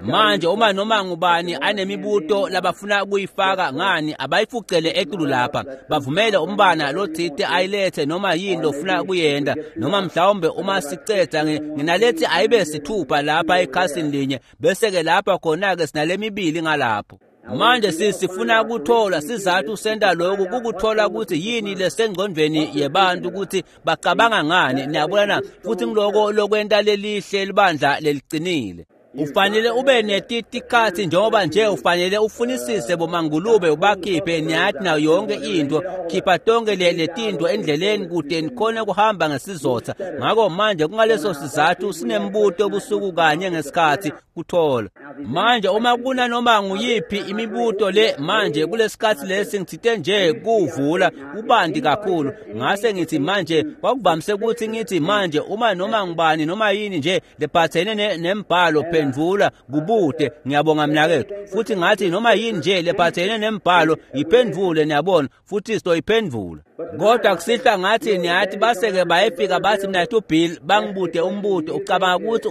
Manje uma noma ngubani anemibuto labafuna kuyifaka ngani abayifucele etulu lapha, bavumele umbana lotsite ayilethe noma yini lofuna kuyenta, noma mhlawumbe uma sicedza nginalethi ayibe sithupha lapha ekhasini linye, bese-ke lapha khona-ke sinalemibili ngalapho. Manje sifuna kuthola sizathu senta lokhu, kukuthola ukuthi yini lesengqondweni yebantu, ukuthi bacabanga ngani, niyabona na? Futhi ngiloko lokwenta lelihle libandla leliqinile. Ufanele ube netitikhathi njengoba nje ufanele ufunisise bomangulube ubakhiphe, niyathi nayo yonke into, khipha tonke letinto endleleni kude nikhone kuhamba ngesizotha. Ngakho manje kungaleso sizathu sinembuto obusuku kanye ngesikhathi kuthola. Manje uma kunanoma nguyiphi imibuto le manje kulesikhathi lesi ngithite nje kuvula kubanti kakhulu, ngase ngithi manje kwakuvamise ukuthi ngithi manje uma noma ngubani noma yini nje lephathene nembhalo phendvula kubude, ngiyabonga mnakethu. Futhi ngathi noma yini nje lephathene nembhalo iphendvule, niyabona, futhi sizoyiphendvula. Kodwa kusihla ngathi niyathi baseke bayefika bathi mnakethu Bill bangibude umbuto, ucabanga ukuthi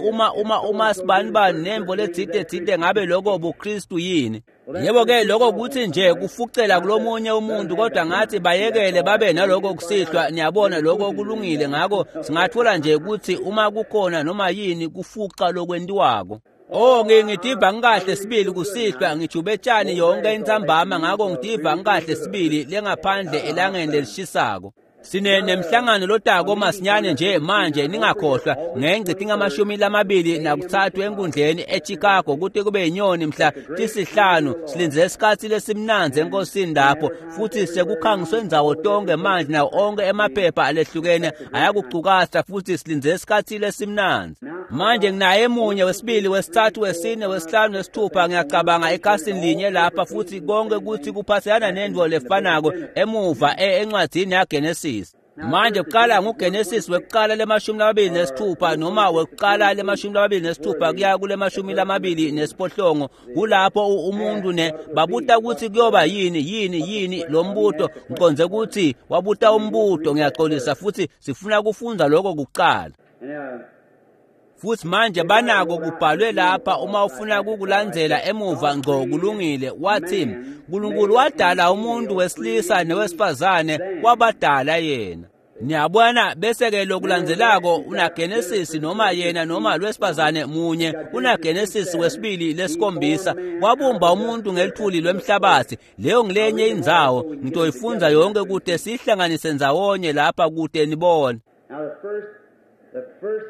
uma sibani bani nemvo letsite tsite ngabe lokho buKristu yini? Yebo-ke lokho kuthi nje kufucela kulomunye umuntu, kodwa ngathi bayekele babe naloko kusihlwa, niyabona, lokho kulungile. Ngakho singathola nje ukuthi uma kukhona noma yini kufuca lokwentiwako. Oh, ngitiva ngikahle sibili kusihlwa, ngijube tshani yonke intsambama, ngakho ngitiva ngikahle sibili lengaphandle elangeni lelishisako. Sine nemhlangano lotako masinyane nje manje, ningakhohlwa ngengci tingamashumi lamabili nakuthathu enkundleni eChicago kuthi kube inyoni mhla tisihlanu. Silindzele isikhathi lesimnandzi enkosini lapho, futhi sekukhangiswe ndzawo tonke manje, nawo onke emaphepha alehlukene ayakucukatsa, futhi silindzele isikhathi lesimnandzi. Manje nginaye munye, wesibili, wesithathu, wesine, wesihlanu, wesithupha, ngiyacabanga ekhasini linye lapha, futhi konke kuthi kuphathelana nento lefanako emuva encwadzini yaGenesis. Manje kuqala nguGenesis wekuqala lemashumi lamabili nesithupha noma wekuqala lemashumi lamabili nesithupha kuya kulemashumi lamabili nesiphohlongo, kulapho umuntu ne babuta ukuthi kuyoba yini yini yini lo mbuto. Ngiqonze ukuthi wabuta umbuto, ngiyaxolisa, futhi sifuna kufunda lokho kuqala. Futhi manje banako kubhalwe lapha uma ufuna kukulandzela emuva ngco, kulungile. Wathi uNkulunkulu wadala umuntu wesilisa nowesifazane, wabadala yena. Niyabona, bese-ke lokulandzelako unaGenesis noma yena noma lwesifazane munye, unaGenesis wesibili lesikhombisa, wabumba umuntu ngelithuli lwemhlabathi. Leyo ngilenye indzawo ngitoyifundza yonke kude sihlanganise ndzawonye lapha kude nibone. The first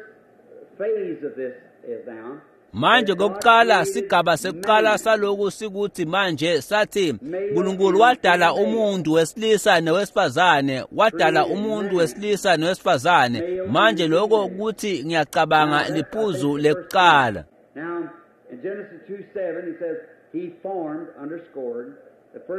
phase of this is now. Manje kokuqala sigaba sekuqala saloku sikuthi manje sathi uNkulunkulu wadala umuntu wesilisa nowesifazane, wadala umuntu wesilisa nowesifazane. Manje lokho kuthi ngiyacabanga liphuzu lekuqala. Now in Genesis 2:7 he says he formed, underscored.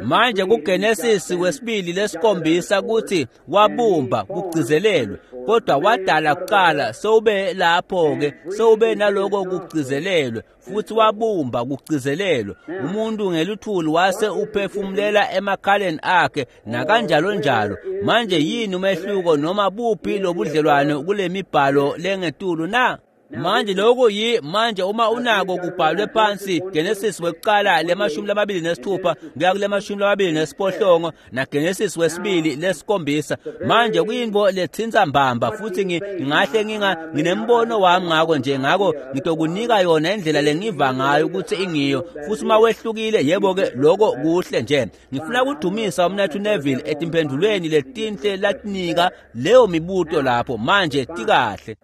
Manje kuGenesis wesibili lesikhombisa kuthi wabumba kugcizelelwe, kodwa wadala kuqala, sewube lapho-ke, sewube naloko kugcizelelwe, futhi wabumba kugcizelelwe umuntu ngeluthuli wase uphefumulela emakhaleni akhe nakanjalo njalo. Manje yini umehluko noma buphi lobudlelwane kule mibhalo lengetulu na? Manje lokho yi manje uma unako kubhalwe phansi Genesis wekuqala lemashumi lamabili nesithupha kuya kulemashumi lamabili nesiphohlongo na Genesis wesibili lesikhombisa. Manje kuyinto letsintsa mbamba, futhi ngingahle nginembono wami ngako nje, ngako ngitokunika yona indlela lengiva ngayo ukuthi ingiyo, futhi uma wehlukile yebo-ke lokho kuhle nje. Ngifuna kudumisa umnathu Neville etimphendulweni letinhle latinika leyo mibuto lapho. Manje tikahle.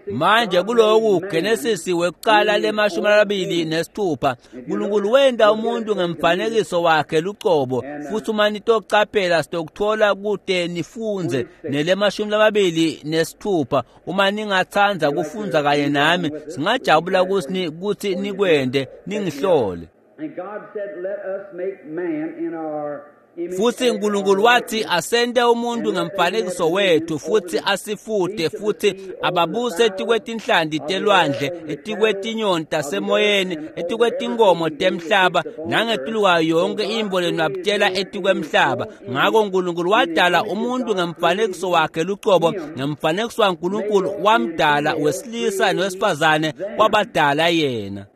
Manje kuloku Genesis wekuqala lemashumi lamabili nesithupha, uNkulunkulu wenta umuntu ngemfanekiso wakhe lucobo, futhi uma nitocaphela sitokuthola kude nifundze nelemashumi lamabili nesithupha. Uma ningatsandza kufundza kanye nami singajabula ukuthi nikwente ningihlole. And God said, let us make man in our Futhi uNkulunkulu wathi asente umuntu ngemfanekiso wethu futhi asifute futhi ababuse etikwetinhlanti telwandle, etikwetinyoni tasemoyeni, etikwetinkomo temhlaba nangetulu kwayo yonke imbo lenwabutela etikwemhlaba. Ngako uNkulunkulu wadala umuntu ngemfanekiso wakhe lucobo, ngemfanekiso waNkulunkulu wamdala wesilisa nowesifazane wabadala yena.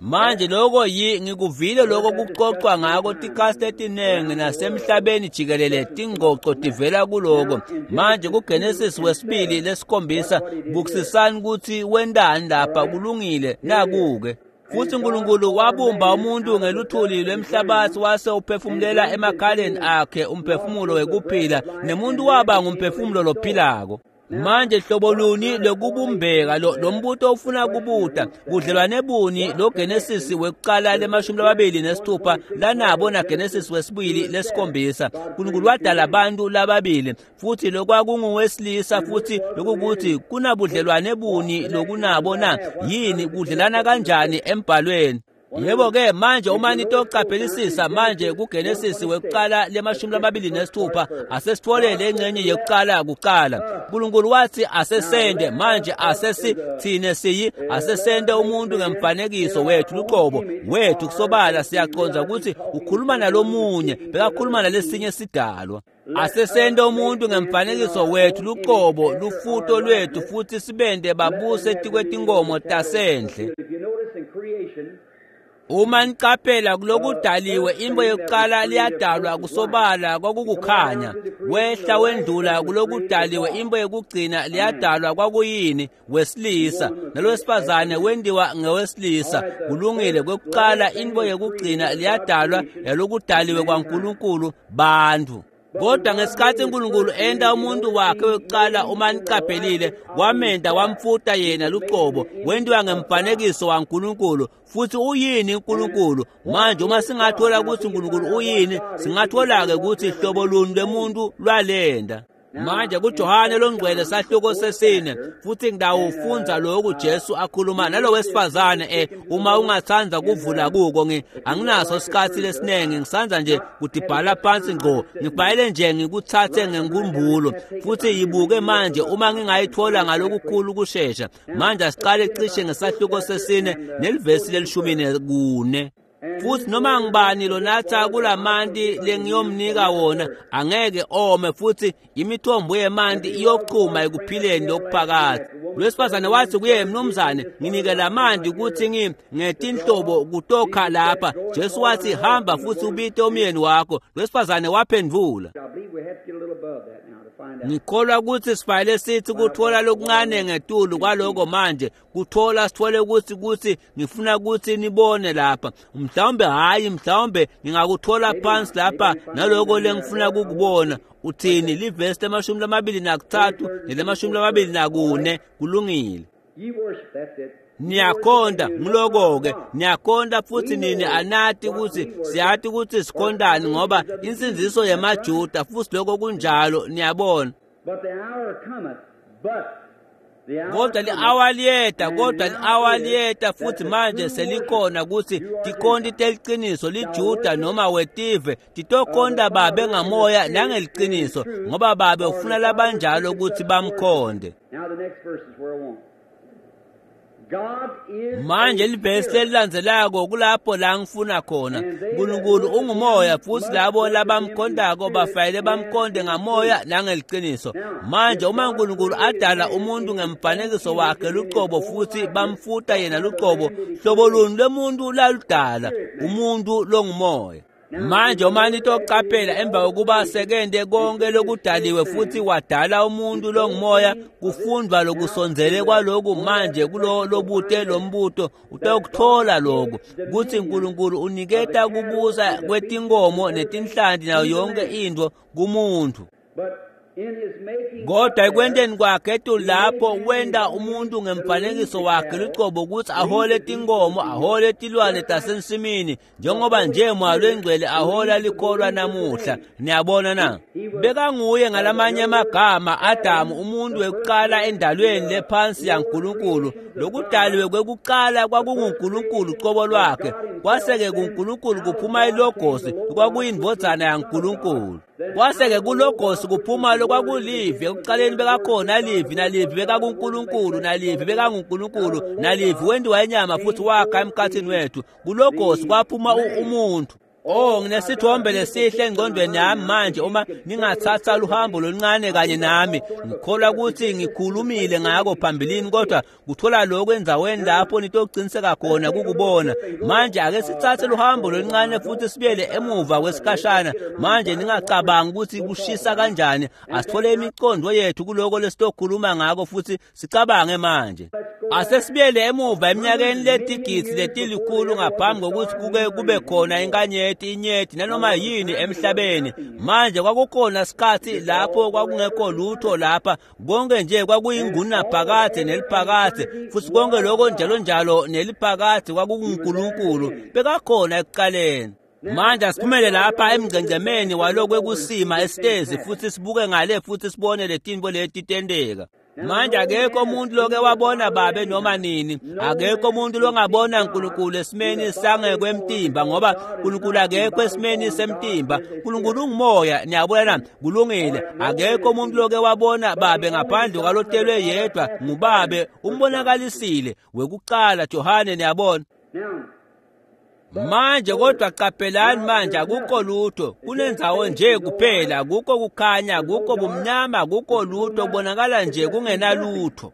Manje lokho ngikuvile lokho kuxoxwa ngako tikhathi letiningi nasemhlabeni jikelele, tingxoxo tivela kuloko. Manje kuGenesis wesibili lesikhombisa, bukisisani ukuthi wentani lapha. Kulungile, naku-ke. Futhi uNkulunkulu wabumba umuntu ngeluthuli lwemhlabathi wase uphefumulela emakhaleni akhe umphefumulo wekuphila, nemuntu waba ngumphefumulo lophilako. Manje hlobo luni lokubumbeka lo mbuto ufuna kubuta budlelwane buni lo Genesis wekuqala le-26 lanabo na Genesis wesibili lesikhombisa. uNkulunkulu wadala abantu lababili futhi lokwakunguwesilisa futhi lokukuthi kunabudlelwane buni lokunabo na yini kudlelana kanjani embhalweni. Yebo-ke manje uma nitocaphelisisa manje kuGenesis wekuqala le-26 asesitfole lengxenye yekuqala kuqala. uNkulunkulu wathi asesende, manje asesi thine siyi asesende umuntu ngemfanekiso wethu luqobo wethu. Kusobala siyaqonda ukuthi ukhuluma nalomunye, bekakhuluma nalesinye sidalwa. Asesende umuntu ngemfanekiso wethu luqobo lufuto lwethu futhi sibende babuse etikwetinkomo tasendle. Uma niqaphela kulokudaliwe imbo yokuqala liyadalwa kusobala kwakukukhanya, wehla wendlula kulokudaliwe imbo yokugcina liyadalwa kwakuyini wesilisa, nalowesifazane wendiwa ngewesilisa. Kulungile, kwekuqala imbo yokugcina liyadalwa yalokudaliwe kwaNkulunkulu bantu. Kodwa ngesikhathi uNkulunkulu enta umuntu wakhe wekuqala, uma niqaphelile, wamenda wamfuta yena luqobo, wendiwa ngemfanekiso waNkulunkulu. Futhi uyini uNkulunkulu? Manje uma singathola ukuthi uNkulunkulu uyini, singathola-ke ukuthi hlobo luni lwemuntu lwalenda. Manje kuJohane longcwele sahluko sesine futhi ngidawufundza lokhu Jesu akhuluma nalo wesifazane. Uma ungathanda kuvula kuko, anginaso isikhathi lesiningi, ngisanza nje kudibhala phansi ngqo, ngibhayele nje ngikuthathe ngenkumbulo futhi yibuke manje uma ngingayithola ngalokukhulu kushesha. Manje asiqale cishe ngesahluko sesine nelivesi leli-14. Futhi noma ngibani lonatha kulamanti lengiyomnika wona angeke ome, futhi imithombo yemanti iyochuma ekuphileni lokuphakade. Lwesifazane wathi kuye, mnumzane, nginike lamanti ukuthi ngetinhlobo kutokha lapha. Jesu wathi, hamba futhi ubite umyeni wakho. Lwesifazane waphendvula. Ngikholwa ukuthi sifanele sithi kuthola lokuncane ngetulu kwaloko manje, kuthola sithole ukuthi ngifuna ukuthi nibone lapha. Mhlawumbe hayi, mhlawumbe ngingakuthola phansi lapha naloko lengifuna kukubona. Uthini livesi le-23 nele-24? Kulungile. Niyakhonda ngiloko-ke, niyakhonda futhi nini anati ukuthi siyati ukuthi sikhondani ngoba insindziso yemaJuda futhi lokho kunjalo, niyabona. Kodwa li-awa liyeta, kodwa li-awa liyeta futhi manje selikhona ukuthi tikhonti teliciniso liJuda noma wetive titokhonta babe ngamoya nangeliciniso, ngoba babe ufuna labanjalo ukuthi bamkhonde. Manje livesi lelilandzelako kulapho la ngifuna khona. uNkulunkulu ungumoya futhi labo labamkhondako bafanele bamkhonde ngamoya nangeliciniso. Manje uma uNkulunkulu adala umuntu ngemfanekiso wakhe luqobo futhi bamfuta yena luqobo, hlobo luni lwemuntu laludala? Umuntu longumoya. Manje uma nitoqaphela emva kokuba sekende konke lokudaliwe futhi wadala umuntu longumoya, kufundwa lokusondzele kwaloku manje kulo lobute lombuto utokuthola lokhu kutsi uNkulunkulu uniketa kubusa kwetinkomo netinhlanti nayo yonke intfo kumuntu. Kodwa ekwenteni kwakhe etulu lapho wenta umuntu ngemfanekiso wakhe lucobo ukuthi ahole tinkomo, ahole tilwane tasensimini, njengoba nje Moya Longcwele ahola likholwa namuhla. Niyabona na? Bekanguye ngalamanye amagama Adamu, umuntu wekuqala endalweni lephansi yaNkulunkulu. Lokudaliwe kwekuqala kwakunguNkulunkulu cobo lwakhe, kwase-ke kuNkulunkulu kuphuma iLogosi, kwakuyindvodzana yaNkulunkulu. Kwase-ke kuLogosi kuphuma lokwakulivi. Ekuqaleni bekakhona Livi, nalivi bekakuNkulunkulu, nalivi bekanguNkulunkulu, nalivi wentiwa inyama futhi wakha emkhathini wethu. KuLogosi kwaphuma umuntu. Oh, nginesithombe lesihle engqondweni yami manje. Uma ningathatha luhambo loluncane kanye nami, ngikholwa ukuthi ngikhulumile ngako phambilini, kodwa kuthola lokho endzaweni lapho nitoqiniseka khona kukubona. Manje ake sithathe luhambo loluncane futhi sibuyele emuva kwesikhashana. Manje ningacabangi ukuthi kushisa kanjani. Asithole imicondo yethu kuloko lesitokhuluma ngako futhi sicabange manje. Asesibuyele emuva eminyakeni letigidzi letilikhulu ngaphambi kokuthi kuke kube khona inkanyeti, inyeti nanoma yini emhlabeni. Manje kwakukhona sikhathi lapho kwakungekho lutho lapha, konke nje kwakuyingunaphakadze neliphakadze, futhi konke lokho njalo njalo neliphakadze kwakunguNkulunkulu bekakhona ekuqaleni. Manje asiphumele lapha emngcengcemeni walokwekusima esitezi futhi sibuke ngale futhi sibone letinto leti tenteka. Manje akekho umuntu loke wabona babe noma nini, akekho umuntu longabona uNkulunkulu esimeni sangekwemtimba, ngoba uNkulunkulu akekho esimeni semtimba. uNkulunkulu ungumoya, niyabona na? Kulungile. Akekho umuntu loke wabona babe ngaphandle kwalotelwe yedwa ngubabe, umbonakalisile wekuqala Johane, niyabona. Manje kodwa qaphelani manje, akukho lutho, kunendzawo nje kuphela, akukho kukhanya, akukho bumnyama, akukho lutho, kubonakala nje kungenalutho.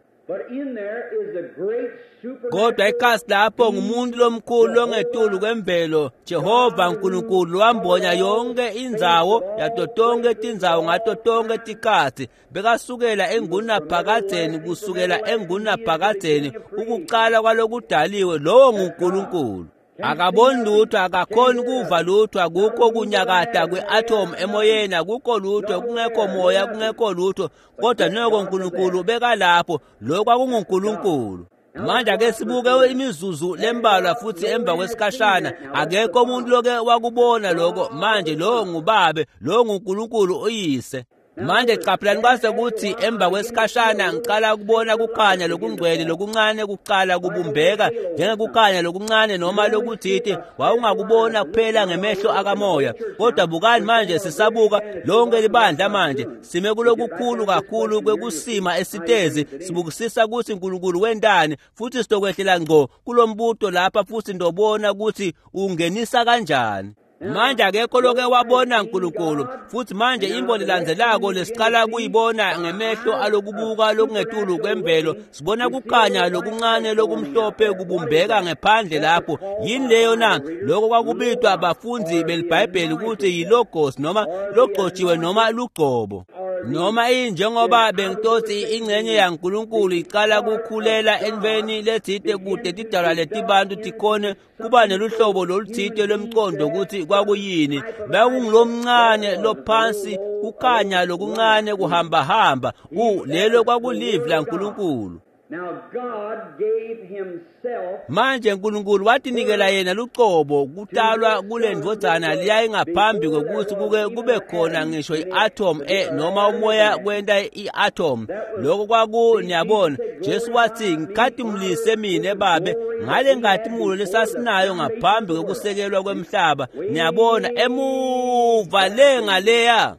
Kodwa ikhasi lapho ngumuntu lomkhulu longetulu kwemvelo, Jehova Nkulunkulu, wambonya yonke indzawo yato tonke tindzawo ngato tonke tikhatsi. Bekasukela engunaphakadzeni, kusukela engunaphakadzeni, ukuqala kwalokudaliwe, lowo nguNkulunkulu. Akaboni lutho, akakhoni kuva lutho, akukho kunyakata kwe-atom emoyeni, akukho lutho, kungekho moya, kungekho lutho, kodwa noko uNkulunkulu bekalapho. Lokho kwakunguNkulunkulu. Manje ake sibuke imizuzu lembalwa futhi emva kwesikhashana. Akekho umuntu loke wakubona lokho. Manje lowo ngubabe, lowo nguNkulunkulu uyise. Manje qaphelani kwase kuthi emva kwesikhashana ngiqala ukubona kukhanya lokungcwele lokuncane kuqala kubumbeka njengekukhanya lokuncane noma lokuthite wawungakubona kuphela ngemehlo akamoya. Kodwa bukani manje, sisabuka lonke libandla manje sime kulokukhulu kakhulu kwekusima esitezi, sibukisisa ukuthi uNkulunkulu wentani, futhi sitokwehlela ngqo kulombuto lapha futhi ndobona ukuthi ungenisa kanjani. Manje akekho loke wabona uNkulunkulu, futhi manje imbo lelandzelako lesiqala kuyibona ngemehlo alokubuka lokungetulu kwemvelo, sibona kukhanya lokuncane lokumhlophe kubumbeka ngephandle lapho. Yini leyo na? Lokho kwakubitwa abafundi beliBhayibheli ukuthi yilogos, noma logcotshiwe, noma lugcobo, noma injengoba bengitothi ingxenye yaNkulunkulu iqala kukhulela entweni lethite kude tidalwa letibantu tikhone kuba neluhlobo loluthite lwemcondo ukuthi kwakuyini. Bekungulomncane lophansi kukhanya lokuncane kuhambahamba, lelo kwakulivi laNkulunkulu. Manje uNkulunkulu watinikela yena lucobo kutalwa kule ndvodzana liyaye ngaphambi kokuthi kuke kube khona ngisho i-atom noma umoya kwenta i-atom. Lokho kwaku, niyabona, Jesu wathi ngikhatimulise mina babe ngale nkatimulo lesasinayo ngaphambi kokusekelwa kwemhlaba. Niyabona, emuva le ngaleya.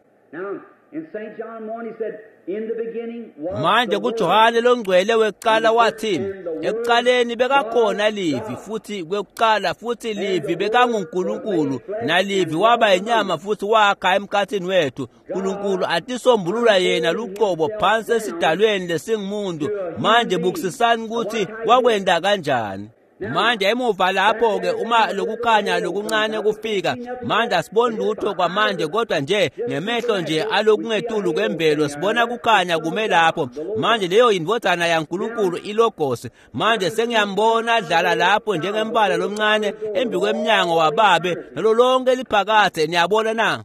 Manje kuJohane longcwele wekuqala wathi ekuqaleni bekakhona Livi, futhi kwekuqala futhi Livi bekanguNkulunkulu, naLivi waba inyama futhi wakha emkhathini wethu. uNkulunkulu atisombulula yena lucobo phansi esidalweni lesingumuntu. Manje bukisisani ukuthi wakwenda kanjani. Manje emuva lapho-ke uma lokukhanya lokuncane kufika, manje asiboni lutho kwamanje, kodwa nje ngemehlo nje alokungetulu kwemvelo sibona kukhanya kume lapho. Manje leyo yindvodzana yaNkulunkulu iLogosi. Manje sengiyambona adlala lapho njengembala lomncane embi kwemnyango wababe nalo lonke liphakathe. Niyabona na?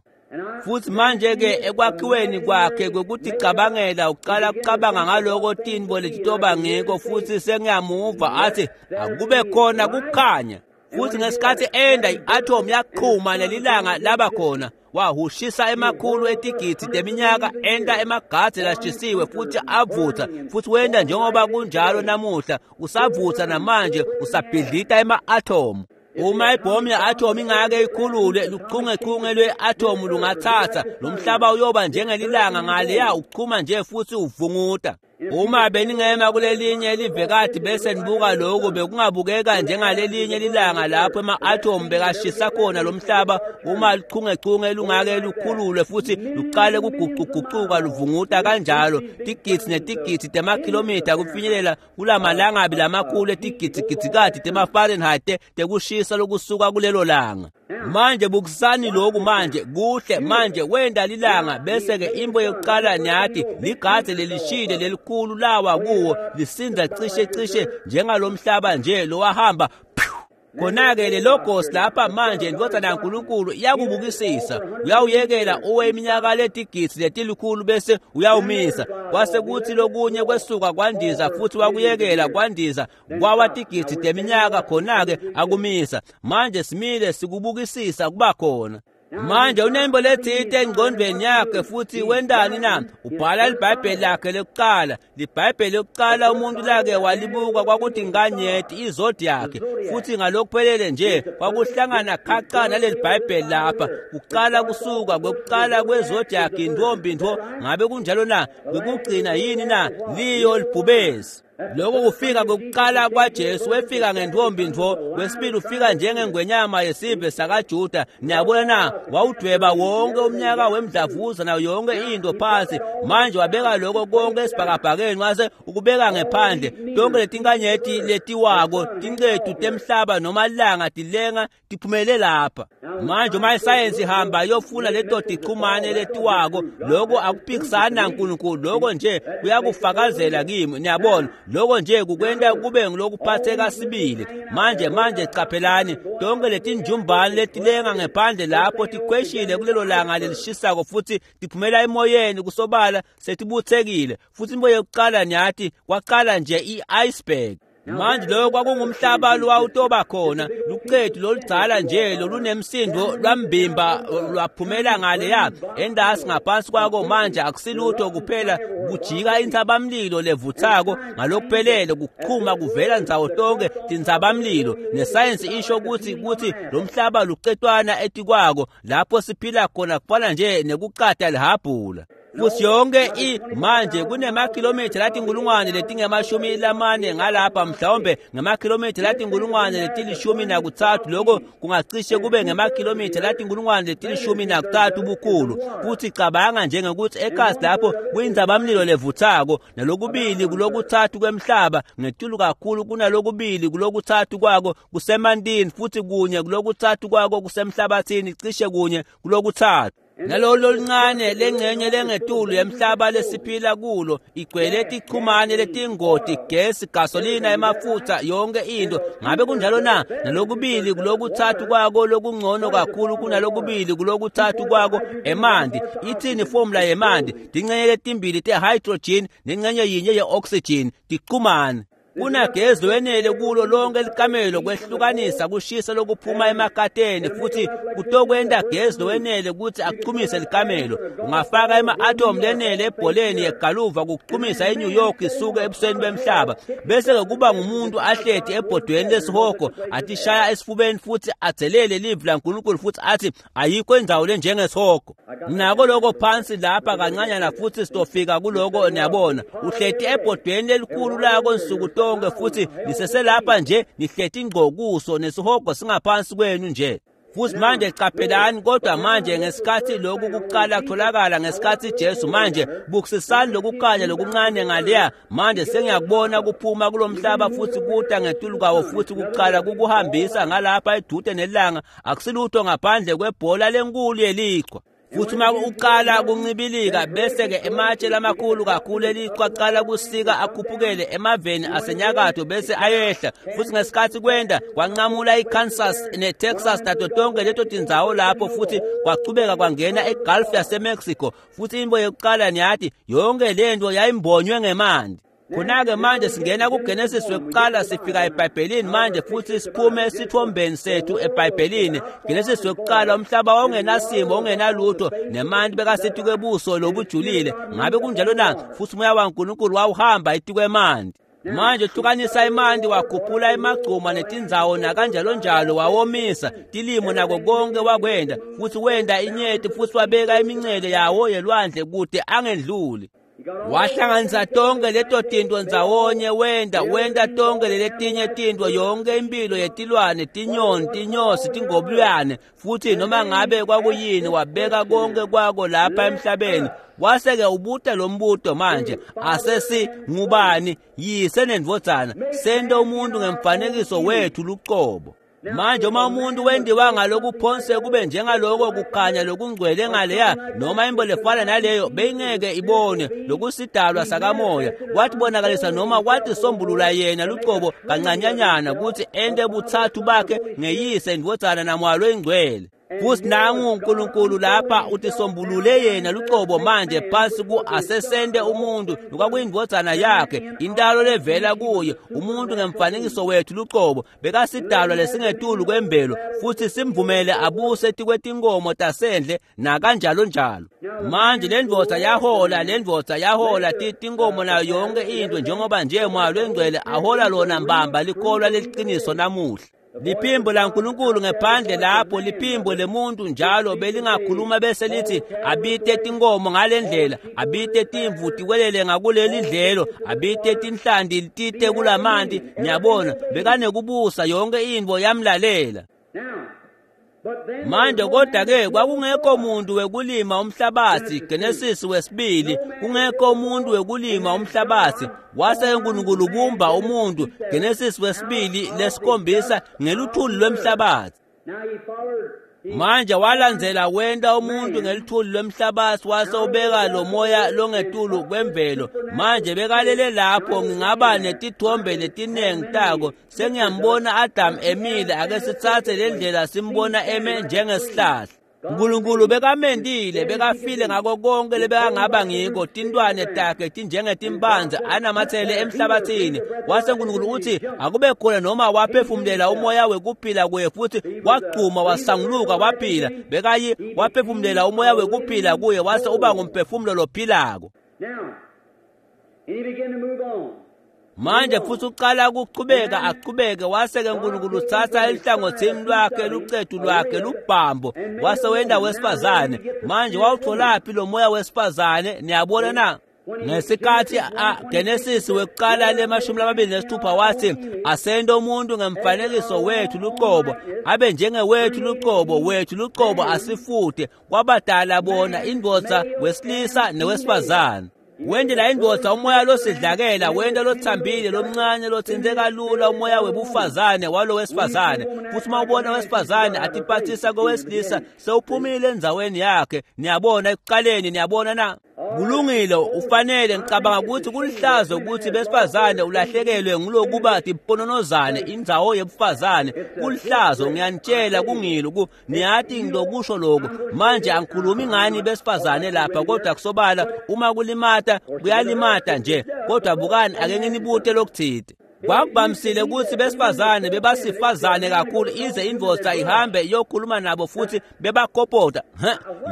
Futhi manje-ke ekwakhiweni kwakhe kwekuticabangela uqala kucabanga ngaloko tintfo letitoba ngiko, futhi sengiyamuva athi akube khona kukhanya. Futhi ngesikhathi enda i-atom yaqhuma nelilanga laba khona, wahushisa emakhulu etigidzi teminyaka enda emagadze lashisiwe futhi avutha, futhi wenda njengoba kunjalo namuhla, usavutha namanje, usabhidlita ema-atomu. Uma ibhomu ye-atomu ingake ikhululwe, luchungechunge lwe-atomu lungathatha lo mhlaba uyoba njengelilanga ngaleya, uchuma nje futhi uvunguta. Uma beningema kulelinye livekati bese nibuka lokhu, bekungabukeka njengalelinye lilanga lapho ema-atomu bekashisa khona lo mhlaba. Uma luchungechunge lungake lukhululwe futhi luqale kuguquguquka luvunguta kanjalo tigidzi netigidzi temakhilomitha kufinyelela kulamalangabi lamakhulu etigidzigidzikati temaFahrenheit tekushisa lokusuka kulelo langa. Manje bukisani lokhu manje kuhle. Manje wenda lilanga, bese-ke imbo yokuqala niyathi ligadze lelishile lelikhulu lawa kuwo lisinda cishe cishe njengalomhlaba nje lowahamba. Khona-ke le logos lapha manje indvodzana yaNkulunkulu iyakubukisisa, uyawuyekela uwe iminyaka letigidzi letilikhulu bese uyawumisa. Kwase kuthi lokunye kwesuka kwandiza futhi wakuyekela kwandiza kwawa tigidzi teminyaka, khona-ke akumisa. Manje simile sikubukisisa kuba khona. Manje unembo lethite engqondweni yakhe, futhi wendani na? Ubhala iBhayibheli lakhe lokuqala. LiBhayibheli lokuqala umuntu lake walibuka kwakuthi inkanyeti, izodiac, futhi ngalokuphelele nje kwakuhlangana khaca naleli Bhayibheli lapha. Kuqala kusuka kwekuqala kwezodiac intombi ntho, ngabe kunjalo na? Kwekugcina yini na? Liyo libhubesi. Lokho kufika kokuqala kwaJesu, wefika ngentombi ntfo. Kwesibili ufika njengengwenyama yesive sakaJuda. Niyabona na? Wawudweba wonke umnyaka wemdlavuza nayo yonke into phansi. Manje wabeka lokho konke esibhakabhakeni, wase ukubeka ngephandle. Tonke letinkanyeti letiwako, tincetu temhlaba noma langa tilenga tiphumele lapha. Manje uma isayensi ihamba iyofuna leto tichumane letiwako, lokho akuphikisani naNkulunkulu, lokho nje kuyakufakazela kimi. Niyabona, lokho nje kukwenta kube ngilokuphatheka sibili. Manje qaphelani, tonke letinjumbane letilenga ngephandle lapho tikhweshile kulelo langa lelishisako futhi tiphumela emoyeni, kusobala setibuthekile. Futhi into yokuqala niyathi kwaqala nje i-iceberg. Manje lokho kwakungumhlaba lowawutoba khona, lucetu loludzala nje lolunemsindo lwambimba lwaphumela ngaleya endasi ngaphansi kwako. Manje akusilutho kuphela kujika intsabamlilo levuthako ngalokuphelele, kuchuma kuvela ndzawo tonke tintsabamlilo. Nesayensi isho ukuthi lo mhlaba lucetwana etikwako lapho siphila khona, kufana nje nekucata lihabhula. Futhi yonke manje kunemakhilomitha latinkulungwane letingemashumi lamane ngalapha, mhlawumbe ngemakhilomitha latinkulungwane letilishumi nakutsatfu, lokho kungacishe kube ngemakhilomitha latinkulungwane letilishumi nakutsatfu ubukhulu. Futhi cabanga njengekuthi ekhasi lapho kuyintsabamlilo levuthako, nalokubili kulokutsatfu kwemhlaba ngetulu kakhulu kunalokubili kulokutsatfu kwako kusemantini, futhi kunye kulokutsatfu kwako kusemhlabathini, cishe kunye kulokutsatfu. Nalolu loluncane lengcenye lengetulu yemhlaba lesiphila kulo igcwele tichumane letingoti, gesi, gasolina, emafutha, yonke into. Ngabe kunjalo na? Nalokubili kulokutsatfu kwako lokungcono kakhulu kunalokubili kulokutsatfu kwako emanti. Ithini formula yemanti? Tincenye letimbili te-hydrogen nencenye yinye ye-oxygen tichumane. Kunagezi lowenele kulo lonke likamelo kwehlukanisa kushisa lokuphuma emakateni, futhi kutokwenta gezi lowenele ukuthi achumise likamelo. Ungafaka ema-atom lenele ebholeni yegaluva kuchumisa iNew York isuke ebusweni bemhlaba, bese-ke kuba ngumuntu ahleti ebhodweni lesihogo atishaya esifubeni futhi adzelele livi laNkulunkulu futhi athi ayikho indzawo lenjengesihogo. Nako lokho phansi lapha kancanyana, futhi sitofika kuloko. Niyabona, uhleti ebhodweni lelikhulu lako nsuku tonke, futhi niseselapha nje nihleti ngqo kuso, nesihogo singaphansi kwenu nje. Futhi manje qaphelani, kodwa manje ngesikhathi lokhu kuqala kutholakala ngesikhathi Jesu, manje bukisisani lokukhanya lokuncane ngaleya. Manje sengiyakubona kuphuma kulomhlaba futhi kuta ngetulu kwawo, futhi kuqala kukuhambisa ngalapha edude nelanga, akusilutho ngaphandle kwebhola lenkulu yelichwa. Futhi uma uqala kuncibilika bese-ke ematshe lamakhulu kakhulu elichwa aqala kusika akhuphukele emaveni asenyakatho bese ayehla. Futhi ngesikhathi kwenda kwanqamula iKansas neTexas nato tonke leto tindzawo lapho, futhi kwachubeka kwangena eGulf yaseMexico. Futhi into yokuqala niyathi yonke lento yayimbonywe ngemanti. Khona-ke manje singena kuGenesis wekuqala, sifika eBhayibhelini manje futhi siphume esithombeni sethu eBhayibhelini. Genesis wekuqala, umhlaba wawungenasimo, ungenalutho, nemanti bekasithi kwebuso lobujulile. Ngabe kunjalo na? Futhi umoya waNkulunkulu wawuhamba etikwemanti. Manje hlukanisa imanti, wakhuphula emagcuma netindzawo nakanjalo njalo, wawomisa tilimo nako konke wakwenda. Futhi wenda inyeti futhi wabeka imincele yawo yelwandle kude angendluli. Wahlanganisa tonke leto tinto ndzawonye, wenda tonke leletinye tinto, yonke impilo yetilwane, tinyoni, tinyosi, tingobulwane, futhi noma ngabe kwakuyini, wabeka konke kwako lapha emhlabeni. Wase-ke ubuta lo mbuto manje, asesi ngubani yise nendvodzana, sente umuntu ngemfanekiso wethu lucobo. Manje uma umuntu wendiwa ngalokuphonse kube njengaloko kukhanya lokungcwele ngaleya, noma imbo lefana naleyo beyingeke ibone lokusidalwa sakamoya. Watibonakalisa noma watisombulula yena lucobo kancanyanyana ukuthi ente buthathu bakhe ngeyise, indvodzana namoya loyingcwele. Futhi nangu uNkulunkulu lapha utisombulule yena lucobo manje phansi ku asesente umuntu lokwakuyindvodzana yakhe, intalo levela kuye, umuntu ngemfanekiso wethu lucobo, bekasidalwa lesingetulu kwemvelo, futhi simvumele abuse tikwetinkomo tasendle nakanjalo njalo. Manje lendvodza yahola, tinkomo nayo yonke into, njengoba nje moya lwengcwele ahola lona mbamba likholwa leliqiniso namuhla. Liphimbo laNkulunkulu ngephandle lapho, liphimbo lemuntu njalo belingakhuluma bese lithi abite tinkomo ngalendlela, abite timvu tiwelele ngakuleli dlelo, abite tinhlanti tite kulamanti. Niyabona, bekanekubusa yonke into yamlalela. Manje kodwa-ke kwakungekho muntu wekulima umhlabathi. Genesis wesibili, kungekho umuntu wekulima umhlabathi. Wase uNkulunkulu ubumba umuntu, Genesis wesibili lesikhombisa, ngeluthuli lwemhlabathi. Manje walandzela wenta umuntu ngeluthuli lwemhlabathi, wase ubeka lo moya longetulu kwemvelo. Manje bekalele lapho, ngingaba netithombe letiningi tako. Sengiyambona Adam emile, ake sitsatse le ndlela simbona eme njengesihlahla. uNkulunkulu bekamendile, bekafile ngako konke lebekangaba ngiko, tintwane takhe tinjengetimpanze anamathele emhlabathini. Wase uNkulunkulu uthi akube khona, noma waphefumulela umoya wekuphila kuye, futhi wagcuma wasanguluka waphila. Bekayi waphefumulela umoya wekuphila kuye, wase uba ngumphefumulo lophilako. Manje futhi uqala ukuchubeka achubeke, wase-ke uNkulunkulu uthatha elihlangothini lwakhe lucetu lwakhe lubhambo, wase wenda wesifazane. Manje wawutholaphi lo moya wesifazane? Niyabona na? Ngesikhathi Genesis wekuqala le-26 wathi asente umuntu ngemfanekiso wethu lucobo, abe njengewethu lucobo, wethu lucobo asifute, kwabadala bona indvodza wesilisa newesifazane. Wendela indvodza umoya losidlakela, wenda lothambile lomncane lothinte kalula umoya webufazane walo wesifazane. Futhi uma ubona wesifazane atiphathisa kowesilisa, sewuphumile endzaweni yakhe. Niyabona ekuqaleni, niyabona na? Kulungile, ufanele. Ngicabanga ukuthi kulihlazo ukuthi besifazane ulahlekelwe ngulokuba timpononozane indzawo yebufazane. Kulihlazo, ngiyanitshela, kungilo. Niyathi ngilokusho lokhu. Manje angikhulumi ngani besifazane lapha, kodwa kusobala uma kulimata kuyalimata nje. Kodwa bukani, ake nginibute lokuthide. Kwakubamisile ukuthi besifazane bebasifazane kakhulu ize indvodza ihambe iyokhuluma nabo futhi bebakopota.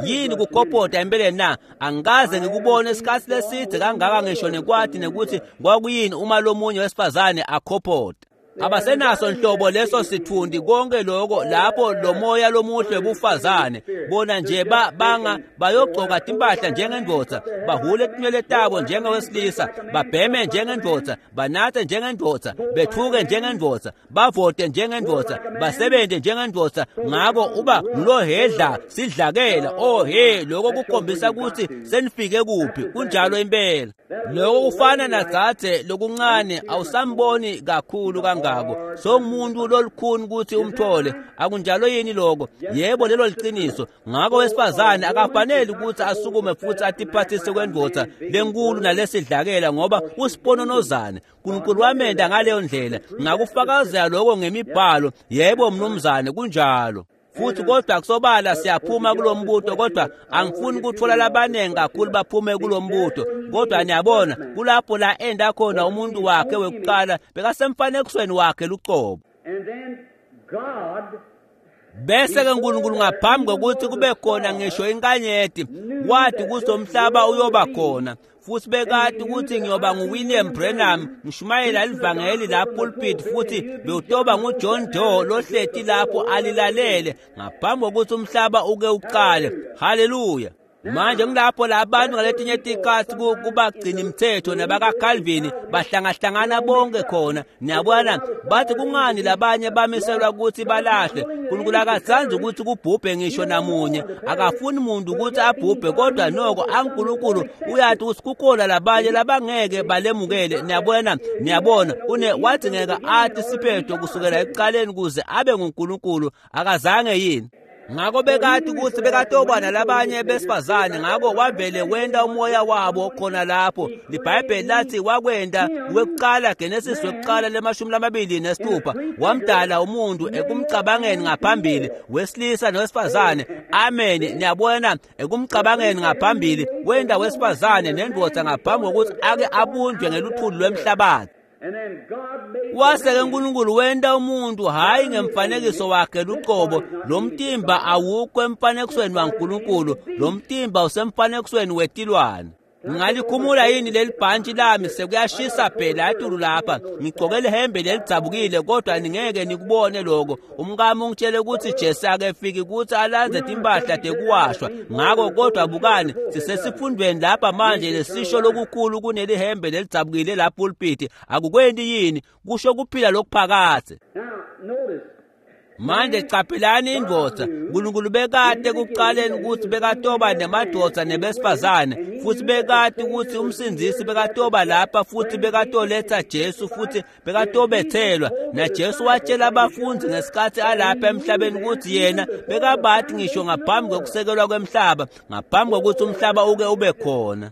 Yini kukopota empeleni na? Angikaze ngikubone isikhathi leside kangaka, ngisho nekwathi nekuthi kwakuyini uma lomunye wesifazane akopota. Abasenaso nhlobo leso sithundi konke lokho lapho lo moya lomuhle webufazane. Bona nje banga bayogcoka timpahla njengendvodza, bahule tinwele tabo njengowesilisa, babheme njengendvodza, banathe njengendvodza, bethuke njengendvodza, bavote njengendvodza, basebenze njengendvodza. Ngako uba ngulohedla sidlakela. Oh he, lokho kukhombisa ukuthi senifike kuphi. Kunjalo impela. Lokho kufana nadzadze lokuncane, awusamboni kakhulu kangaka. lolukhuni ngako. Songumuntu lolukhuni ukuthi umthole. Akunjalo yini lokho? Yebo, lelo liqiniso. Ngakho wesifazane akafanele ukuthi asukume futhi atiphathise kwendvodza lenkulu nalesidlakela, ngoba usipononozane. uNkulunkulu wamenda ngaleyo ndlela. Ngakufakazela lokho ngemibhalo. Yebo mnumzane, kunjalo. Futhi kodwa kusobala siyaphuma kulombuto, kodwa angifuni ukuthola labanengi kakhulu baphume kulombuto. Kodwa niyabona kulapho la enda khona umuntu wakhe wekuqala bekasemfanekisweni wakhe luqobo. Bese ke uNkulunkulu ngaphambi kokuthi kube khona ngisho inkanyeti wathi kusomhlaba uyoba khona. Futhi bekade ukuthi ngiyoba nguWilliam Branham ngishumayela livangeli la pulpit, futhi bewutoba nguJohn Doe lohleti lapho alilalele ngaphambi kokuthi umhlaba uke uqale. Haleluya. Manje ngilapho la abantu ngaletinye tikhathi kubagcina imithetho nabakaCalvin bahlangahlangana bonke khona. Niyabona bathi kungani labanye bamiselwa ukuthi balahle. uNkulunkulu akathandi ukuthi kubhubhe ngisho namunye, akafuni umuntu ukuthi abhubhe, kodwa noko uNkulunkulu uyathi ukuthi kukhona labanye labangeke balemukele. Niyabona, niyabona une wadingeka athi siphetho kusukela ekuqaleni kuze abe nguNkulunkulu, akazange yini? Ngakho bekade ukuthi bekatoba nalabanye besifazane, ngakho wavele wenda umoya wabo khona lapho. LiBhayibheli lathi wakwenda wekuqala, Genesis wekuqala le-26, wamdala umuntu ekumcabangeni ngaphambili, wesilisa nowesifazane. Amen. Niyabona, ekumcabangeni ngaphambili wenda wesifazane nendoda ngaphambi kokuthi ake abunjwe ngeluthuli lwemhlabathi. Wase-ke uNkulunkulu wenta umuntu hhayi ngemfanekiso wakhe luqobo. Lo mtimba awukho emfanekisweni waNkulunkulu, lo mtimba usemfanekisweni wetilwane. Ngingalikhumula yini leli bhantshi lami? Sekuyashisa phela etulu lapha. Ngigcoke lihembe lelidzabukile, kodwa ningeke nikubone lokho. Umkami ungitshele ukuthi Jesse akefiki ukuthi alanze timpahla tekuwashwa. Ngakho kodwa bukani, sisesifundweni lapha manje lesisho lokukhulu kunelihembe lelidzabukile la pulpit. Akukwendi yini? Kusho kuphila lokuphakathe. Manje qaphelani indvodza. uNkulunkulu bekade kuqaleni ukuthi bekatoba nemadoda nebesifazane, futhi bekade ukuthi umsindzisi bekatoba lapha, futhi bekatoletha Jesu, futhi bekatobethelwa. NaJesu watshela abafundi ngesikhathi alapha emhlabeni ukuthi yena bekabathi ngisho ngaphambi kokusekelwa kwemhlaba, ngaphambi kokuthi umhlaba uke ube khona.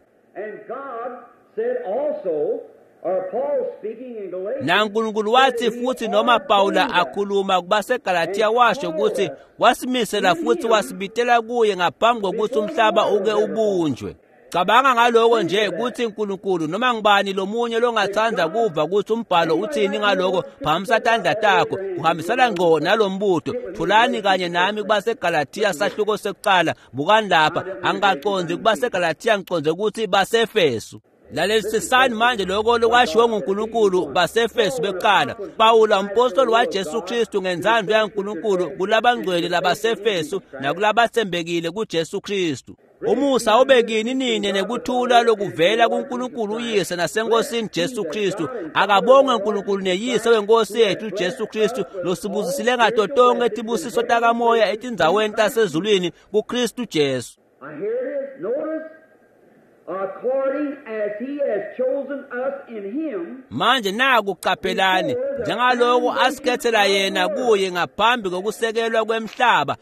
NaNkulunkulu wathi futhi, noma Pawula akhuluma kubaseGalathiya washo ukuthi wasimisela futhi wasibitela kuye ngaphambi kokuthi umhlaba uke ubunjwe. Cabanga ngaloko nje ukuthi uNkulunkulu noma ngibani lomunye longathanda kuva ukuthi umbhalo uthini ngaloko, phakamisa tandla takho, uhambisana ngqo nalombuto. Thulani kanye nami kubaseGalathiya sahluko sekuqala. Bukani lapha, angikaqondi kubaseGalathiya, ngiqonde ukuthi baseEfesu. Lalelisisani manje lokho lokwashiwo nguNkulunkulu baseEfesu bekuqala. Pawula umpostoli waJesu Kristu ngenzando yaNkulunkulu kulabangcwele labaseEfesu nakulabathembekile kuJesu Kristu. Umusa ube kini nini nekuthula lokuvela kuNkulunkulu uyise nasenkosini Jesu Kristu. Akabongwe uNkulunkulu neyise wenkosi yethu Jesu Kristu losibusisile ngato tonke tibusiso takamoya etindzaweni tasezulwini kuKristu Jesu. Manje naku qaphelani, njengaloko asikhethela yena kuye ngaphambi kokusekelwa kwemhlaba.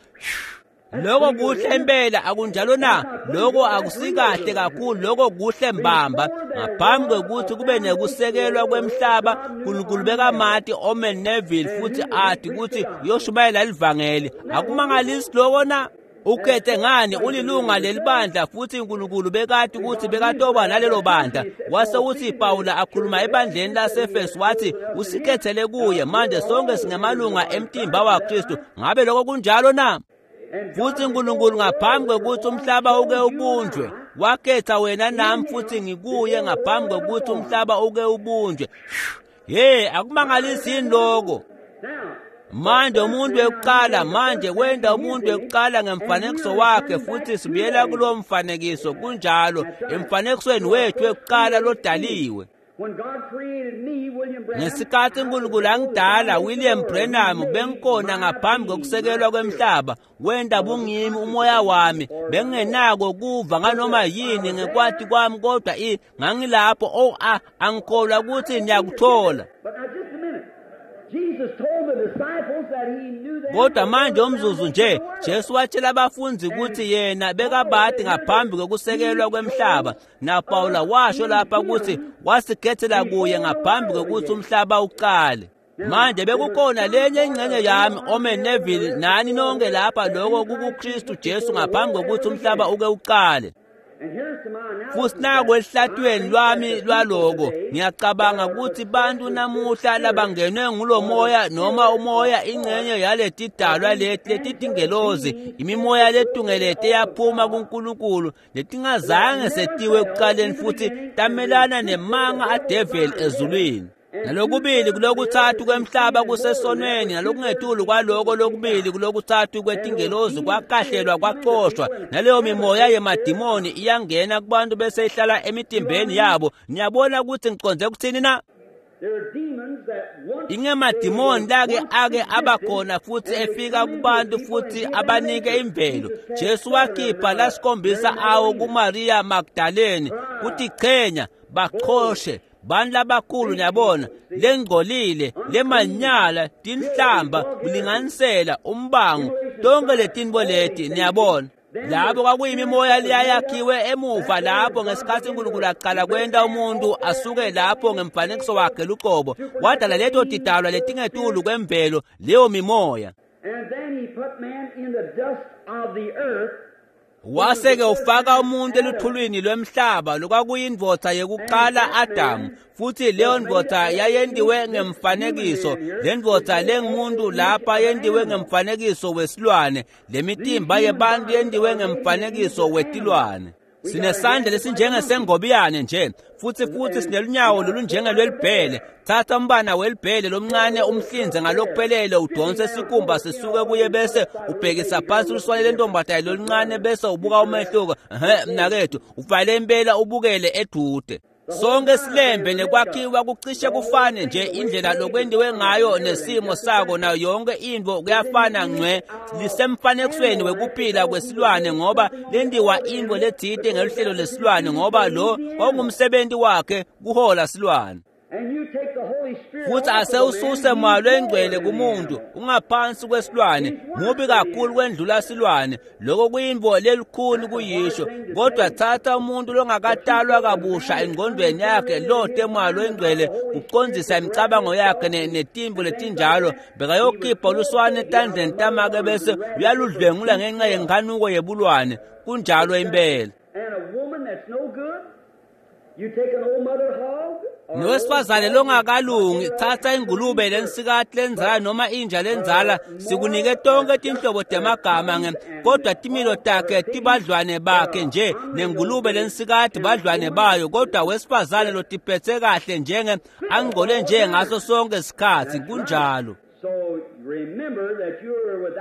Lokho kuhle impela, akunjalo na? Lokho akusikahle kakhulu, lokho kuhle mbamba. Ngaphambi kokuthi kube nekusekelwa kwemhlaba, uNkulunkulu bekamati Omen Neville futhi athi ukuthi uyoshumayela livangeli. Akumangalisi lokho na? Ukhethe ngani ulilunga lelibandla, futhi uNkulunkulu bekade ukuthi bekatoba nalelo bandla. Wase uthi Pawula akhuluma ebandleni laseEfesu wathi usikhethele kuye. Manje sonke singamalunga emtimba waKristu. Ngabe lokho kunjalo na? Futhi uNkulunkulu ngaphambi kokuthi umhlaba uke ubunjwe wakhetha wena nami, futhi ngikuye ngaphambi kokuthi umhlaba uke ubunjwe. Hey, akumangalisi yini lokho? Manje umuntu wekuqala, manje wenda umuntu wekuqala ngemfanekiso wakhe, futhi sibuyela kulo mfanekiso. Kunjalo, emfanekisweni wethu wekuqala lodaliwe. Ngesikhathi uNkulunkulu angidala, William Branham, bengikhona ngaphambi kokusekelwa kwemhlaba. Wenda bungimi umoya wami, bengingenako kuva nganoma yini ngekwati kwami, kodwa ngangilapho. Oh, angikholwa ukuthi niyakuthola. Kodwa manje umzuzu nje, Jesu watshela abafundi ukuthi yena bekabadi ngaphambi kokusekelwa kwemhlaba. NaPawula washo lapha ukuthi wasikhethela kuye ngaphambi kokuthi umhlaba uqale. Manje bekukhona lenye ingxenye yami, Omen Neville, nani nonke lapha, lokho kukuKristu Jesu ngaphambi kokuthi umhlaba uke uqale. Futhi naku ehlathweni lwami lwaloko, ngiyacabanga ukuthi bantu namuhla labangenwe ngulomoya noma umoya ingxenye yaletidalwa leti letitingelozi, imimoya letungelete yaphuma kuNkulunkulu letingazange setiwe ekuqaleni futhi tamelana nemanga adeveli ezulwini. Nalokubili kulokuthathu kwemhlaba kusesonweni, nalokungetulu kwaloko lokubili kulokuthathu kwetingelozi kwakahlelwa kwacoshwa. Naleyo mimoya yemadimoni iyangena kubantu bese ihlala emitimbeni yabo. Niyabona ukuthi ngiconze ukuthini na? Ingemadimoni lake ake abakhona futhi efika kubantu futhi abanike imvelo. Jesu wakhipha lasikhombisa awo kuMaria Magdalene kuthi chenya bachoshe bantu labakhulu, niyabona, lengcolile, lemanyala, tinhlamba, kulinganisela, umbango, tonke letinto leti, niyabona. Labo kwakuyimimoya leyayakhiwe emuva lapho ngesikhathi uNkulunkulu aqala kwenta umuntu asuke lapho ngemfanekiso wakhe luqobo, wadala leto tidalwa letingetulu kwemvelo, leyo mimoya. Wase-ke ufaka umuntu eluthulwini lwemhlaba, lokwakuyindvodza yekuqala Adamu, futhi leyo ndvodza yayentiwe ngemfanekiso. Le ndvodza lengumuntu lapha yentiwe ngemfanekiso wesilwane, lemitimba yebantu yentiwe ngemfanekiso wetilwane. Sinesandla lesinjengesengobiyane nje, futhi sinelunyawo lolunjengelwelibhele. Thatha umbana welibhele lomncane umhlinze ngalokuphelele, udonse isikhumba sisuke kuye bese ubhekisa phansi uluswane lentombazane loluncane bese ubuka umehluko. Mnakethu, uvale impela ubukele edude. Sonke silembe nekwakhiwa kucishe kufane nje, indlela lokwentiwe ngayo nesimo sako nayo yonke into kuyafana ngcwe. Lisemfanekisweni wekuphila kwesilwane, ngoba lentiwa into letsite ngeluhlelo lesilwane, ngoba lo kwakungumsebenzi wakhe kuhola silwane. Futhi asewususe moya lwengcwele kumuntu, ungaphansi kwesilwane, mubi kakhulu kwendlula silwane. Lokho kuyintfo lelikhuni kuyisho, kodwa thatha umuntu longakatalwa kabusha engqondweni yakhe lote moya lwengcwele kucondzisa imicabango yakhe netimbo letinjalo, bekayokhipha luswane etandleni tamake bese uyaludlwengula ngenxa yenkhanuko yebulwane. Kunjalo impela. Nowesifazane longakalungi, thatha ingulube lensikati lenzala noma inja lenzala, sikunike tonke tinhlobo temagama nge, kodwa timilo takhe tibadlwane bakhe nje, nengulube lensikati badlwane bayo, kodwa wesifazane lotiphethe kahle njenge angcole nje ngaso sonke isikhathi. Kunjalo.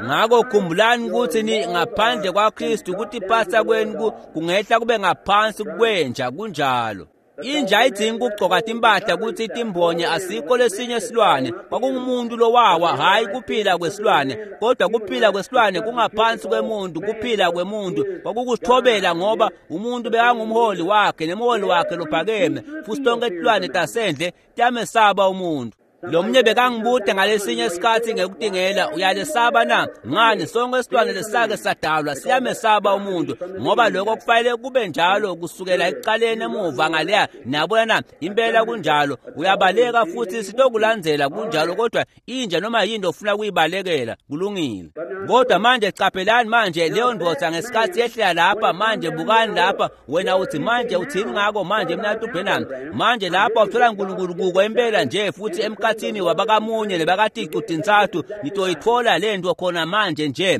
Ngakho khumbulani ukuthi ni ngaphandle kwaKristu, kutiphatha kwenu kungehla kube ngaphansi kwenja. Kunjalo. Inja ayidzingi kugcoka timpahla ukuthi itimbonye, asikho lesinye silwane. Kwakungumuntu lowawa, hhayi kuphila kwesilwane, kodwa kuphila kwesilwane kungaphansi kwemuntu. Kuphila kwemuntu kwakukuthobela, ngoba umuntu bekangumholi wakhe nemholi wakhe lophakeme, futhi tonke tilwane tasendle tiyamesaba umuntu. Lo mnye bekangibude ngalesinye isikhathi ngekutingela, uyalesaba na? Ngani, sonke isilwane lesake sadalwa siyamesaba umuntu, ngoba lokho kufanele kube njalo kusukela ekuqaleni emuva ngaleya. Niyabona na? Impela kunjalo. Uyabaleka futhi sitokulandzela, kunjalo, kodwa inja noma yinto ofuna kuyibalekela, kulungile. Kodwa manje caphelani manje leyo ndvodza ngesikhathi yehlela lapha. Manje bukani lapha, wena uthi manje uthini ngako manje mnatu Branham? Manje lapha uthola uNkulunkulu kuko impela nje, futhi emkhathini wabakamunye nebakaticu tintsatfu nitoyithola lento khona manje nje.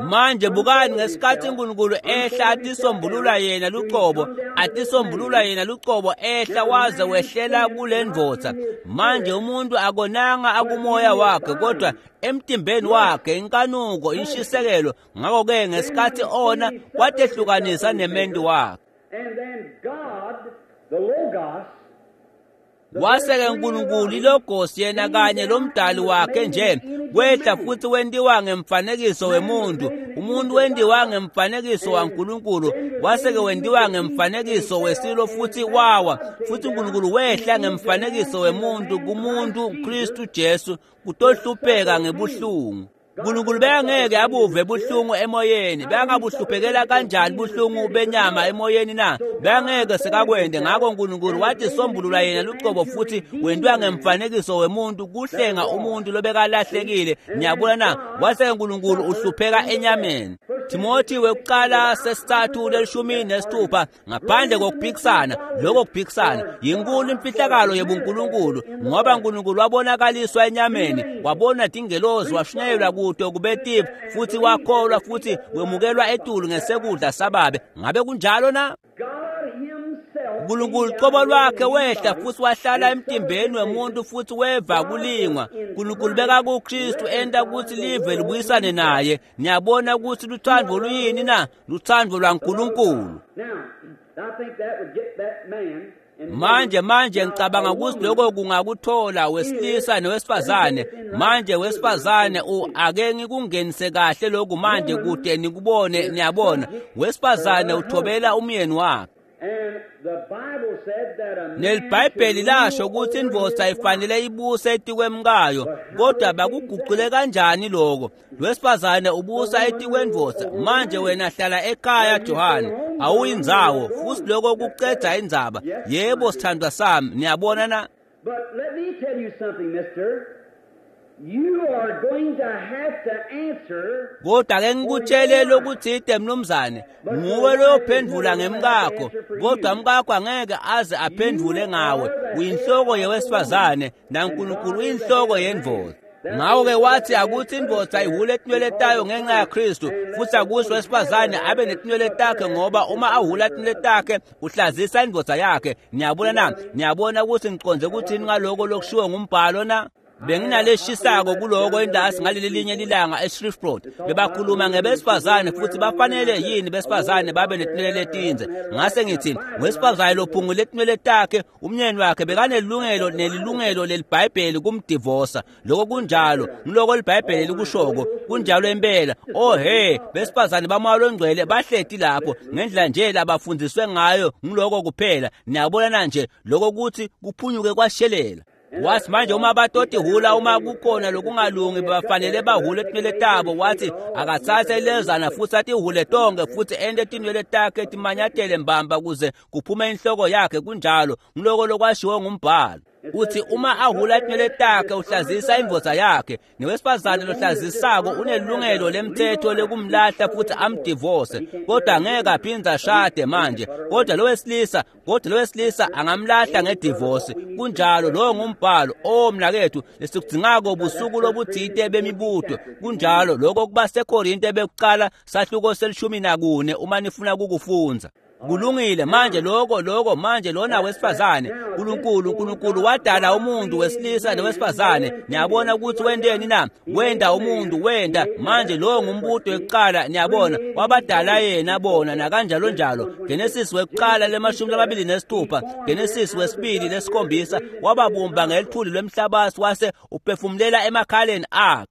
Manje bukani ngesikhathi uNkulunkulu ehla atisombulula yena luqobo, atisombulula yena luqobo ehla waze wehlela kule ndvodza. Manje umuntu akonanga akumoya wakhe, kodwa emtimbeni wakhe inkanuko, inshisekelo. Ngakho-ke ngesikhathi ona kwatehlukanisa nementu wakhe. Wase-ke uNkulunkulu iLogos yena kanye lomdali wakhe nje wehla futhi wentiwa ngemfanekiso wemuntu. Umuntu wentiwa ngemfanekiso waNkulunkulu, wase-ke wentiwa ngemfanekiso wesilo futhi wawa. Futhi uNkulunkulu wehla ngemfanekiso wemuntu kumuntu Kristu Jesu kutohlupheka ngebuhlungu. uNkulunkulu bekangeke abuve buhlungu emoyeni. Bekangabuhluphekela kanjani buhlungu benyama emoyeni na? Bekangeke sekakwende. Ngakho uNkulunkulu wathi sombulula yena lucobo futhi wentiwa ngemfanekiso wemuntu kuhlenga umuntu lobekalahlekile. Niyabona na? Wase uNkulunkulu uhlupheka enyameni. Timothy wekuqala 3:16, ngaphandle kokuphikisana, lokho kuphikisana yinkulu imfihlakalo yebuNkulunkulu, ngoba uNkulunkulu wabonakaliswa enyameni, wabona tingelozi, washunyayelwa kude kubetive, futhi wakholwa futhi wemukelwa etulu ngesekudla sababe. Ngabe kunjalo na? uNkulunkulu qobo lwakhe wehla futhi wahlala emtimbeni wemuntu futhi weva kulingwa. uNkulunkulu beka kuKristu enta ukuthi live libuyisane naye. Niyabona ukuthi luthando luyini na? Luthando lwaNkulunkulu. Manje ngicabanga ukuthi lokho kungakuthola wesilisa nowesifazane. Manje wesifazane ake ngikungenise kahle lokhu manje kude nikubone. Niyabona, wesifazane uthobela umyeni wakhe. NeliBhayibheli lasho ukuthi indvodza ifanele ibuse etikwemkayo, kodwa bakuguqule kanjani lokho? Lwesifazane ubusa etikwendvodza. Manje wena hlala ekhaya Johane, awuyindzawo, futhi lokho kucedza indzaba. Yebo sithandwa sami, niyabona na? But let me tell you something, mister. You are going to have to answer. Kodwa ke ngikutshele lokuthide mnumzane, nguwe lophendvula ngemkakho, kodwa mkakho angeke aze aphendvule ngawe. Uyinhloko yewesifazane naNkulunkulu uyinhloko yendvodza. Ngakho-ke wathi akuthi indvodza ihule tinwele tayo ngenxa yaKristu, futhi akuthi wesifazane abe netinwele takhe, ngoba uma ahula tinwele takhe uhlazisa indvodza yakhe. Niyabona na? Niyabona ukuthi ngiconze ukuthini ngaloko lokushiwo ngumbhalo na? Benginaleshisako kuloko endasi ngaleli linye lilanga eShreveport. Bebakhuluma ngebesifazane futhi bafanele yini besifazane babe netinwele letinze. Ngase ngithi wesifazane lophungule tinwele takhe, umnyeni wakhe bekanelungelo nelilungelo leliBhayibheli kumdivosa. Lokho kunjalo, ngiloko liBhayibheli likushoko, kunjalo impela. Oh he, besifazane bamoya longcwele bahleti lapho ngendlela nje labafundiswe ngayo, ngiloko kuphela. Niyabona nje lokho kuthi kuphunyuke kwashelela. Wathi manje uma batoti hula, uma kukhona lokungalungi bafanele bahule tinwele tabo. Wathi akathathe ilezana futhi atihule tonke futhi ente tinwele takhe timanyatele mbamba kuze kuphume inhloko yakhe. Kunjalo, ngiloko lokwashiwo ngumbhalo. Uthi uma ahula tinwele takhe uhlazisa indvodza yakhe, newesifazane lohlazisako unelungelo lemthetho lekumlahla futhi amdivose, kodwa angeke aphindze ashade manje. Kodwa lo wesilisa angamlahla ngedivorce. Kunjalo, lowo ngumbhalo. O mnakethu, lesikudzingako busuku lobuthite bemibuto. Kunjalo, lokho kuba seKorinte bekuqala sahluko se-14 uma nifuna ukukufundza. Kulungile manje lokho manje lona wesifazane. uNkulunkulu wadala umuntu wesilisa nowesifazane. Niyabona ukuthi wenteni na? Wenda umuntu, wenda. Manje lo ngumbuto wekuqala, niyabona, wabadala yena bona nakanjalo njalo. Genesis wekuqala le-26, Genesis wesibili lesikhombisa, wababumba ngelithuli lwemhlabathi wase uphefumulela emakhaleni akhe.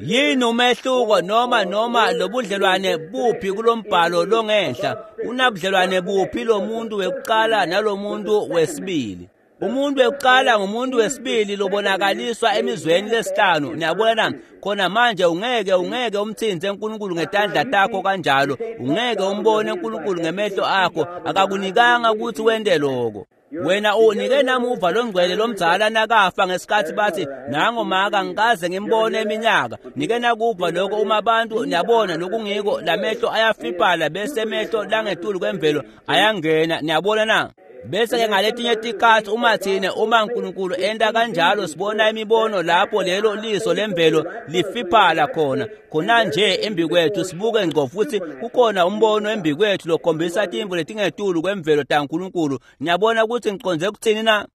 Yini umehluko noma lobudlelwane buphi kulombhalo longenhla? Unabudlelwane buphi lo muntu wekuqala nalomuntu wesibili? Umuntu wekuqala ngumuntu wesibili lobonakaliswa emizweni lesihlanu. Niyabona na? Khona manje ungeke umthinze uNkulunkulu ngetandla takho kanjalo. Ungeke umbone uNkulunkulu ngemehlo akho. Akakunikanga ukuthi wente lokho. Wena unike namuva longcwele lomdzala nakafa ngesikhathi bathi nango maka ngikaze ngimbone eminyaka. Nike nakuva lokho uma abantu, niyabona lokungiko, lamehlo ayafiphala bese emehlo langetulu kwemvelo ayangena. Niyabona na? Bese ke ngaletinye tikhathi uma thine uma uNkulunkulu enta kanjalo sibona imibono lapho lelo liso lemvelo lifiphala khona khona nje embikwethu, sibuke ngqo futhi kukhona umbono embikwethu lokhombisa timvu letingetulu kwemvelo taNkulunkulu. Niyabona ukuthi ngiconze kuthini na?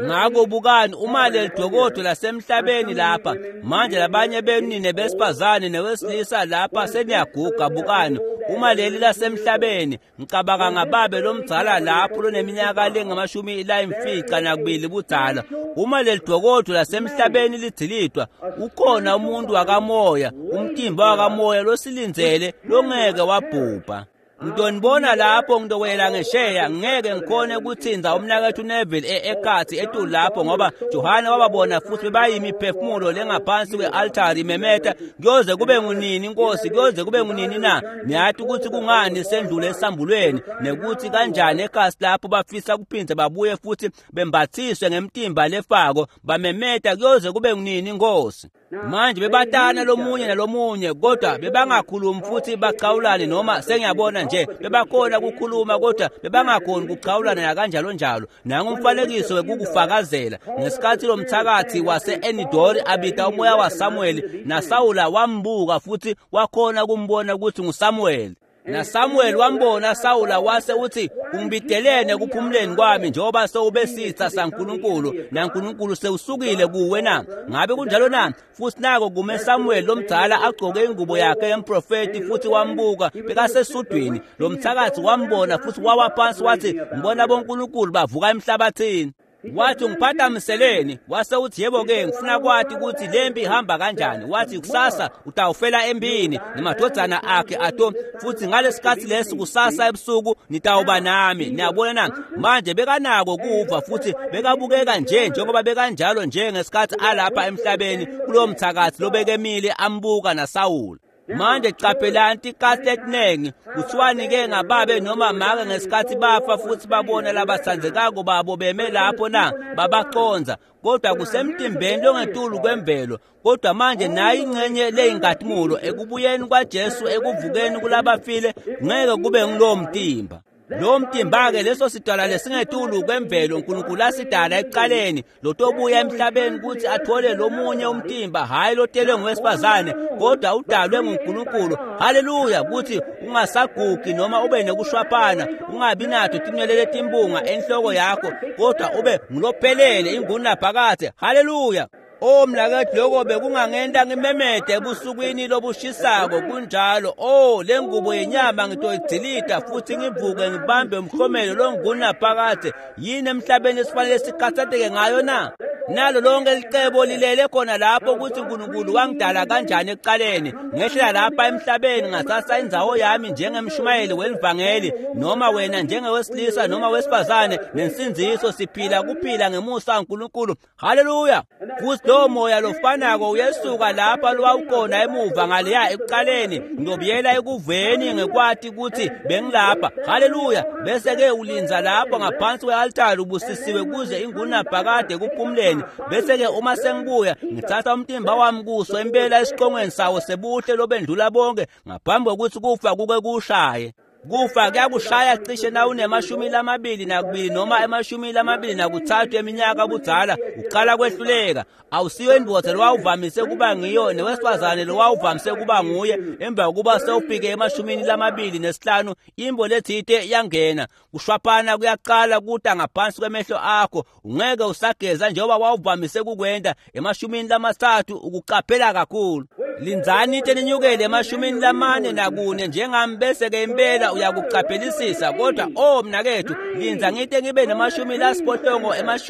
Ngakho bukani uma lelidokodo lasemhlabeni lapha manje, labanye benu nine besifazane newesilisa lapha seniyaguga. Bukani Uma leli lasemhlabeni, ngicabanga ngababe lomdzala lapho loneminyaka lengamashumi layimfica nakubili budzala. Uma leli dokodo lasemhlabeni lidzilitwa, ukhona umuntu wakamoya, umtimba wakamoya losilindzele longeke wabhubha. Ngitonibona lapho ngitowela ngesheya. Ngeke ngikhone kutsinza umnaketfu Neville ekhatsi etulu lapho, ngoba Johane wababona futhi bebayimiphefumulo lengaphansi kwe-altari imemeta, "Kuyoze kube ngunini, Nkosi? Kuyoze kube ngunini na?" Niyati ukuthi kungani sendlule esambulweni nekuthi kanjani ekhasi lapho bafisa kuphindze babuye futhi bembathiswe ngemtimba lefako, bamemeta, "Kuyoze kube ngunini, Nkosi?" Manje bebatana lomunye nalomunye, kodwa bebangakhulumi futhi bachawulane, noma sengiyabona nje bebakhona kukhuluma, kodwa bebangakhoni kuchawulana nakanjalo njalo. Nangumfanekiso wekukufakazela ngesikhathi lomthakathi wase-Enidori abita umoya waSamuweli, naSawula wambuka futhi wakhona kumbona ukuthi nguSamuweli, naSamuel wambona Sawula wase uthi, "Ungibitelene ekuphumuleni kwami njengoba sewube sitha saNkulunkulu, naNkulunkulu sewusukile kuwe na?" Ngabe kunjalo na? Futhi nako kume Samuel lomdzala agcoke ingubo yakhe yemprofeti, futhi wambuka bekasesudwini. Lo mthakathi wambona futhi wawa phansi wathi, "Ngibona bonkulunkulu bavuka emhlabathini." Wathi, "Ungiphathamiseleni?" Wase uthi, "Yebo-ke, ngifuna kwati ukuthi lempi ihamba kanjani." Wathi, "Kusasa utawufela empini nemadvodzana akhe ato, futhi ngalesikhatsi lesi kusasa ebusuku nitawuba nami." Niyabona na? Manje bekanako kuva, futhi bekabukeka nje njengoba bekanjalo nje ngesikhathi alapha emhlabeni kulowo mthakathi lobekemile ambuka naSawula. Manje caphelani, tikhathi letiningi kuthiwani-ke ngababe noma make ngesikhathi bafa futhi babona labatsandzekako babo beme lapho na? Babaconza, kodwa kusemtimbeni longetulu kwemvelo. Kodwa manje nayi ingcenye leyinkazimulo ekubuyeni kwaJesu, ekuvukeni kulabafile, ngeke kube ngulowo mtimba. Lo mtimba-ke, leso sidalwa lesingetulu kwemvelo uNkulunkulu asidala ekuqaleni, lotobuya emhlabeni ukuthi athole lomunye umtimba, hhayi lotelwe ngowesifazane, kodwa udalwe nguNkulunkulu, haleluya, ukuthi ungasagugi noma ube nekushwaphana, ungabi nato tinwele letimbunga enhloko yakho, kodwa ube ngulophelele ingunaphakadze. Haleluya! O mnaketfu, loko bekungangenta ngimemete ebusukwini lobushisako. Kunjalo. O, le ngubo yenyama ngitoyidzilita futhi ngivuke ngibambe umhlomelo longunaphakadze. Yini emhlabeni esifanele sikhathatheke ngayo na? Nalo lonke licebo lilele khona lapho, ukuthi uNkulunkulu wangidala kanjani ekuqaleni. Ngehlela lapha emhlabeni, ngathatha indzawo yami njengemshumayeli welivangeli, noma wena njengewesilisa noma wesifazane nensindziso, siphila kuphila ngemusa kaNkulunkulu. Haleluya! Futhi lowo moya lofanako uyesuka lapha lowawukhona emuva ngaleya ekuqaleni. Ngiyobuyela ekuveni ngekwati ukuthi bengilapha. Haleluya! Bese-ke ulindza lapho ngaphansi kwe-altari ubusisiwe kuze ingunaphakade ekuphumuleni. Bese-ke uma sengibuya, ngithatha umtimba wami kuso impela esiqongweni sawo sebuhle lobendlula bonke, ngaphambi kokuthi kufa kuke kushaye. Kufa kuyakushaya cishe na une-22 noma ema-23 eminyaka budzala, uqala kwehluleka. Awusiyo indvodza lowawuvamise kuba ngiyo newesifazane lowawuvamise kuba nguye emva kokuba sewufike ema-25. Imbo lethite yangena, kushwaphana kuyaqala kuta ngaphansi kwemehlo akho, ungeke usageza njengoba wawuvamise kukwenta ema-30. Ukucaphela kakhulu. Lindzani ite ninyukele ema-44 njengami, bese-ke impela uyakucaphelisisa. Kodwa o mnakethu, lindza ngite ngibe nema-80,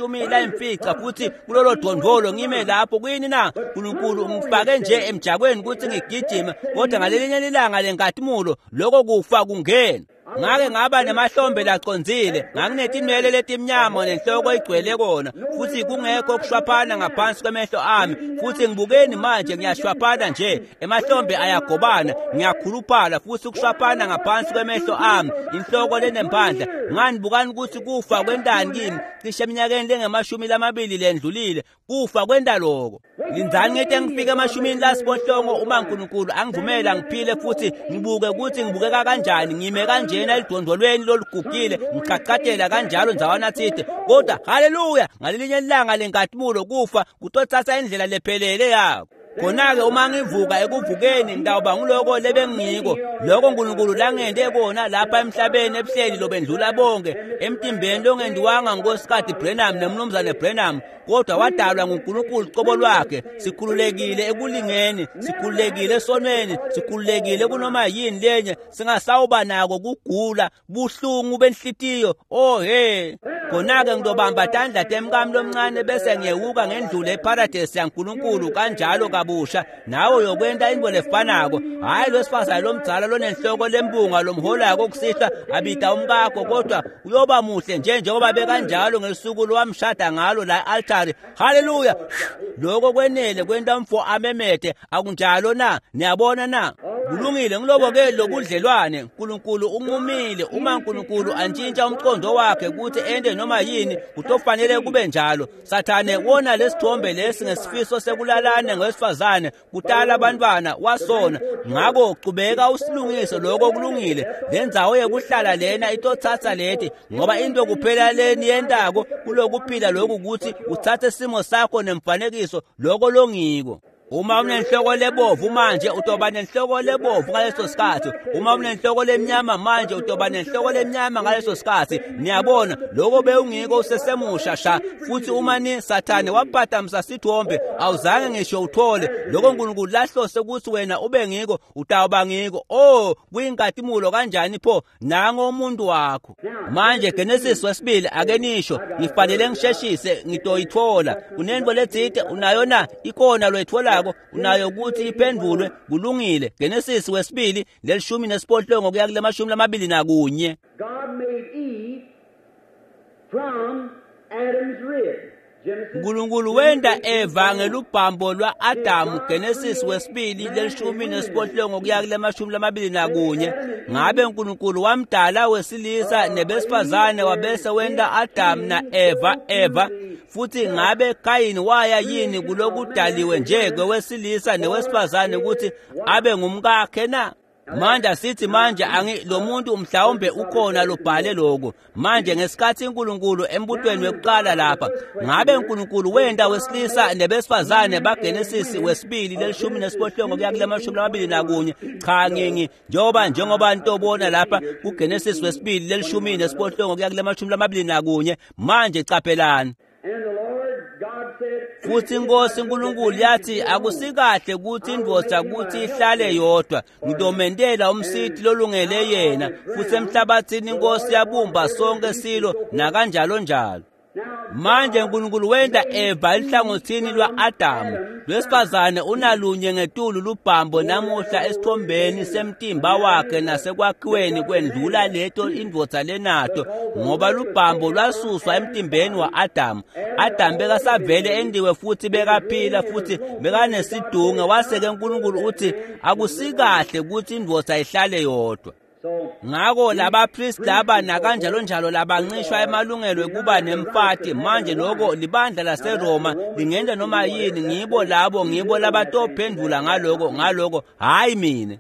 90, futhi kulolo dondolo ngime lapho. Kuyini na? Nkulunkulu ungifake nje emjakweni ukuthi ngigijime, kodwa ngalelinye lilanga lenkatimulo loko kufa kungena. Ngake ngaba nemahlombe lacondzile, nganginetinwele letimnyama nenhloko igcwele kona, futhi kungekho kushwaphana ngaphansi kwemehlo ami. Futhi ngibukeni manje, ngiyashwaphana nje, emahlombe ayagobana, ngiyakhuluphala, futhi kushwaphana ngaphansi kwemehlo ami, inhloko lenemphandla. Ngani, bukani ukuthi kufa kwentani kimi cishe eminyakeni lengamashumi lamabili lendlulile. Kufa kwenta loko. Lindzani ngite ngifike ema-80, uma uNkulunkulu angivumela ngiphile, futhi ngibuke ukuthi ngibukeka kanjani ngime kanjena elidondolweni lolugugile, ngichachatela kanjalo ndzawana thide. Kodwa haleluya, ngalelinye ilanga lenkatimulo kufa kutotsatsa indlela lephelele yako. Khona-ke uma ngivuka ekuvukeni ngitawuba nguloko lebengiko, loko uNkulunkulu langente kona lapha emhlabeni ebuhleli lobendlula bonke, emtimbeni longendiwanga nguNkosikati Branham nemnumzane Branham, kodwa wadalwa nguNkulunkulu cobo lwakhe. Sikhululekile ekulingeni, sikhululekile esonweni, sikhululekile kunoma yini lenye, singasawuba nako kugula, buhlungu benhlitiyo. Oh he, khona-ke ngitobamba tandla temkami lomncane bese ngiyewuka ngendlule eparadesi yaNkulunkulu kanjalo kabusha. Nawe uyokwenta intfo lefanako. Hhayi lwesifazane lomdzala lonenhloko lembunga lomholako kusihlwa abita umkakho, kodwa uyoba muhle nje njengoba bekanjalo ngesuku lowamshada ngalo la e-altari. Haleluya! Lokho kwenele kwenta umfo amemete, akunjalo na? Niyabona na? Kulungile, ngilobo-ke lobudlelwane. Nkulunkulu unqumile. Uma uNkulunkulu antshintsha umqondo wakhe ukuthi ente noma yini, kutofanele kube njalo. Sathane wona lesithombe lesi ngesifiso sekulalana ngowesifazane, kutala abantwana, wasona. Ngakho qhubeka usilungise lokho kulungile. Le ndzawo yekuhlala lena itotsatsa leti, ngoba into kuphela leni yentako kulokuphila lokhu ukuthi utsatse simo sakho nemfanekiso loko longiko. Uma unenhloko lebovu manje utoba nenhloko lebovu ngaleso sikhathi. Uma unenhloko lemnyama manje utoba nenhloko lemnyama ngaleso sikhathi. Niyabona, lokho bewungiko usesemusha sha. Futhi uma ni Sathane waphatamisa sithombe, awuzange ngisho uthole lokho uNkulunkulu lahlose ukuthi wena ube ngiko, utawuba ngiko. Oh, kuyinkazimulo kanjani pho nango umuntu wakho. Manje Genesis wesibili, ake nisho, ngifanele ngisheshise ngitoyithola. Unento letsite unayo na? Ikona loyitholako unayo ukuthi iphendvulwe. Kulungile. Genesis wesibili 18 kuya kule 21. God made Eve from Adam's rib. Genesis uNkulunkulu wenta Eva ngelubhambo lwa-Adamu. Genesis wesibili 18 kuya kule 21. Ngabe uNkulunkulu wamdala wesilisa nebesifazane wabese wenta Adamu na Eva? Futhi ngabe Kayini waya yini kulokudaliwe nje kwewesilisa newesifazane ukuthi abe ngumkakhe na? Manje asithi manje lo muntu mhlawumbe ukhona lobhale lokho. Manje ngesikhathi uNkulunkulu embutweni wekuqala lapha, ngabe uNkulunkulu wenta wesilisa nebesifazane baGenesis wesibili 18 kuya kule 21? Cha, ngingi njengoba nitobona lapha kuGenesis wesibili 18 kuya kule 21. Manje caphelani. And the Lord God said, Futhi inkosi uNkulunkulu yathi, akusikahle ukuthi indvodza kuthi ihlale yodwa, ngitomentela umsiti lolungele yena. Futhi emhlabathini inkosi yabumba sonke silo nakanjalo njalo. Manje uNkulunkulu wenta Eva elihlangothini lwa-Adamu. Lwesifazane unalunye ngetulu lubhambo namuhla esithombeni semtimba wakhe nasekwakhiweni kwendlula leto indvodza lenato, ngoba lubhambo lwasuswa emtimbeni wa-Adamu. Adamu bekasavele endiwe futhi bekaphila futhi bekanesidunge. Wase-ke uNkulunkulu uthi akusikahle ukuthi indvodza ihlale yodwa. Ngakho labapristi laba nakanjalo njalo labancishwa emalungelo ekuba nemfati. Manje lokho libandla laseRoma lingenta noma yini, ngibo labo, ngibo labatophendvula ngaloko, hhayi mina.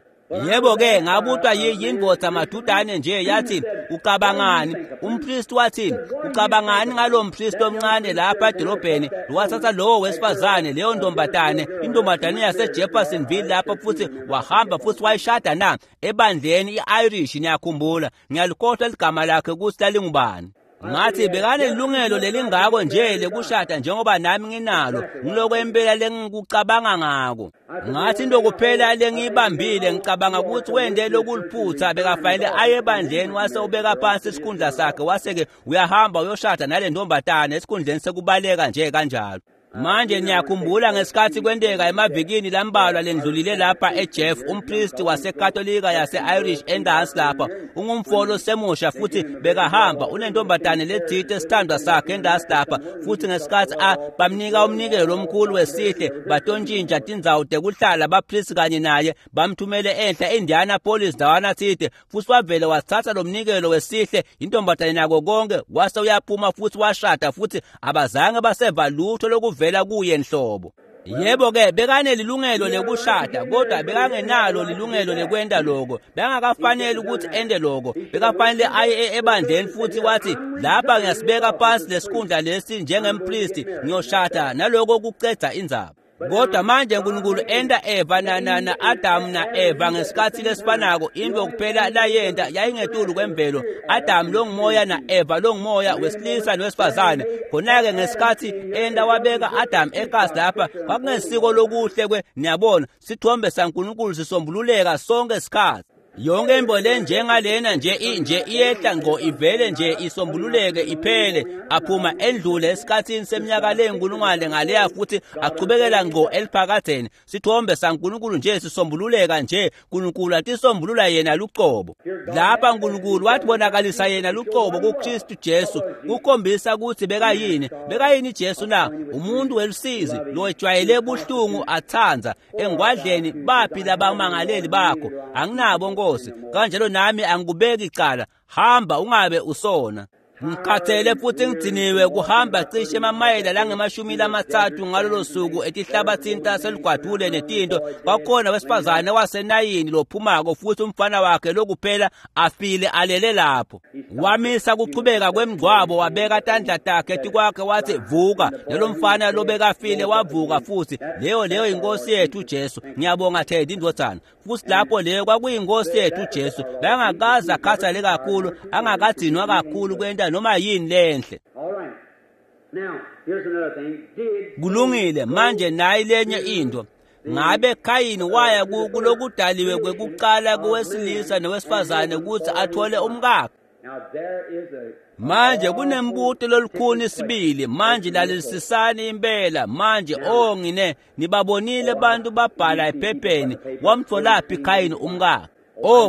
Yebo-ke ngabutwa yindvodza madudane nje yathi, ucabangani? Umpristi wathi, ucabangani ngalo mpristi omncane lapha edolobheni wathatha lowo wesifazane, leyo ntombatane, intombatane yaseJeffersonville lapha, futhi wahamba futhi wayishada na ebandleni i-Irish? Niyakhumbula, ngiyalikhohlwa ligama lakhe ukuthi lalingubani. Ngathi bekanelungelo lelingako nje lekushada njengoba nami nginalo, ngiloko impela lengikucabanga ngako. Ngathi into kuphela lengiyibambile, ngicabanga ukuthi wende lokuliphutha, bekafanele aye ebandleni wase ubeka phansi isikhundla sakhe, wase-ke uyahamba uyoshada nale ntombatane esikhundleni sekubaleka nje kanjalo. Manje niyakhumbula ngesikhathi kwenteka emavikini lambalwa lendlulile lapha eJeff, umpristi waseKatolika yase-Irish endansi lapha, ungumfolo semusha futhi bekahamba unentombatane lethite esithandwa sakhe endansi lapha, futhi ngesikhathi bamnika umnikelo omkhulu wesihle, batontshintsha tindzawo tekuhlala bapristi kanye naye, bamthumele enhla eIndianapolis ndawana thite, futhi wavele wathatha lo mnikelo wesihle, intombatane nako konke, wase uyaphuma futhi washada, futhi abazange baseva lutho lokuvela kuye nhlobo. Yebo-ke bekanelilungelo lekushada, kodwa bekangenalo lilungelo lekwenta loko. Bekangakafanele ukuthi ente loko. Bekafanele aye ebandleni futhi wathi, lapha ngiyasibeka phansi lesikhundla lesi njengempristi, ngiyoshada, naloko kucedza indzaba. Kodwa manje uNkulunkulu enda Eva na Adam na Eva ngesikhathi lesifanako, into kuphela layenta yayingetulu kwemvelo. Adam longumoya na Eva longumoya, wesilisa nowesifazane. Khona-ke ngesikhathi enda wabeka Adam ekasi lapha, kwakungesiko lokuhle kwe, niyabona, sithombe saNkulunkulu sisombululeka sonke isikhathi. Yonke imbo le njengalena nje nje iyehla ngqo ivele nje isombululeke iphele, aphuma endlule esikhathini seminyaka leyinkulungwane ngaleya futhi achubekela ngqo eliphakadzeni. Sithombe saNkulunkulu nje sisombululeka nje, uNkulunkulu atisombulula yena lucobo. Lapha uNkulunkulu watibonakalisa yena lucobo kuKristu Jesu, kukhombisa ukuthi bekayini. Bekayini Jesu na? Umuntu welusizi lowejwayele buhlungu athandza engwadleni. Baphi labamangaleli bakho? Anginabo Nkosi, kanjalo nami angikubeki icala. Hamba ungabe usona. Ngikhathele futhi ngidiniwe kuhamba cishe emamayela langama-30 ngalolo suku etihlabathini taselugwadule netinto. Kwakhona wesifazane wasenayini lophumako futhi umfana wakhe lokuphela afile alele lapho. Wamisa kuchubeka kwemngcwabo, wabeka tandla takhe tikwakhe wathi vuka. Nalo mfana lobekafile wavuka futhi. Leyo inkosi yethu Jesu. Ngiyabonga Teddy indvodzana. Futhi lapho leyo kwakuyinkosi yethu Jesu. Bengakaze akhathale kakhulu, angakadzinwa kakhulu kwenta noma yini lenhle. All right. Now, here's another thing. Did Kulungile, manje nayi lenye into. Ngabe Khayini waya kulokudaliwe kwekuqala kowesilisa nowesifazane ukuthi athole umkakhe? Now there is a Manje kunembuto lolukhuni sibili. Manje lalelisisani impela. Manje ngine nibabonile abantu babhala ephepheni, wamtholaphi Khayini umkakhe?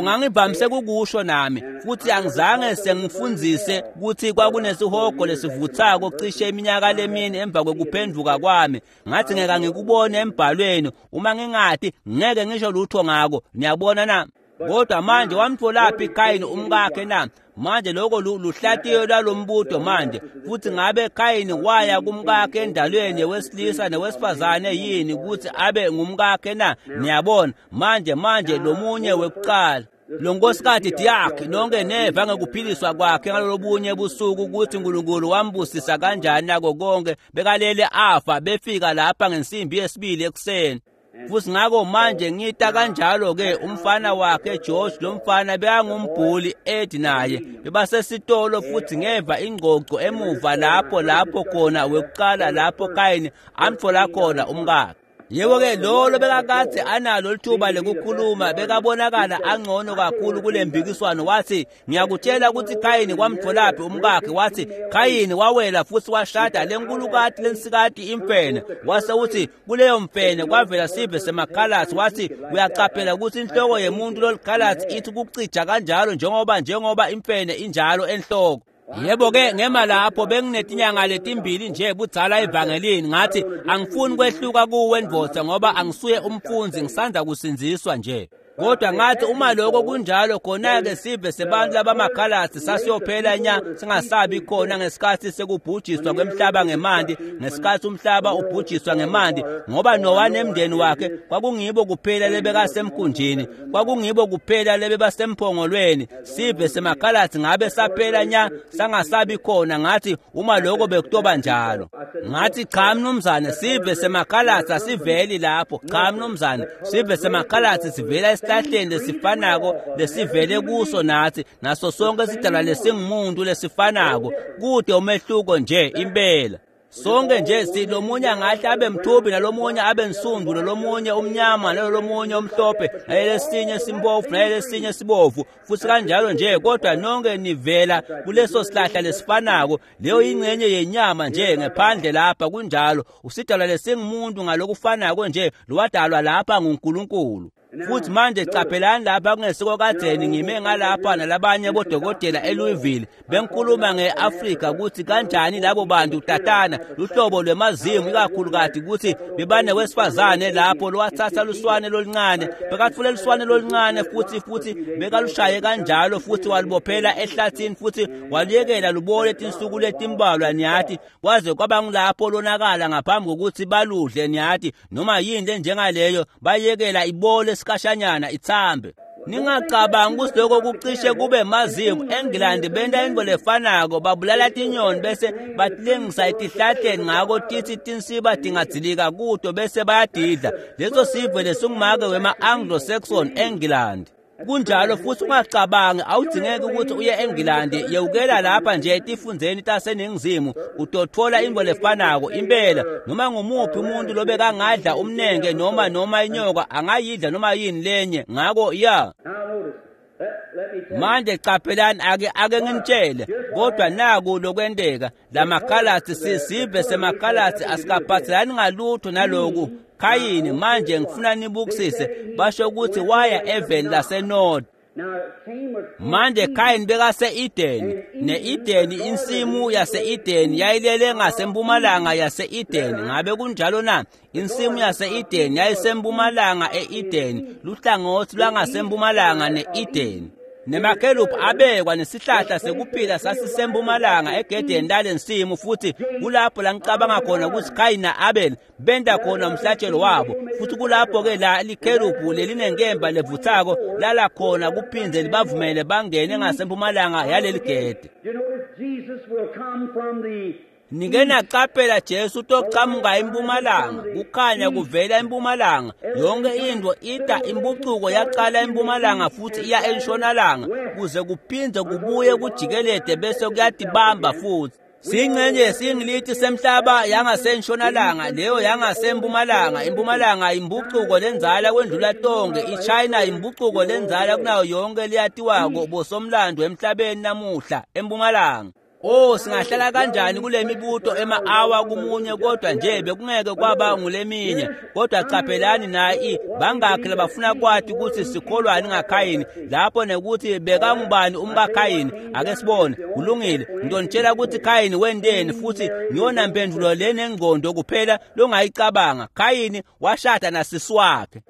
Ngangivamise kukusho nami, futhi angizange sengifundzise ukuthi kwakunesihogo lesivuthako cishe iminyaka lemine emva kwekuphenduka kwami. Ngathi ngeke ngikubone embhalweni, uma ngingathi ngeke ngisho lutho ngako. Niyabona na? Kodwa manje wamtholaphi Khayini umkakhe na? Manje lokho luhlatiyo lwalombuto manje. Futhi ngabe Khayini waya kumkakhe endalweni wesilisa nowesifazane yini ukuthi abe ngumkakhe na? Niyabona manje lomunye wekuqala lo nkosikazi Diak, nonke neva ngekuphiliswa kwakhe ngalolobunye busuku ukuthi uNkulunkulu wambusisa kanjani nako konke. Bekalele afa, befika lapha ngensimbi yesibili ekuseni. Futhi ngakho manje ngita kanjalo ke umfana wakhe George, lo mfana bekangumbhuli Ed naye bebasesitolo, futhi ngeva ingxoxo emuva lapho khona wekuqala lapho Khayini amthola khona umkakhe. Yebo ke lolo bekakade analo lithuba lekukhuluma, bekabonakala angcono kakhulu kule mbikiswano. Wathi ngiyakutshela ukuthi Khayini kwamtholaphi umkakhe. Wathi Khayini wawela futhi washada lenkulukati lensikati imfene, wase uthi kuleyo mfene kwavela sive semakhalasi. Wathi uyacaphela ukuthi inhloko yemuntu lolikhalasi ithi kucija kanjalo njengoba imfene injalo enhloko. Yebo ke ngema lapho benginetinyanga letimbili nje budzala evangelini. Ngathi angifuni kwehluka kuwe ndvodza ngoba angisuye umfundzi, ngisanda kusindziswa nje. Kodwa ngathi uma lokho kunjalo, khona-ke sive sebantu labamakhalasi sasiyophela nya singasabi khona ngesikhathi sekubhujiswa kwemhlaba ngemanti, ngesikhathi umhlaba ubhujiswa ngemanti, ngoba Nowa nemndeni wakhe kwakungibo kuphela lebekasemkhunjini, kwakungibo kuphela lebebasemphongolweni. Sive semakhalasi ngabe saphela nya sangasabi khona. Ngathi uma lokho bekutoba njalo, ngathi cha mnumzane, sive semakhalasi asiveli lapho. Cha mnumzane, sive semakhalasi sivela esihlahleni lesifanako lesivele kuso nathi, naso sonke sidalwa lesingumuntu lesifanako. Kude umehluko nje impela. Sonke nje silomunye angahle abe mthubi, nalomunye abe nsundu, nalomunye umnyama, nalomunye umhlophe, nalesinye simpofu, nalesinye sibovu, futhi kanjalo nje. Kodwa nonke nivela kuleso sihlahla lesifanako. Leyo ingxenye yenyama nje ngephandle lapha kunjalo. Usidalwa lesingumuntu ngalokufanako nje lowadalwa lapha nguNkulunkulu. Futhi manje caphelani lapha kungesiko kadzeni ngime ngalapha nalabanye bodokotela eLouisville, bengikhuluma ngeAfrika ukuthi kanjani labo bantu tatana luhlobo lwemazimu ikakhulukati ukuthi bebane wesifazane lapho lowathatha luswane loluncane, bekatfule luswane loluncane futhi bekalushaye kanjalo futhi walubophela ehlathini futhi waluyekela lubole tinsuku letimbalwa, niyathi, kwaze kwaba ngulapho lonakala ngaphambi kokuthi baludle, niyathi, noma yini lenjengaleyo, bayekela ibole sikashanyana ithambe. Ningacabangi ukuthi lokho kucishe kube maziko. eNgilandi benta intfo lefanako, babulala tinyoni bese batilengisa etihlahleni, ngako titsi tinsiba tingadzilika kuto bese bayadidla. Leso sive lesingumake wema-Anglo-Saxon eNgilandi. Kunjalo futhi ungacabangi, awudzingeki ukuthi uye eNgilandi, yewukela lapha nje etifundzeni taseNingizimu utotfola intfo lefanako impela. Noma ngumuphi umuntu lobekangadla umnenge noma inyoka angayidla noma yini lenye. Ngako ya manje caphelani, ake nginitshele, kodwa naku lokwenteka. Lamakhalatsi, sisive semakhalatsi asikaphathelani ngalutho naloku. Khayini, manje ngifuna nibukisise, basho ukuthi waya eveni laseNod. Manje Khayini bekase-Edeni, ne-Edeni, insimu yase-Edeni yayilele ngasempumalanga yase-Edeni. Ngabe kunjalo na? Insimu yase-Edeni yayisempumalanga e-Edeni, luhlangothi lwangasempumalanga ne-Edeni. Nemakerubi abekwa nesihlahla sekuphila sasisempumalanga egedeni lalensimu, futhi kulapho la ngicabanga khona ukuthi Khayini na-Abel benta khona umhlatshelo wabo. Futhi kulapho-ke la likherubhu lelinenkemba levuthako lala khona kuphindze libavumele bangene ngasempumalanga yaleli gede. Nike naqaphela Jesu utochamuka empumalanga, kukhanya kuvela empumalanga. Yonke into ita impucuko yaqala empumalanga futhi iya entshonalanga, kuze kuphindze kubuye kujikelede bese kuyatibamba futhi. Singcenye singilithi semhlaba yangasentshonalanga, leyo yangasempumalanga. Impumalanga impucuko lenzala kwendlula tonke. iChina impucuko lenzala kunayo yonke leyatiwako bosomlando emhlabeni namuhla empumalanga. Oh, singahlala kanjani kule mibuto ema-awa kumunye, kodwa nje bekungeke kwaba nguleminye. Kodwa caphelani nayi, bangakhi labafuna kwati ukuthi sikholwani ngaKhayini lapho nekuthi bekangubani umkaKhayini? Ake sibone. Kulungile, ngidonitshela ukuthi Khayini wenteni, futhi ngiyona mpendulo lenengqondo kuphela longayicabanga. Khayini washada nasisi wakhe.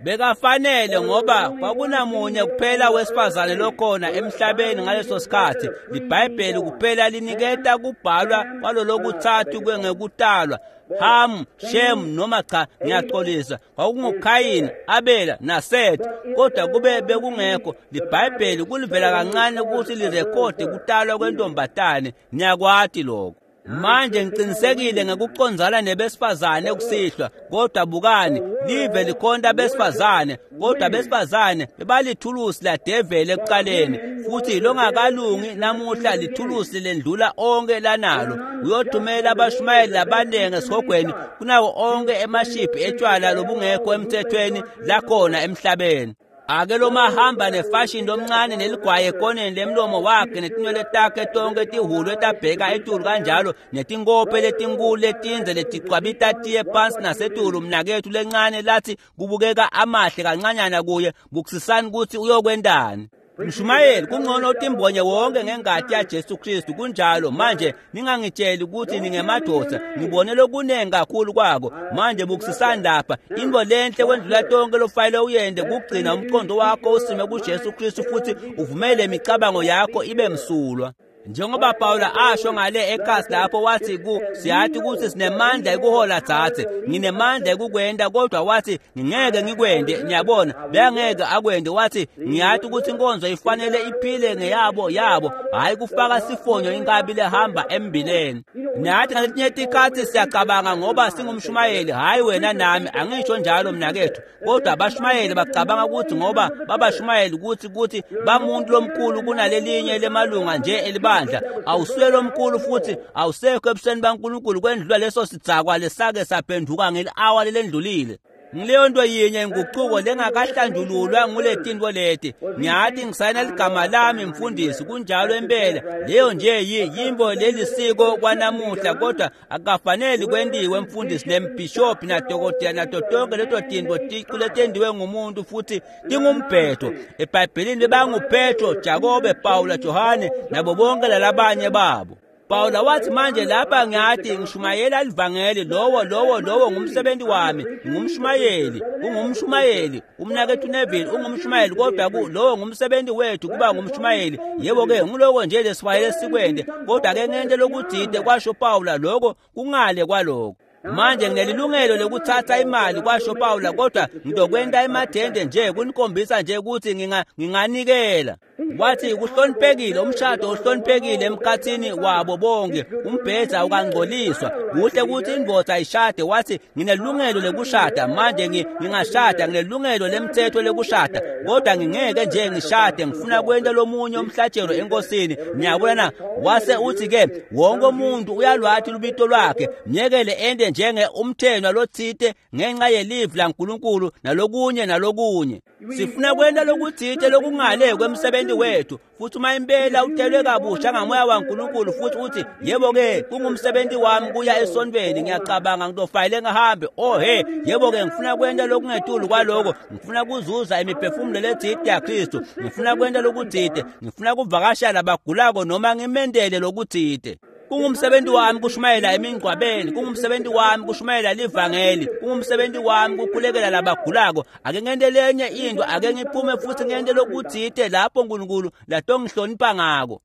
Bekafanele, ngoba kwakunamunye kuphela wesifazane lokhona emhlabeni ngaleso sikhathi. LiBhayibheli kuphela liniketa kubhalwa kwalolokuthathu kwengekutalwa, Ham, Shem, noma cha, ngiyaxolisa, kwakunguKhayini, Abela naSeth. Kodwa kube bekungekho, liBhayibheli kulivela kancane ukuthi lirekhode kutalwa kwentombatane. Niyakwati lokho. Manje ngiqinisekile ngekucondzana nebesifazane kusihlwa, kodwa bukani, live likhonta besifazane, kodwa besifazane bebalithulusi ladeveli ekuqaleni, futhi longakalungi namuhla lithulusi lendlula onke lanalo. Uyothumela abashumayeli labanengi esihogweni kunawo onke emashiphi etshwala lobungekho emthethweni lakhona emhlabeni. Ake lo mahamba nefashini lomncane neligwayi ekoneni lemlomo wakhe netinwele takhe tonke tihhulwe tabheka etulu kanjalo, netinkophe letinkulu letindze leticwabita tiye phansi nasetulu. Mnaketfu lencane lathi kubukeka amahle kancanyana kuye, bukisisani ukuthi uyokwentani. Mshumayeli, kungcono utimbonye wonke ngengati yaJesu Kristu. Kunjalo. Manje ningangitsheli ukuthi ningemadoda, ngibone lokunengi kakhulu kwako. Manje bukisisani lapha, into lenhle kwendlula tonke lofanele uyente kugcina umqondo wakho usime kuJesu Kristu futhi uvumele imicabango yakho ibe msulwa. Njengoba Pawula asho ngale ekhasi lapho, wathi siyathi ukuthi sinemandla ekuhola dzadze, nginemandla ekukwenta, kodwa wathi ngingeke ngikwente. Niyabona, bekangeke akwente. Wathi ngiyathi ukuthi inkonzo ifanele iphile ngeyabo yabo, hhayi kufaka sifonyo inkabi lehamba embileni. Nathi ngaletinye tikhatsi siyacabanga ngoba singumshumayeli, hhayi wena nami, angisho njalo mnaketfu, kodwa abashumayeli bacabanga ukuthi ngoba babashumayeli ukuthi bamuntu lomkhulu kunalelinye lemalunga nje elibandla. Awusuye lomkhulu futhi awusekho ebusweni baNkulunkulu kwendlula leso sidzakwa lesake saphenduka ngeli-awa lelendlulile. Ngileyo nto yinye inguquko lengakahlanjululwa nguletinto leti. Ngiyathi ngisayina ligama lami mfundisi, kunjalo impela. Leyo nje yimbo lelisiko kwanamuhla, kodwa akukafaneli kwentiwe mfundisi nembhishobhi nadokotela nato tonke leto tinto ticu letendiwe ngumuntu futhi tingumbhedo. EBhayibhelini bebanguPetro, Jakobe, Pawula, Johane nabo bonke lalabanye babo. Pawula wathi manje lapha ngiyathi ngishumayela livangeli, lowo ngumsebenzi wami, ngumshumayeli, ungumshumayeli, umnaketfu Neville ungumshumayeli, kodwa lowo ngumsebenzi wethu kuba ngumshumayeli. Yebo ke ngiloko nje lesifanele sikwente, kodwa ke ngente lokutsite, kwasho Pawula, lokho kungale kwaloko. Manje nginelilungelo lokutsatsa imali, kwasho Pawula, kodwa ngitokwenta emathende nje kunikhombisa nje ukuthi nginganikela. Wathi kuhloniphekile, umshado uhloniphekile emkhathini wabo bonke, umbhedza ukangcoliswa. Kuhle ukuthi indvodza ishade. Wathi nginelungelo lokushada, manje ngingashada, nginelungelo lemthetho lokushada, kodwa ngingeke nje ngishade, ngifuna kwenta lomunye umhlatshelo enkosini. Niyabona na? Wase uthi ke wonke umuntu uyalwathi lubito lwakhe, myekele ende njenge umthenwa lotsite ngenxa yelivi laNkulunkulu nalokunye nalokunye. Sifuna kwenta lokutsite lokungale kwemsebenzi wethu, futhi uma impela utelwe kabusha ngamoya waNkulunkulu futhi uthi yebo-ke kungumsebenzi wami kuya esontweni, ngiyacabanga ngitofayile ngihambe. Oh he, yebo-ke ngifuna kwenta lokungetulu kwaloko, ngifuna kuzuza imiphefumulo letsite yaKristu, ngifuna kwenta lokutsite, ngifuna kuvakashela labagulako noma ngimendele lokutsite. Kungumsebenzi wami kushumayela emingcwabeni, kungumsebenzi wami kushumayela livangeli, kungumsebenzi wami kukhulekela labagulako. Ake ngente lenye into, ake ngiphume futhi ngente lokutsite lapho uNkulunkulu latongihlonipha ngako.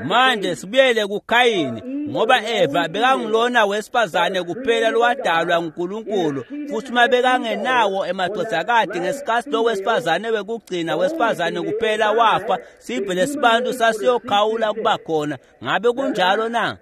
Manje sibuyele kuKhayini, ngoba Eva bekangulona wesifazane kuphela lowadalwa nguNkulunkulu, futhi uma bekangenawo emadvodzakati ngesikhatsi lo wesifazane wekugcina wesifazane kuphela wafa, sive lesibantu sasiyokhawula kuba khona. Ngabe kunjalo na?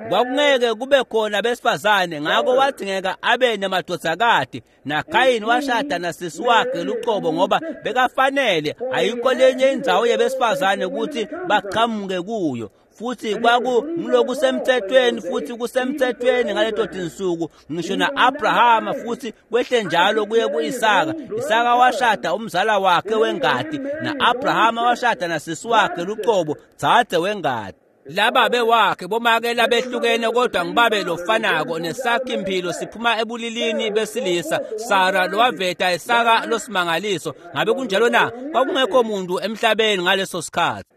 Kwakungeke kube khona besifazane, ngako wadzingeka abe nemadvodzakati. NaKhayini washada nasisi wakhe lucobo ngoba bekafanele, ayikho lenye indzawo yebesifazane ukuthi baqhamuke kuyo. Futhi kwakungulokusemthethweni, futhi kusemthethweni ngaleto tinsuku, ngisho na-Abrahama, futhi kwehle njalo kuye ku-Isaka. Isaka washada umzala wakhe wengati, na-Abrahama washada nasisi wakhe lucobo, dzadze wengati. Lababe wakhe bomake labehlukene, kodwa ngibabe lofanako, nesakhe imphilo siphuma ebulilini besilisa. Sara lowaveta Isaka losimangaliso. Ngabe kunjalo na? Kwakungekho muntu emhlabeni ngaleso sikhathi.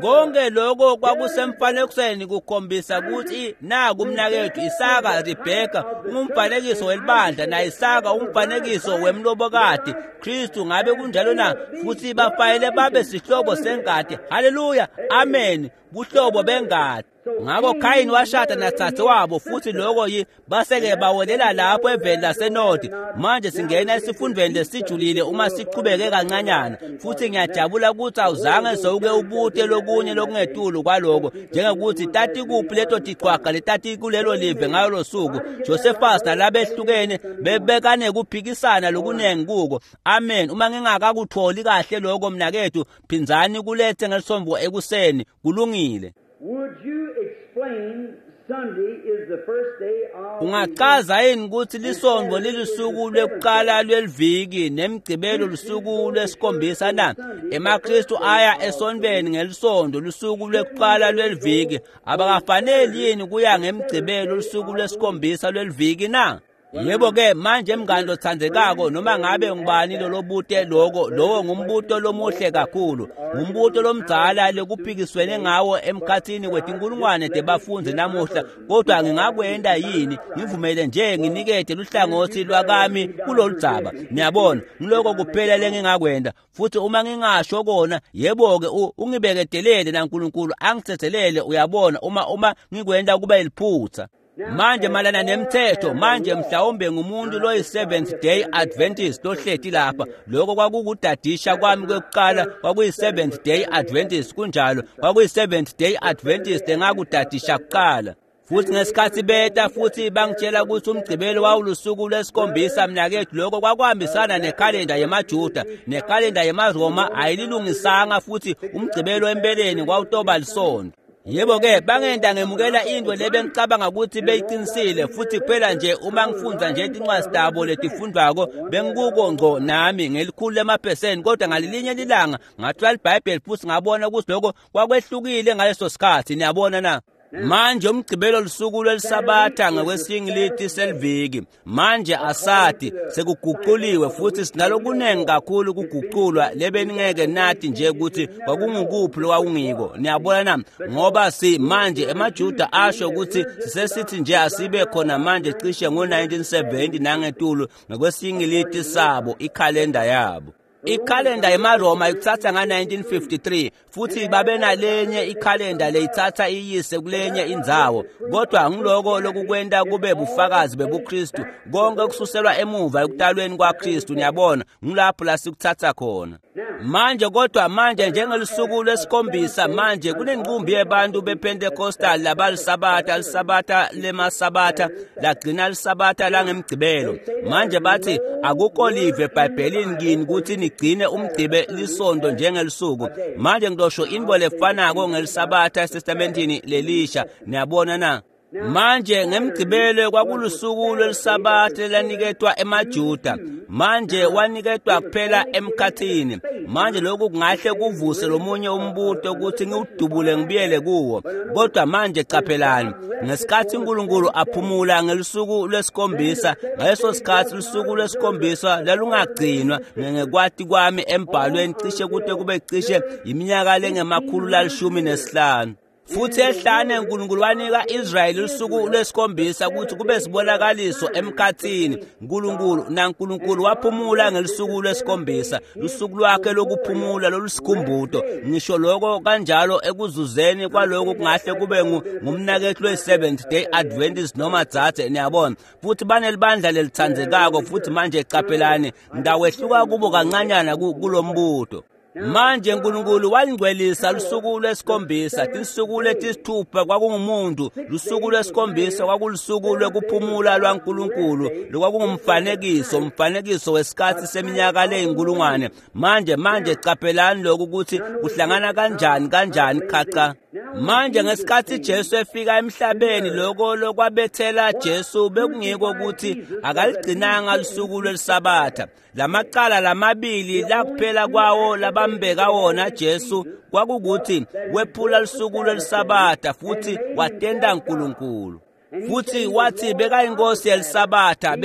Konke lokho kwakusemfanekisweni kukhombisa ukuthi naku umnakethu Isaka. Rebheka ungumfanekiso welibandla, na Isaka umfanekiso wemlobokati Kristu. Ngabe kunjalo na? Futhi bafanele babe sihlobo sengati. Haleluya, amen, buhlobo bengati. Ngakho Khayini washada nadzadzewabo, futhi lokho baseke bawelela lapho eveni laseNodi. Manje singena esifundweni lesijulile uma sichubeke kancanyana, futhi ngiyajabula ukuthi awuzange sewuke ubute lokunye lokungetulu kwaloko, njengekuthi tatikuphi leto tichwaga letatikulelo live ngalolo suku. Josephus nalabehlukene bebekanekuphikisana lokunengi kuko. Amen. Uma ngingakakutholi kahle lokho mnakethu, phindzani kulethe ngelisombo ekuseni. Kulungile. Would you explain Sunday is the first day of Ungachaza yini ukuthi lisonto lilusuku lwekuqala lweliviki nemgcibelo lusuku lwesikhombisa na? EmaKristu aya esontweni ngelisonto lusuku lwekuqala lweliviki. Abakafaneli yini kuya ngemgcibelo lusuku lwesikhombisa lweliviki na? Yebo-ke manje mngani lotsandzekako, noma ngabe ngubani lolobute loko, lowo ngumbuto lomuhle kakhulu, ngumbuto lomdzala lekuphikiswene ngawo emkhatsini wetinkulungwane tebafundzi namuhla. Kodwa ngingakwenta yini? Ngivumele nje nginikete luhlangotsi lwakami kuloludzaba. Niyabona, ngiloko kuphela lengingakwenta. Futhi uma ngingasho kona, yebo-ke ungibeketelele naNkulunkulu angithethelele, uyabona, uma ngikwenta kube liphutsa. Manje malana nemthetho, manje mhlawumbe ngumuntu loyi-Seventh Day Adventist lohleti lapha. Lokho kwakukudadisha kwami kwekuqala, kwakuyi-Seventh Day Adventist, kunjalo, kwakuyi-Seventh Day Adventist engakudadisha kuqala. Futhi ngesikhathi beta futhi bangitshela ukuthi umgcibelo wawulusuku lwesikhombisa, mnakethu, lokho kwakuhambisana nekhalenda yemaJuda, nekhalenda yemaRoma ayililungisanga, futhi umgcibelo empeleni kwawutoba lisonto. Yebo-ke bangenta ngemukela into lebengicabanga ukuthi beyiqinisile, futhi kuphela nje uma ngifundza nje tincwadzi tabo letifundvwako bengikuko ngco nami ngelikhulu lemaphesenti. Kodwa ngalelinye lilanga ngathola iBhayibheli futhi ngabona ukuthi lokho kwakwehlukile ngaleso sikhathi. Niyabona na? Manje umgcibelo lusuku lwelisabatha ngokwesingiliti seliviki. Manje asati sekuguquliwe futhi sinalokunengi kakhulu kuguqulwa lebeningeke nathi nje ukuthi kwakungukuphi lokwakungiko. Niyabona na? Ngoba si manje emaJuda asho ukuthi sisesithi nje asibe khona manje cishe ngo-1970 nangetulu ngokwesingiliti sabo, ikhalenda yabo. Ikhalenda yemaRoma ikutsatsa nga-1953 futhi babenalenye ikhalenda leyitsatsa iyise kulenye indzawo, kodwa ngiloko lokukwenta kube bufakazi bebuKristu konke kususelwa emuva ekutalweni kwaKristu. Niyabona, ngulapho lasikutsatsa khona manje. Kodwa manje njengelusuku lwesikhombisa, manje kunenqumbi yebantu bePentecostal labalisabatha lisabatha lemasabatha lagcina lisabatha langemgcibelo. Manje bathi akukho live eBhayibhelini kini ukuthi nigcine umgcibe lisondo njengelisuku. Manje ngidosho into lefanako ngelisabatha eTestamentini lelisha. Niyabona na? Manje ngemgcibelo kwakulusuku lwelisabatha laniketwa emaJuda. Manje waniketwa kuphela emkhathini. Manje lokhu kungahle kuvuse lomunye umbuto ukuthi ngiwudubule ngibuyele kuwo, kodwa manje caphelani, ngesikhathi uNkulunkulu aphumula ngelusuku lwesikhombisa, ngaleso sikhathi lusuku lwesikhombisa lalungagcinwa ngekwati kwami embhalweni cishe kude kube cishe iminyaka lengama-115. Futhi ehlane uNkulunkulu wanika Israyeli usuku lwesikhombisa ukuthi kube sibonakaliso emkhathini. uNkulunkulu naNkulunkulu waphumula ngelusuku lwesikhombisa, lusuku lwakhe lokuphumula lolusikhumbuto. Ngisho lokho kanjalo ekuzuzeni kwalokhu kungahle kube ngumnakethu we-Seventh Day Adventist noma dzadze, niyabona. Futhi banelibandla lelitsandzekako. Futhi manje caphelani, ngitawehluka kubo kancanyana kulombuto. Manje uNkulunkulu walingcwelisa lusuku lwesikhombisa. Tinsuku letisithupha kwakungumuntu, lusuku lwesikhombisa kwakulusuku lwekuphumula lwaNkulunkulu, lokwakungumfanekiso, umfanekiso wesikhathi seminyaka leyinkulungwane. Manje caphelani lokhu ukuthi kuhlangana kanjani khaca. Manje ngesikhathi Jesu efika emhlabeni, lokho lokwabethela Jesu bekungiko ukuthi akaligcinanga lusuku lwelisabatha. Lamacala lamabili lakuphela kwawo labambeka wona Jesu kwakukuthi wephula lusuku lwelisabatha futhi watenda uNkulunkulu. Futhi wathi bekayinkosi yelisabatha,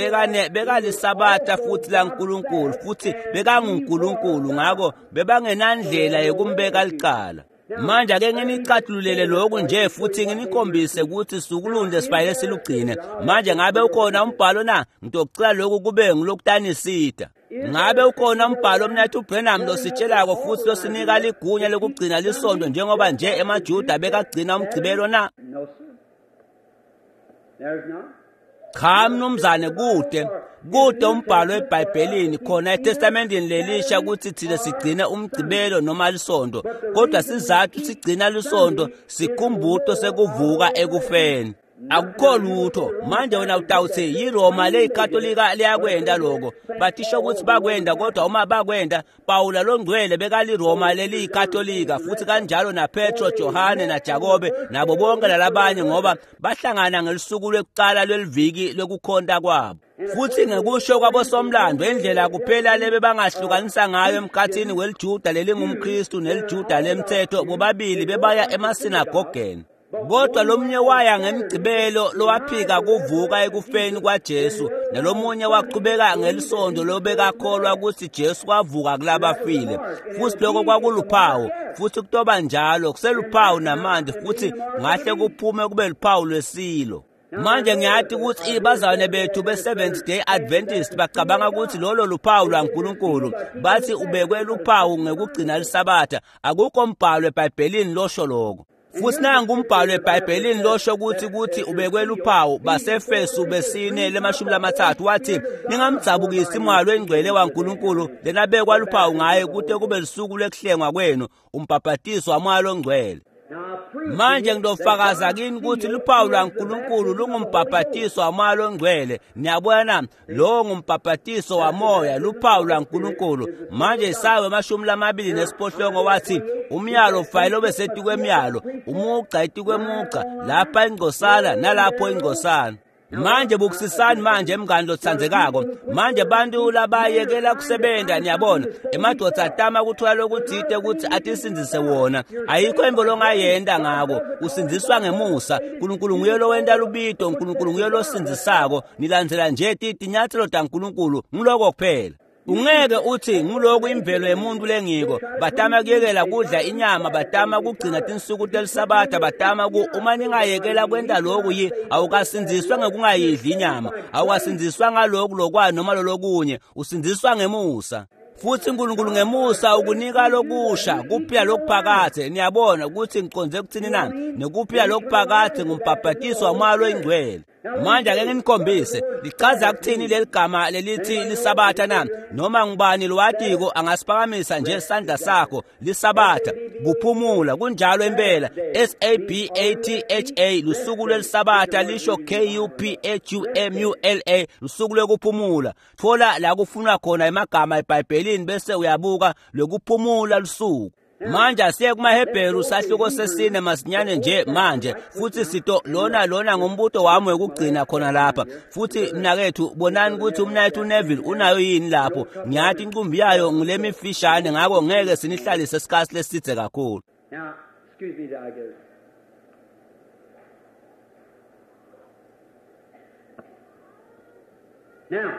bekalisabatha futhi laNkulunkulu, futhi bekanguNkulunkulu, ngakho bebangenandlela yokumbeka licala. Manje ake nginicathululele lokhu nje futhi nginikhombise ukuthi sukulunje sifanele silugcine. Manje ngabe ukhona umbhalo na? Ngitocela lokhu kube ngilokutanisida. Ngabe ukhona umbhalo mnathu Branham lositshelako futhi losinika ligunya lokugcina lisondo njengoba nje emaJuda bekagcina umgcibelo na? Cha mnumzane, kude umbhalo eBhayibhelini khona eTestamentini lelisha ukuthi thina sigcine umgcibelo noma lisondo, kodwa sizathu sigcina lisondo sikhumbuto sekuvuka ekufeni. Akukho lutho. Manje wena utawuthi yiRoma leyiKatolika liyakwenda lokho, bathisho ukuthi bakwenda, kodwa uma bakwenda, Pawula longcwele bekaliRoma leliyikatolika, futhi kanjalo naPetro, Johane naJakobe nabo bonke lalabanye, ngoba bahlangana ngelusuku lwekuqala lweliviki lwekukhonta kwabo. Futhi ngekusho kwabosomlando, indlela kuphela lebe bangahlukanisa ngayo emkhathini weliJuda lelingumKristu neliJuda lemthetho, bobabili bebaya emasinagogeni. Kodwa lomunye waya ngemgcibelo lowaphika kuvuka ekufeni kwaJesu, nalomunye waqhubeka ngelisondo lobekakholwa ukuthi Jesu wavuka kulabafile. Futhi lokho kwakuluphawu, futhi kutoba njalo kuseluphawu namanje, futhi ngahle kuphume kube luphawu lwesilo. Manje ngiyathi ukuthi ibazalwane bethu be-Seventh Day Adventist bacabanga ukuthi lolo luphawu lwaNkulunkulu. Bathi ubekwe luphawu ngekugcina lisabatha. Akukho mbhalo eBhayibhelini losho lokho. Futhi nangu umbhalo eBhayibhelini losho ukuthi ubekwe luphawu. Basefesu besine le-30 wathi ningamdzabukisi moya lwengcwele waNkulunkulu lenabekwa luphawu ngaye kute kube lusuku lwekuhlengwa kwenu, umbhabhatiso wamoya longcwele. Manje ngidofakaza kini ukuthi luphawu lwaNkulunkulu lungumbhabhatiso wamoya longcwele. Niyabona, lo ngumbhabhatiso wamoya, luphawu lwaNkulunkulu. Manje Isaya 28 wathi umyalo ufayile obesetikwe emyalo, umugca etikwemugca, lapha ingcosana nalapho ingcosana. Manje bukusisani manje mngani lotsandzekako. Manje bantu labayekela kusebenta, niyabona, emadoda atama kuthola lokuthite ukuthi atisindzise wona. Ayikho into longayenta ngako, usindziswa ngemusa. Nkulunkulu nguye lowenta lubito, Nkulunkulu nguye losindzisako. Nilandzela nje tinyatselo taNkulunkulu, nguloko kuphela. Ungeke uthi nguloku imvelo yemuntu lengiko. Batama kuyekela kudla inyama, batama kugcina tinsuku telisabatha, batama uma ningayekela kwenta lokhu yi awukasindziswa ngekungayidli inyama, awukasindziswa ngaloku lokwa noma lolokunye, usindziswa ngemusa. Futhi uNkulunkulu ngemusa ukunika lokusha kuphila lokuphakathe. Niyabona ukuthi ngiqonde kuthini na? Nekuphila lokuphakathe ngumbhabhatiso waMoya loyiNgcwele. Manje ake nginikhombise lichaza kuthini leli gama lelithi lisabatha na? Noma ngubani lowatiko angasiphakamisa nje isandla sakho. Lisabatha kuphumula, kunjalo impela. S A B A T H A, lusuku lwelisabatha lisho K U P H U M U L A, lusuku lwekuphumula. Thola la kufunwa khona emagama eBhayibhelini bese uyabuka lokuphumula lusuku. Manje asiye kumaHebheru sahluko sesine masinyane nje manje, futhi sito lona ngumbuto wami wekugcina khona lapha. Futhi mnakethu, bonani ukuthi umnakethu Neville unayo yini lapho. Ngiyathi inqumbi yayo ngulemifishane, ngakho ngeke sinihlalise isikhathi lesithe kakhulu. Now, excuse me, I guess. Now,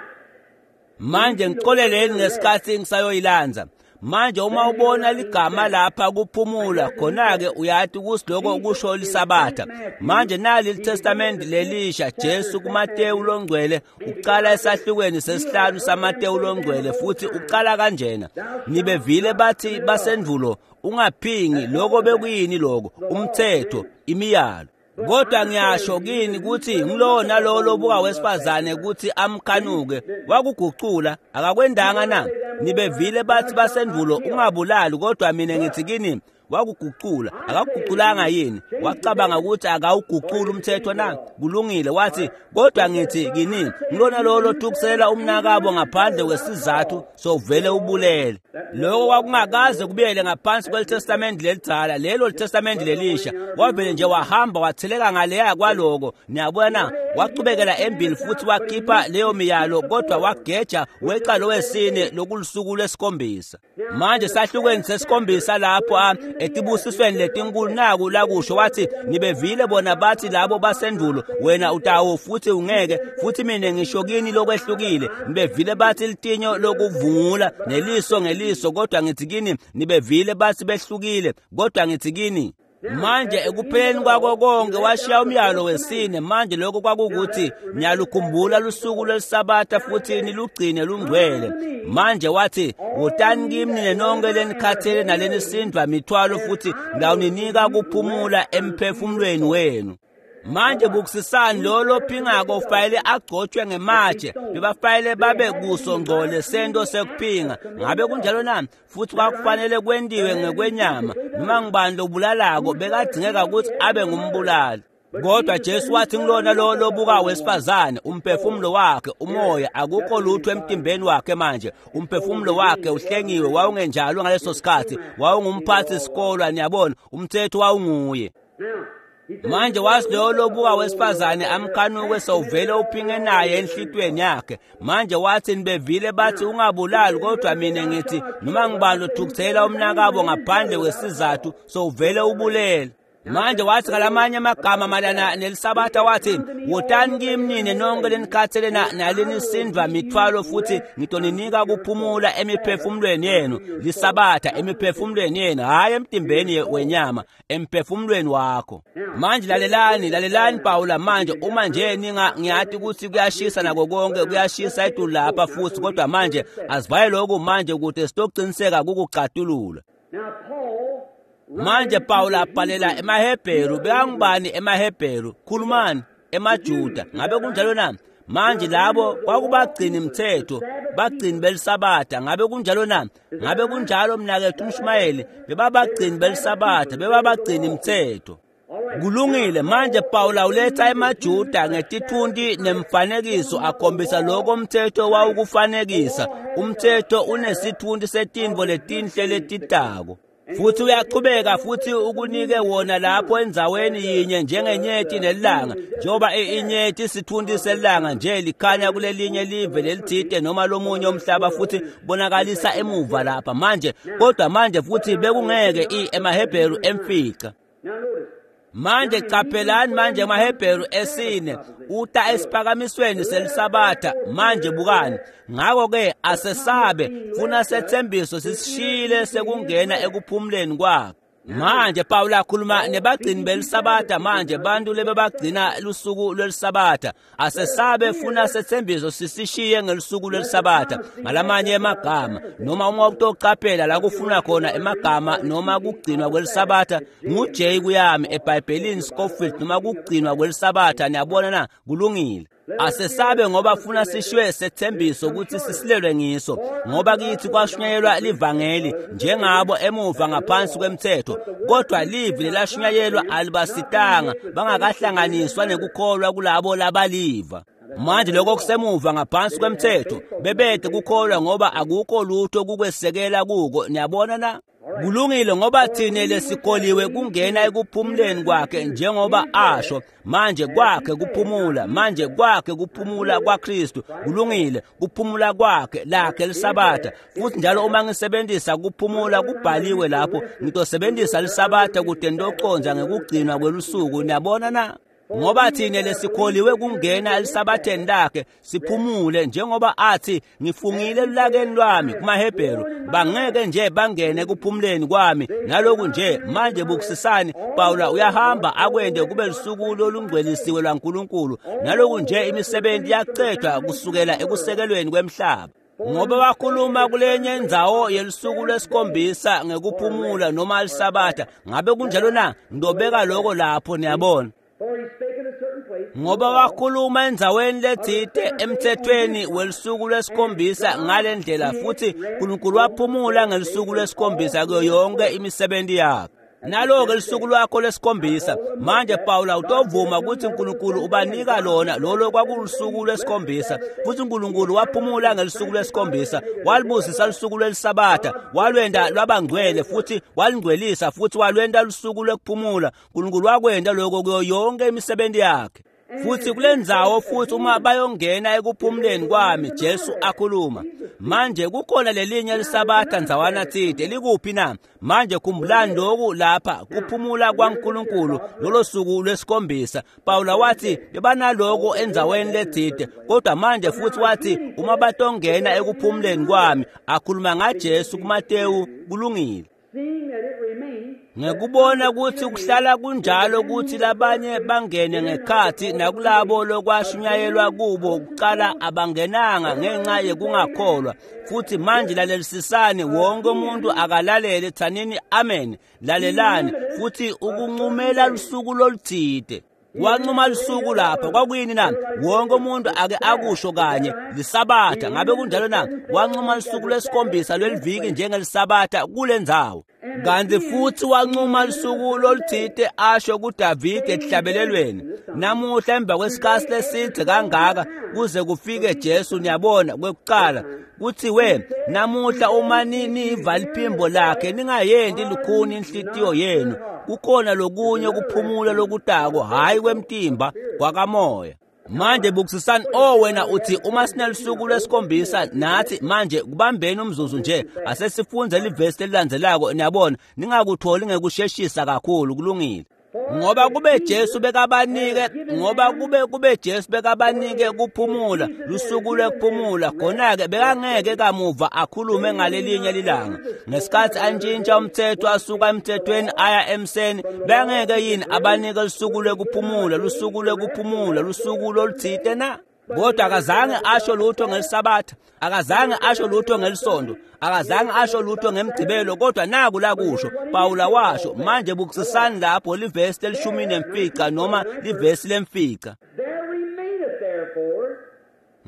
manje ngicoleleni ngesikhathi ngisayoyilanza. Manje uma ubona ligama lapha kuphumula, khona-ke uyathi ukuthi lokho kusho lisabatha. Manje nali iTestament lelisha, Jesu kuMateyu longcwele uqala esahlukweni sesihlanu saMateyu longcwele, futhi uqala kanjena: nibevile bathi basendulo, ungaphingi. Lokho bekuyini lokho? Umthetho, imiyalo. Kodwa ngiyasho kini ukuthi ngilowo nalowo lobuka wesifazane ukuthi amkhanuke, wakugucula, akakwendanga na? Nibevile bathi basendulo, ungabulali, kodwa mina ngithi kini, wakugucula, akakuguculanga yini? Wacabanga ukuthi akawugucula umthetho na? Kulungile. Wathi, kodwa ngithi kini, ngilona lowo lotukusela umnakabo ngaphandle kwesizathu sovele ubulele. Lokho kwakungakaze kubuyele ngaphansi kweliTestament lelidzala, lelo liTestament lelisha. Wavele nje wahamba watheleka ngaleya kwaloko. Niyabona, wachubekela embili futhi wakhipha leyo miyalo, kodwa wageja weqa lowesine lokulusuku lwesikhombisa. Manje sahlukweni sesikhombisa lapho etibusisweni letinkulu naku lakusho, wathi, nibevile bona bathi labo basendulo, wena utawo futhi ungeke, futhi mina ngisho kini lokwehlukile. Nibevile bathi litinyo lokuvungula neliso ngeliso, kodwa ngithi kini, nibevile bathi behlukile, kodwa ngithi kini. Manje ekupheleni kwako konke washiya umyalo wesine. Manje lokho kwakukuthi niyalukhumbula lusuku lwelisabatha futhi nilugcine lungcwele. Manje wathi, wotani kimi nina nonke lenikhathele nalenisindwa mithwalo, futhi ngawuninika kuphumula emphefumulweni wenu. Manje bukusisani lo lophingako ufanele agcotshwe ngematshe, bebafanele babe kuso ngcole sento sekuphinga. Ngabe kunjalo na? Futhi kwakufanele kwentiwe ngekwenyama. Noma ngubani lobulalako bekadingeka ukuthi abe ngumbulali. Kodwa Jesu wathi ngilona lo lobuka wesifazane, umphefumulo wakhe, umoya, akukho lutho emtimbeni wakhe manje. Umphefumulo wakhe uhlengiwe, wawungenjalo ngaleso sikhathi, wawungumphathi sikolwa, niyabona, umthetho wawunguye. Manje wazi loyo lobuka wesifazane amkhanuke sewuvele uphinge naye enhlitweni yakhe. Manje wathi, nibevile bathi ungabulali, kodwa mina ngithi noma ngibani othukuthela umnakabo ngaphandle kwesizathu sewuvele ubulele. Manje wathi ngalamanye amagama malana nelisabatha, wathi, wotani kimi nina nonke lenikhathele nalenisindwa mithwalo, futhi ngitoninika kuphumula emiphefumulweni yenu. Lisabatha emiphefumulweni yenu, hhayi emtimbeni wenyama, emphefumulweni wakho. Manje lalelani, lalelani Pawula manje, uma nje ngiyathi ukuthi kuyashisa nako konke, kuyashisa etulu lapha futhi, kodwa manje asivaye lokhu manje ukuze sitoqiniseka kukucatulula. Manje Pawula abhalela emaHebheru, bekangubani emaHebheru? Khulumani, emaJuda. Ngabe kunjalo na? Manje labo kwakubagcini mthetho, bagcini belisabatha. Ngabe kunjalo na? Ngabe kunjalo mnakethu umshumayeli? Bebabagcini belisabatha, bebabagcini mthetho. Kulungile. Manje Pawula uletha emaJuda ngetithunti nemfanekiso, akhombisa lokho umthetho wawukufanekisa. Umthetho unesithunti setintfo letinhle letitako. Futhi uyachubeka futhi ukunike wona lapho endzaweni yinye njengenyeti nelanga. Njengoba inyeti isithunti selanga nje likhanya kulelinye live lelithide noma lomunye umhlaba, futhi bonakalisa emuva lapha manje. Kodwa manje futhi bekungeke emaHebheru emfica. Manje qaphelani manje emaHebheru esine uta esiphakamisweni selisabatha. Manje bukani, ngakho ke asesabe, funa sethembiso sisishile sekungena ekuphumuleni kwakhe. Manje Pawula akhuluma nebagcini belisabatha, manje bantu lebebagcina lusuku lwelisabatha. Asesabe funa sethembiso sisishiye ngelusuku lwelisabatha. Ngalamanye emagama, noma uma utocaphela la kufuna khona emagama noma kugcinwa kwelisabatha nguJ kuyami eBhayibhelini Scofield, noma kugcinwa kwelisabatha. Niyabona na? Kulungile. Asesabe ngoba funa sishwe sethembiso ukuthi sisilelwe ngiso, ngoba kithi kwashunyayelwa livangeli njengabo emuva ngaphansi kwemthetho, kodwa livi lelashunyayelwa alibasitanga bangakahlanganiswa nekukholwa kulabo labaliva. Manje lokho kusemuva ngaphansi kwemthetho, bebede kukholwa ngoba akukho lutho kukwesekela kuko. Niyabona na? Kulungile, ngoba thina lesikholiwe kungena ekuphumuleni kwakhe njengoba asho. Manje kwakhe kuphumula, manje kwakhe kuphumula kwaKristu. Kulungile, kuphumula kwakhe lakhe lisabatha. Futhi njalo uma ngisebenzisa kuphumula kubhaliwe lapho, ngitosebenzisa lisabatha kude ntoconza ngekugcinwa kwelusuku. Niyabona na? Ngoba thina lesikholiwe kungena elisabatheni lakhe siphumule, njengoba athi ngifungile elulakeni lwami kumaHebheru, bangeke nje bangene kuphumuleni kwami. Naloku nje manje bukusisani, Pawula uyahamba akwende kube lusuku lolungcwelisiwe lwaNkulunkulu. Naloku nje imisebenzi yacedwa kusukela ekusekelweni kwemhlaba. Ngoba wakhuluma kulenye indzawo yelusuku lwesikhombisa ngekuphumula noma lisabatha. Ngabe kunjalo na? Ngidobeka lokho lapho, niyabona. Ngoba wakhuluma endzaweni letsite emthethweni welusuku lwesikhombisa ngale ndlela, futhi uNkulunkulu waphumula ngelusuku lwesikhombisa kuyo yonke imisebenzi yakhe. Nalo-ke lusuku lwakho lwesikhombisa. Manje Pawula utovuma ukuthi uNkulunkulu ubanika lona lolo kwakulusuku lwesikhombisa, futhi uNkulunkulu waphumula ngelusuku lwesikhombisa, walibusisa lusuku lwelisabatha, walwenda lwabangcwele futhi walingcwelisa futhi walwenda lusuku lwekuphumula. uNkulunkulu wakwenda lokho kuyo yonke imisebenzi yakhe. Futhi kulendzawo futhi uma bayongena ekuphumuleni kwami, Jesu akhuluma. Manje kukhona lelinye lisabatha ndzawana tsite, likuphi na? Manje khumbulani lokhu lapha, kuphumula kwaNkulunkulu lolo suku lwesikhombisa. Pawula wathi bebanaloko endzaweni letsite, kodwa manje futhi wathi uma batongena ekuphumuleni kwami, akhuluma ngaJesu kuMatewu. Kulungile. Ngekubona ukuthi kuhlala kunjalo ukuthi labanye bangene ngekhathi nakulabo lokwashunyayelwa kubo kuqala abangenanga ngenxa yekungakholwa. Futhi manje lalelisisani, wonke umuntu akalalele, thanini amen, lalelani. Futhi ukuncumela lusuku loluthide, wancuma lusuku lapha kwakuyini na? Wonke umuntu ake akusho kanye lisabatha. Ngabe kunjalo na? Wancuma lusuku lwesikhombisa lweliviki njengelisabatha kulendzawo. Kanti futhi wancuma lusuku loluthite asho kuDavide ekuhlabelelweni. Namuhla emva kwesikhathi leside kangaka kuze kufike Jesu, niyabona, kwekuqala kuthiwe namuhla uma niva liphimbo lakhe ningayendi lukhuni inhlitiyo yenu. Kukhona lokunye kuphumula lokutako, hhayi kwemtimba, kwakamoya. Manje bukusisani, oh wena uthi uma sinelusuku lwesikhombisa nathi manje kubambeni umzuzu nje, asesifunze livesi lelilandzelako. Niyabona, ningakutholi ngekusheshisa kakhulu. Kulungile. Ngoba kube Jesu bekabanike, ngoba kube Jesu bekabanike kuphumula, lusuku lwekuphumula, khona-ke bekangeke kamuva akhulume ngalelinye lilanga. Ngesikhathi antshintsha umthetho asuka emthethweni aya emseni, bekangeke yini abanike lusuku lwekuphumula, lusuku lwekuphumula, lusuku loluthite na? Kodwa akazange asho lutho ngelisabatha, akazange asho lutho ngelisonto, akazange asho lutho ngemgcibelo, kodwa naku lakusho Pawula washo. Manje bukusisani lapho livesi lel15 noma livesi lemfica.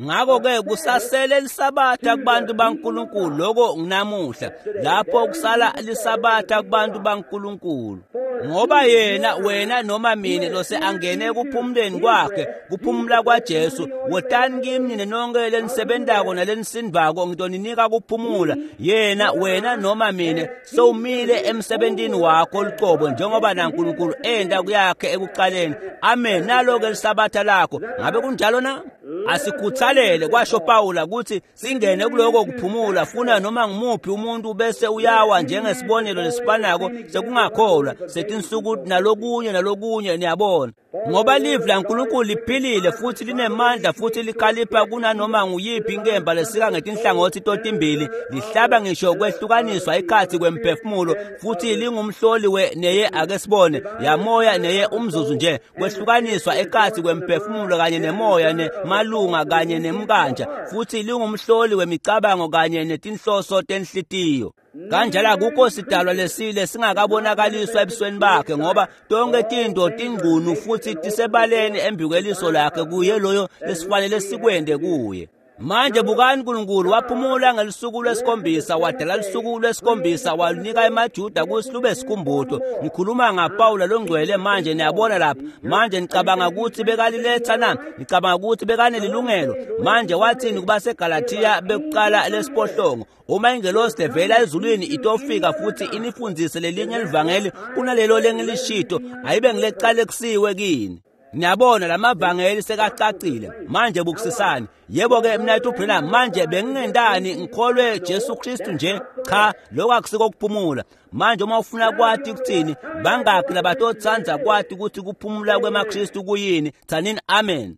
Ngakho-ke kusasele lisabatha kubantu baNkulunkulu, lokho nginamuhla lapho kusala lisabatha kubantu baNkulunkulu. Ngoba yena, wena noma mina lose angene ekuphumuleni kwakhe, kuphumula kwaJesu. Wotani kimi nina nonke lenisebentako nalenisindvako, ngitoninika kuphumula. Yena, wena noma mina sewumile emsebentini wakho lucobo, njengoba naNkulunkulu enda kuyakhe ekuqaleni. Amen. Nalo-ke lisabatha lakho. Ngabe kunjalo na? Asikhuthalele, kwasho Pawula, ukuthi singene kuloko kuphumula, funa noma ngumuphi umuntu bese uyawa njengesibonelo lesifanako sekungakholwa setinsuku nalokunye nalokunye. Niyabona. Ngoba livi laNkulunkulu liphilile futhi linemandla futhi likhalipha kunanoma nguyiphi inkemba lesika ngetinhlangothi totimbili, lihlaba ngisho kwehlukaniswa ikhathi kwemphefumulo, futhi lingumhloli we neye ake sibone yamoya neye umzuzu nje kwehlukaniswa ekhathi kwemphefumulo kanye nemoya nemalunga kanye nemkanja, futhi lingumhloli wemicabango kanye netinhloso tenhlitiyo. Kanjalo akukho sidalwa lesile singakabonakaliswa ebusweni bakhe, ngoba tonke tinto tingcunu futhi tisebaleni embikweliso lakhe kuye loyo lesifanele sikwende kuye. Manje bukani, uNkulunkulu waphumula ngelusuku lwesikhombisa, wadala lusuku lwesikhombisa, walunika emaJuda kutsi lube sikhumbuto. Ngikhuluma ngaPawula longcwele manje, niyabona lapha. Manje nicabanga ukuthi bekaliletha na? Nicabanga ukuthi bekanelilungelo? Manje wathini kubaseGalathiya bekuqala lesiphohlongo? Uma ingelosi levela ezulwini itofika futhi inifundzise lelinye livangeli kunalelo lengilishito, ayibe ngilecalekisiwe kini. Niyabona lamavangeli sekacacile. Manje bukusisani. Yebo-ke mnayethu Branham, manje bengingendani ngikholwe Jesu Kristu nje? Cha, lokho akusiko kuphumula. Manje uma ufuna kwati ukuthini, bangaki labatotsandza kwati ukuthi kuphumula kwemaKristu kuyini? Tsanini amen.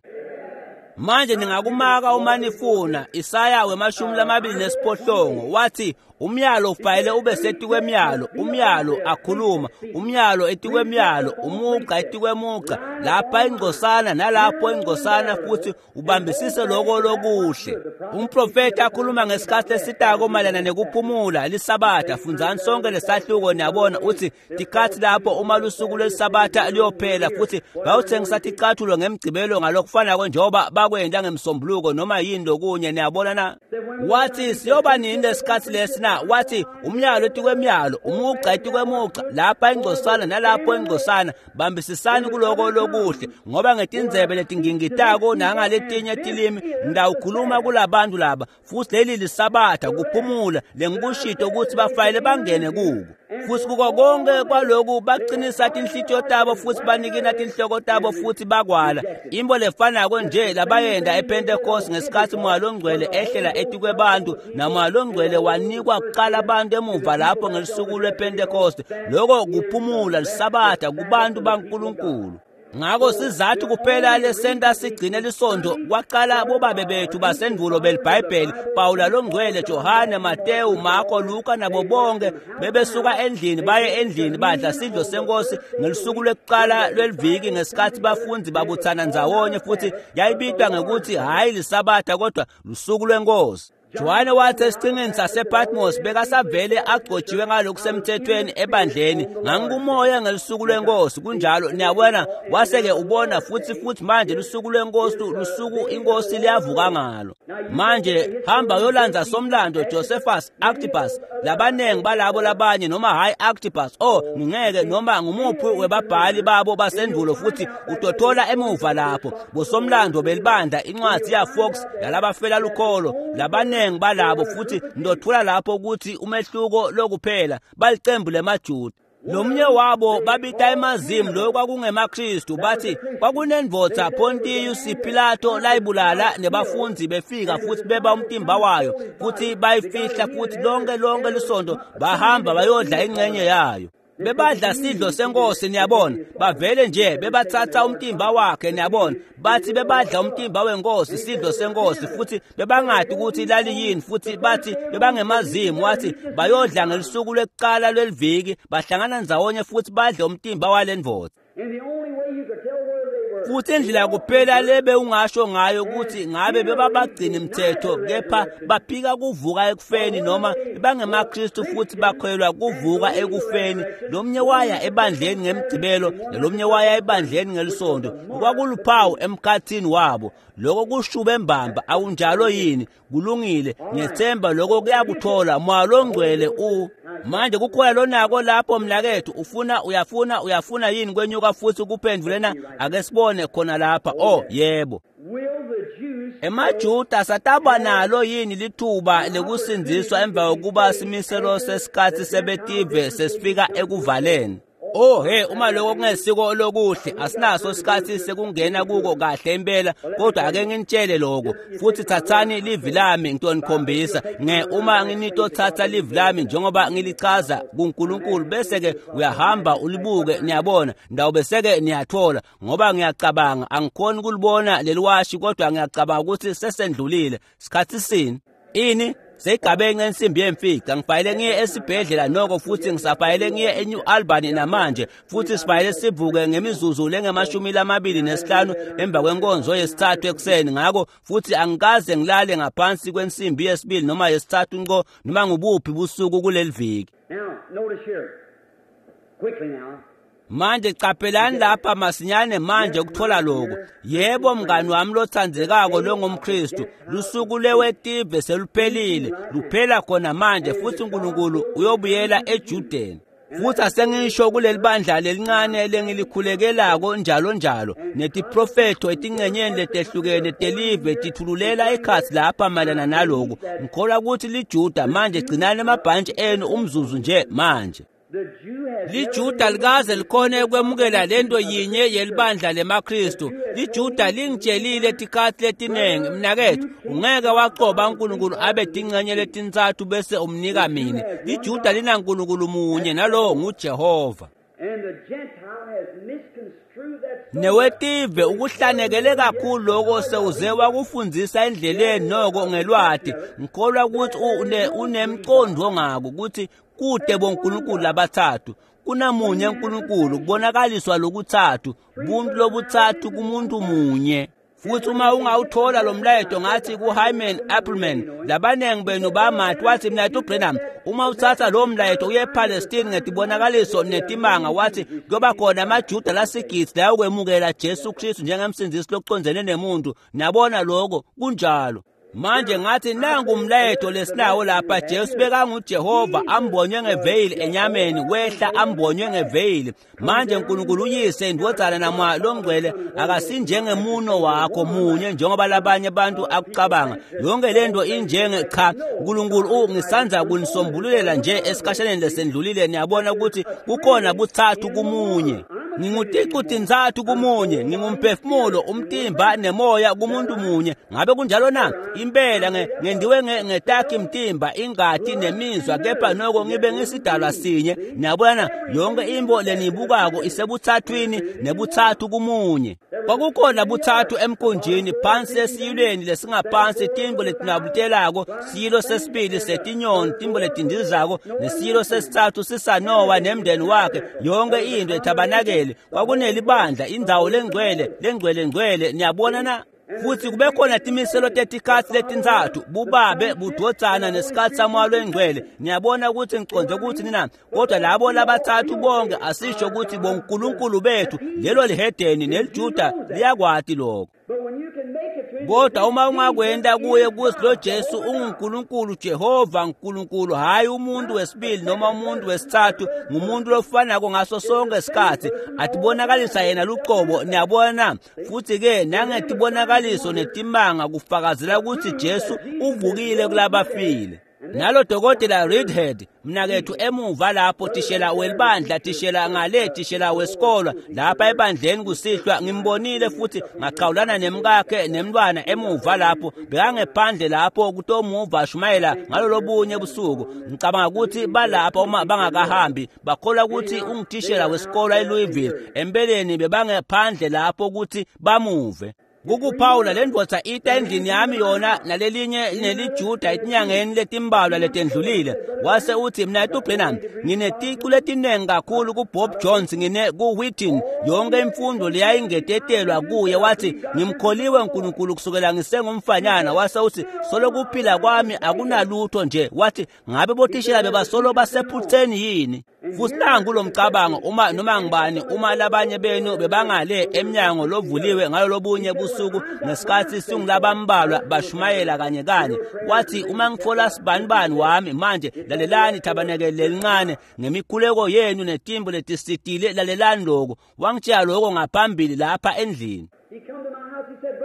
Manje ningakumaka uma nifuna. Isaya 28 wathi umyalo ufanele ube setikwemyalo, umyalo akhuluma, umyalo etikwemyalo, umugqa etikwemugqa, lapha ingcosana nalapho ingcosana, futhi ubambisise lokho lokuhle. Umprofeti akhuluma ngesikhathi esitako mayelana nekuphumula lisabatha. Fundzani sonke lesahluko, niyabona, uthi tikhathi lapho uma lusuku lwelisabatha liyophela, futhi bayawuthengisa ticathulo ngemgcibelo ngalokufanako njengoba bakwenda ngemsombuluko noma yini lokunye, niyabona na? Wathi siyoba nini lesikhathi lesi na? Wathi umyalo etikwemyalo, umugqa etikwemugqa, lapha ingcosana nalapho ingcosana, bambisisani kuloko lokuhle, ngoba ngetindzebe letingingitako nangaletinye tilimi ngitawukhuluma kulabantu laba, futhi leli lisabatha kuphumula lengikushito ukuthi bafanele bangene kuko. Futhi kuko konke kwaloku baqinisa tinhlitiyo tabo futhi banikina tinhloko tabo futhi bakwala. Imbo lefanako nje labayenda ePentecost ngesikhathi Moya loNgcwele ehlela etikwebantu, naMoya loNgcwele wanikwa kuqala abantu emuva lapho ngelusuku lwePentecost. Lokho kuphumula lisabatha kubantu baNkulunkulu. Ngakho sizathu kuphela lesenta sigcine lisondo kwaqala bobabe bethu basendulo beliBhayibheli, Pawula longcwele, Johane, Matewu, Marko, Luka nabo bonke bebesuka endlini baye endlini badla sidlo senkosi ngelusuku lwekuqala lweliviki ngesikhathi bafundi babuthana ndzawonye, futhi yayibitwa ngekuthi hhayi lisabatha kodwa lusuku lwenkosi. Johane wathi esiqhingini sasePatmos bekasavele agcotshiwe ngalokusemthethweni ebandleni, ngangikumoya ngelusuku lwenkosi. Kunjalo, niyabona, wase-ke ubona futhi manje lusuku lwenkosi, lusuku inkosi liyavuka ngalo. Manje hamba uyolandza somlando Josephus, Antipas, labanengi balabo labanye, noma hhayi Antipas, oh ngingeke, noma ngumuphi webabhali babo basendulo, futhi utothola emuva lapho bosomlando belibandla incwadi ya Fox yalabafela lukholo, labanengi balabo, futhi ndothula lapho ukuthi umehluko lokuphela balicembu lemaJuda. Lomnye wabo babita emazimu loyo kwakungemaKristu, bathi kwakunendvodza Pontius Pilato layibulala nebafundi befika futhi beba umtimba wayo futhi bayifihla, futhi lonke lisonto bahamba bayodla ingxenye yayo. Bebadla sidlo senkosi, niyabona, bavele nje bebathatha umtimba wakhe, niyabona, bathi bebadla umtimba wenkosi, sidlo senkosi, futhi bebangadi ukuthi laliyini, futhi bathi bebangemazimu. Wathi bayodla ngelusuku lwekuqala lweliviki, bahlangana ndzawonye futhi badle umtimba walendvodza. Futhi indlela kuphela lebe ungasho ngayo ukuthi ngabe bebabagcina imithetho kepha baphika kuvuka ekufeni, noma bangemaKristu futhi bakholelwa kuvuka ekufeni. Lomnye waya ebandleni ngemgcibelo nalomnye waya ebandleni ngelisonto, kwakuluphawu emkhathini wabo. Lokho kushube mbamba, akunjalo yini? Kulungile, ngiyethemba lokho kuyakuthola Moya loNgcwele. Manje kukhona lonako lapho mnakethu, ufuna uyafuna yini kwenyuka futhi kuphendvule na? Ake sibone khona lapha. Oh yebo. EmaJuda sataba nalo yini lithuba lekusindziswa emva kokuba simiselo sesikhathi sebetive sesifika ekuvaleni? Oh he, uma lokho kungesiko lokuhle, asinaso isikhathi sekungena kuko kahle impela, kodwa ake nginitshele lokho. Futhi thathani livi lami ngitonikhombisa uma nginitothatha livi lami njengoba ngilichaza kuNkulunkulu, bese ke uyahamba ulibuke, niyabona ndawo, bese ke niyathola. Ngoba ngiyacabanga angikhoni kulibona leliwashi, kodwa ngiyacabanga ukuthi sesendlulile sikhathi sini ini seyigabenxe ensimbi yemfica. Ngifanele ngiye esibhedlela noko, futhi ngisafanele ngiye eNew Albany namanje, futhi sifanele sivuke ngemizuzu lengama-25 emva kwenkonzo yesithathu ekuseni. Ngakho futhi angikaze ngilale ngaphansi kwensimbi yesibili noma yesithathu nqo noma ngubuphi busuku kuleli viki. Manje qaphelani lapha masinyane manje ukuthola lokho. Yebo mngani wami lothandzekako longumKristu, lusuku lwewetive seluphelile, luphela khona manje, futhi uNkulunkulu uyobuyela eJudeni. Futhi asengisho kuleli bandla lelincane lengilikhululekelako njalo njalo, netiprofetho etincenyeni letehlukene telive tithululela ekhatsi lapha mayelana naloku. Ngikholwa ukuthi liJuda manje, gcinani emabhantshi enu umzuzu nje manje. LiJuda likaze likhone ukwemukela lento yinye yelibandla lemaKristu. LiJuda lingitshelile tikhathi letinengi, mnakethu, ungeke wacoba uNkulunkulu abe tingcenye letintsatfu bese umnika mine. LiJuda linaNkulunkulu munye, nalowo nguJehova. Newetive ukuhlanekele kakhulu lokho sewuze wakufundzisa endleleni noko ngelwati. Ngikholwa ukuthi unemqondo ngako ukuthi kude boNkulunkulu labathathu, kunamunye uNkulunkulu, kubonakaliswa lokuthathu, buntu lobuthathu kumuntu munye. Futhi uma ungawuthola lo mlayeto, ngathi kuHyman Appleman, labanengi benu bamati, wathi mnayethu Branham, uma uthatha lo mlayeto uye ePalestine ngetibonakaliso netimanga, wathi kuyoba khona amaJuda lasigidi layokwemukela Jesu Kristu njengemsindzisi lokucondzene nemuntu. Niyabona lokho kunjalo. Manje ngathi nangu umlayeto lesinawo lapha. Jesu bekanguJehova ambonywe ngeveyili enyameni, wehla ambonywe ngeveyili. Manje uNkulunkulu uyise, indvodzana naMoya loNgcwele akasinjengemuno wakho munye njengoba labanye abantu akucabanga. Yonke lento injenge cha, uNkulunkulu ngisandza kunisombululela nje esikhashaneni lesendlulile. Niyabona ukuthi kukhona buthathu kumunye. Nginguticu tintsatfu kumunye, ngingumphefumulo, umtimba nemoya kumuntu munye. Ngabe kunjalo na? Impela ngendiwe ngetakhi mtimba, ingati nemizwa, kepha noko ngibe ngisidalwa sinye. Niyabona, yonke imbo leniyibukako isebuthathwini nebuthathu kumunye. Kwakukhona buthathu emkhunjini, phansi esiyilweni lesingaphansi, timbo letinabutelako, siyilo sesibili setinyoni, timbo letindizako, nesiyilo sesithathu sisanowa nemndeni wakhe. Yonke into ethabanakele kwakunelibandla, indzawo lengcwele, lengcwele ngcwele. Niyabona na? Futhi kube khona timiselo tetikhatsi letintsatfu, bubabe, budvodzana nesikhatsi saMoya loNgcwele. Niyabona ukuthi ngicondze ukuthi nina, kodwa labo labathathu bonke asisho ukuthi bonkulunkulu bethu. Lelo lihedeni neliJuda liyakwati lokho. Kodwa uma ungakwenda kuye kuthi lo Jesu unguNkulunkulu Jehova uNkulunkulu, hayi umuntu wesibili noma umuntu wesithathu, ngumuntu lofanako ngaso sonke isikhathi, atibonakalisa yena luqobo. Niyabona? Futhi ke nangetibonakaliso netimanga kufakazela ukuthi Jesu uvukile kulabafile. Nalo dokotela Reedhead mnakethu emuva lapho, tishela welibandla, tishela ngale, tishela wesikolwa lapha ebandleni kusihlwa, ngimbonile futhi ngachawulana nemkakhe nemntwana emuva lapho, bekangephandle lapho kutomuva ashumayela ngalolobunye busuku. Ngicabanga ukuthi balapha uma bangakahambi, bakholwa ukuthi ungutishela wesikolwa eLouisville. Empeleni bebangephandle lapho ukuthi bamuve. Kukuphawula le ndvodza ita endlini yami yona nalelinye neliJuda etinyangeni letimbalwa letendlulile. Wase uthi, mnayethu Branham, ngineticu letinengi kakhulu kuBob Jones, ngine kuWheaton, yonke imfundo leyayingetetelwa kuye. Wathi, ngimkholiwe uNkulunkulu kusukela ngisengumfanyana. Wase uthi, solo kuphila kwami akunalutho nje. Wathi, ngabe bothishela bebasolo basephutheni yini? Futhi nangu lo mcabango, uma noma ngibani, uma labanye benu bebangale emnyango lovuliwe ngalolobunye busuku ngesikhathi singulabambalwa bashumayela kanye kanye, wathi, uma ngitfola sibanibani wami manje, lalelani thabanekele lelincane ngemikhuleko yenu netimbo letisitile, lalelani lokho. Wangitshela lokho ngaphambili lapha endlini.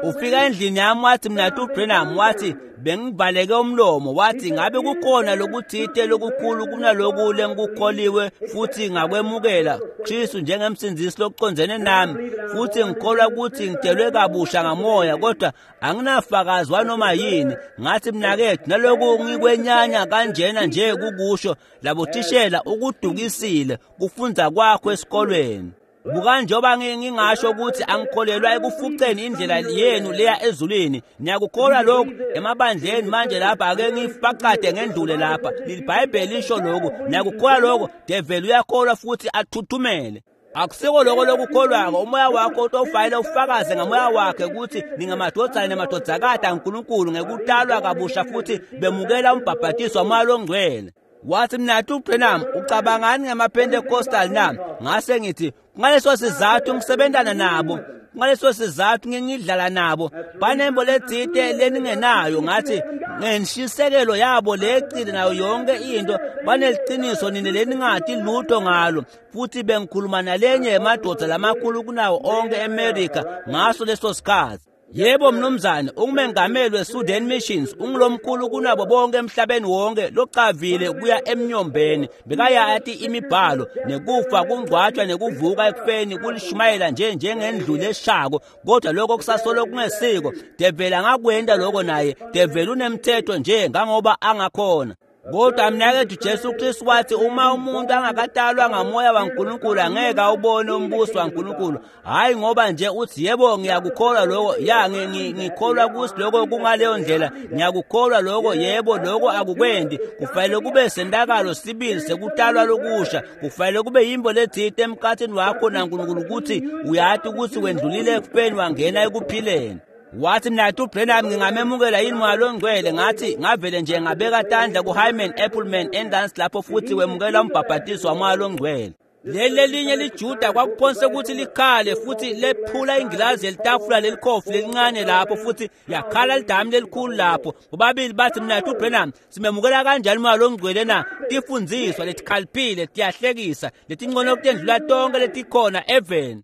Ufika endlini yami wathi, mnayethu Branham, wathi, Bengivaleke umlomo. Wathi, ngabe kukhona lokuthite lokukhulu kunaloku lengikukholiwe futhi ngakwemukela Kristu njengemsindzisi lokucondzene nami, futhi ngikholwa ukuthi ngitelwe kabusha ngamoya, kodwa anginafakazi wanoma yini. Ngathi, mnakethu, naloku ngikwenyanya kanjena nje kukusho labothishela ukudukisile kufundza kwakho esikolweni. Buka njengoba ngingasho ukuthi angikholelwa ekufuceni indlela yenu leya ezulwini. Niyakukholwa lokhu emabandleni manje lapha, ake ngifakade ngendlule lapha. IBhayibheli lisho lokhu, niyakukholwa lokho. Develi uyakholwa futhi athuthumele. Akusiko lokho lokukholwako. Umoya wakho utofayile ufakaze ngamoya wakhe ukuthi ningamadvodzana nemadvodzakati aNkulunkulu ngekutalwa kabusha futhi bemukela umbhabhatiso waMoya loNgcwele. Wathi, mnathu Branham, ucabangani ngamaPentecostal na? Ngase ngithi, ngaleso sizathu ngisebentana nabo, ngaleso sizathu ngidlala nabo, banembo letsite leningenayo. Ngathi, ngenshisekelo yabo lecile nayo yonke into, baneliciniso nini leningati lutho ngalo. Futhi bengikhuluma nalenye yemadoda lamakhulu kunawo onke eMerika ngaso leso sikhathi. Yebo mnumzane, ungumengameli weSudan Missions, ungulomkhulu kunabo bonke emhlabeni wonke, locavile kuya emnyombeni. Bekayati imibhalo, nekufa kungcwatshwa nekuvuka ekufeni kulishumayela nje njengendlu leshako, kodwa lokho kusasolo kungesiko. Develi angakwenta lokho naye, develi unemthetho nje ngangoba angakhona. Kodwa mnakethu, Jesu Kristu wathi uma umuntu angakatalwa ngamoya waNkulunkulu angeke awubone umbuso waNkulunkulu. Hayi ngoba nje uthi yebo ngiyakukholwa lokho, ya ngikholwa ukuthi lokho kungaleyo ndlela, ngiyakukholwa lokho, yebo lokho akukwendi. Kufanele kube sentakalo sibili sekutalwa lokusha, kufanele kube yimbo letsite emkhathini wakho naNkulunkulu ukuthi uyati ukuthi wendlulile ekufeni wangena ekuphileni. Wathi, mnathu Branham, ngingamemukela yini Moya loNgcwele? Ngathi, ngavele nje ngabeka tandla kuHyman Appleman endansi lapho futhi wemukela umbhabhatiso waMoya loNgcwele. Leli lelinye liJuda kwakuphonse ukuthi likhale futhi lephula ingilazi yelitafula lelikhofi lelincane lapho, futhi yakhala lidamu lelikhulu lapho. Bobabili bathi, mnathu Branham, simemukela kanjani Moya loNgcwele na? Tifundziswa letikhaliphile tiyahlekisa, letincono kutendlula tonke letikhona eveni.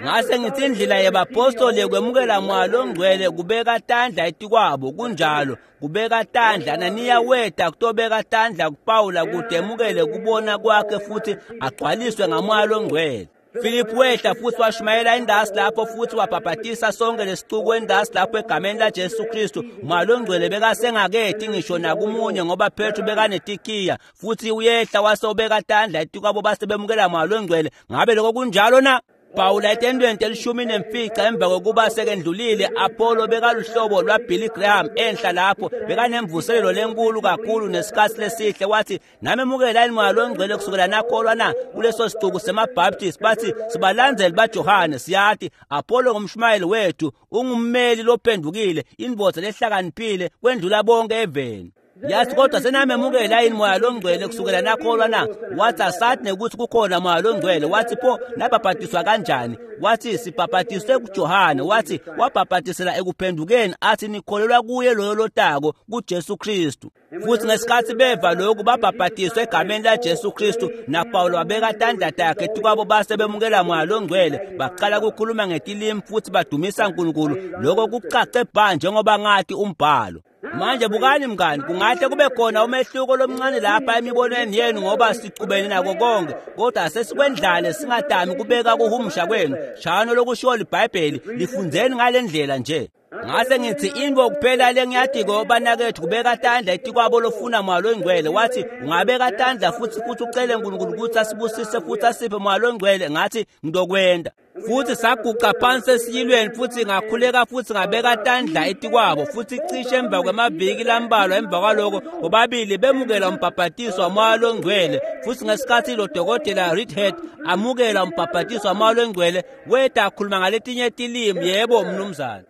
Ngase ngithi indlela yebapostoli yekwemukela Moya loNgcwele kubeka tandla etikwabo. Kunjalo, kubeka tandla. Ananiya weta kutobeka tandla kuPawula kute emukele kubona kwakhe futhi agcwaliswe ngaMoya loNgcwele. Philip wehla futhi washumayela endasi lapho futhi wabhabhatisa sonke lesicuku endasi lapho egameni laJesu Kristu. Moya loNgcwele bekasengaketi ngisho nakumunye ngoba Petru bekanetikiya, futhi uyehla wase ubeka tandla etikwabo base bemukela Moya loNgcwele. Ngabe lokho kunjalo na? Pawula etendweni 15 emva kokuba sekendlulile, Apollo bekaluhlobo lwaBilly Graham enhla lapho, bekanemvuselelo lenkulu kakhulu nesikhathi lesihle. Wathi, namemukela yini Moya loNgcwele kusukela nakholwa na? Kuleso sicuku semaBaptist bathi, sibalandzeli baJohane, siyati Apollo ngumshumayeli wethu, ungummeli lophendukile, indvodza lehlakaniphile kwendlula bonke eveni. Yathi, kodwa senamemukela yini Moya loNgcwele kusukela nakholwa na? Wathi, asathi nekuthi kukhona Moya loNgcwele. Wathi, pho nabhabhatiswa kanjani? Wathi, sibhabhatiswe kuJohane. Wathi, wabhabhatisela ekuphendukeni, athi nikholelwa kuye loyo lotako, kuJesu Kristu. Futhi ngesikhathi beva lokhu babhabhatiswa egameni laJesu Kristu, naPawulo wabeka tandla takhe etikwabo base bemukela Moya loNgcwele, baqala ukukhuluma ngetilimi futhi badumisa uNkulunkulu. Lokho kucace bha njengoba ngathi umbhalo. Manje bukani mngani, kungahle kube khona umehluko lomncane lapha emibonweni yenu ngoba sicubene nako konke, kodwa sesikwendlale singadami kubeka kuhumusha kwenu. Shano lokushiwo liBhayibheli, lifundzeni ngale ndlela nje. Ngase ngithi, into kuphela lengiyadiko banakethu kubeka tandla etikwabo lofuna Moya loNgcwele. Wathi, ungabeka tandla futhi ucele uNkulunkulu ukuthi asibusise futhi asiphe Moya loNgcwele. Ngathi, ngidokwenda. Futhi saguqa phansi esiyilweni futhi ngakhuleka futhi ngabeka tandla etikwabo, futhi cishe emva kwemaviki lambalwa emva kwaloko bobabili bemukela umbhabhatiso waMoya loNgcwele. Futhi ngesikhathi lo dokotela Reedhead amukela umbhabhatiso waMoya loNgcwele, weta akhuluma ngaletinye tilimi. Yebo mnumzane.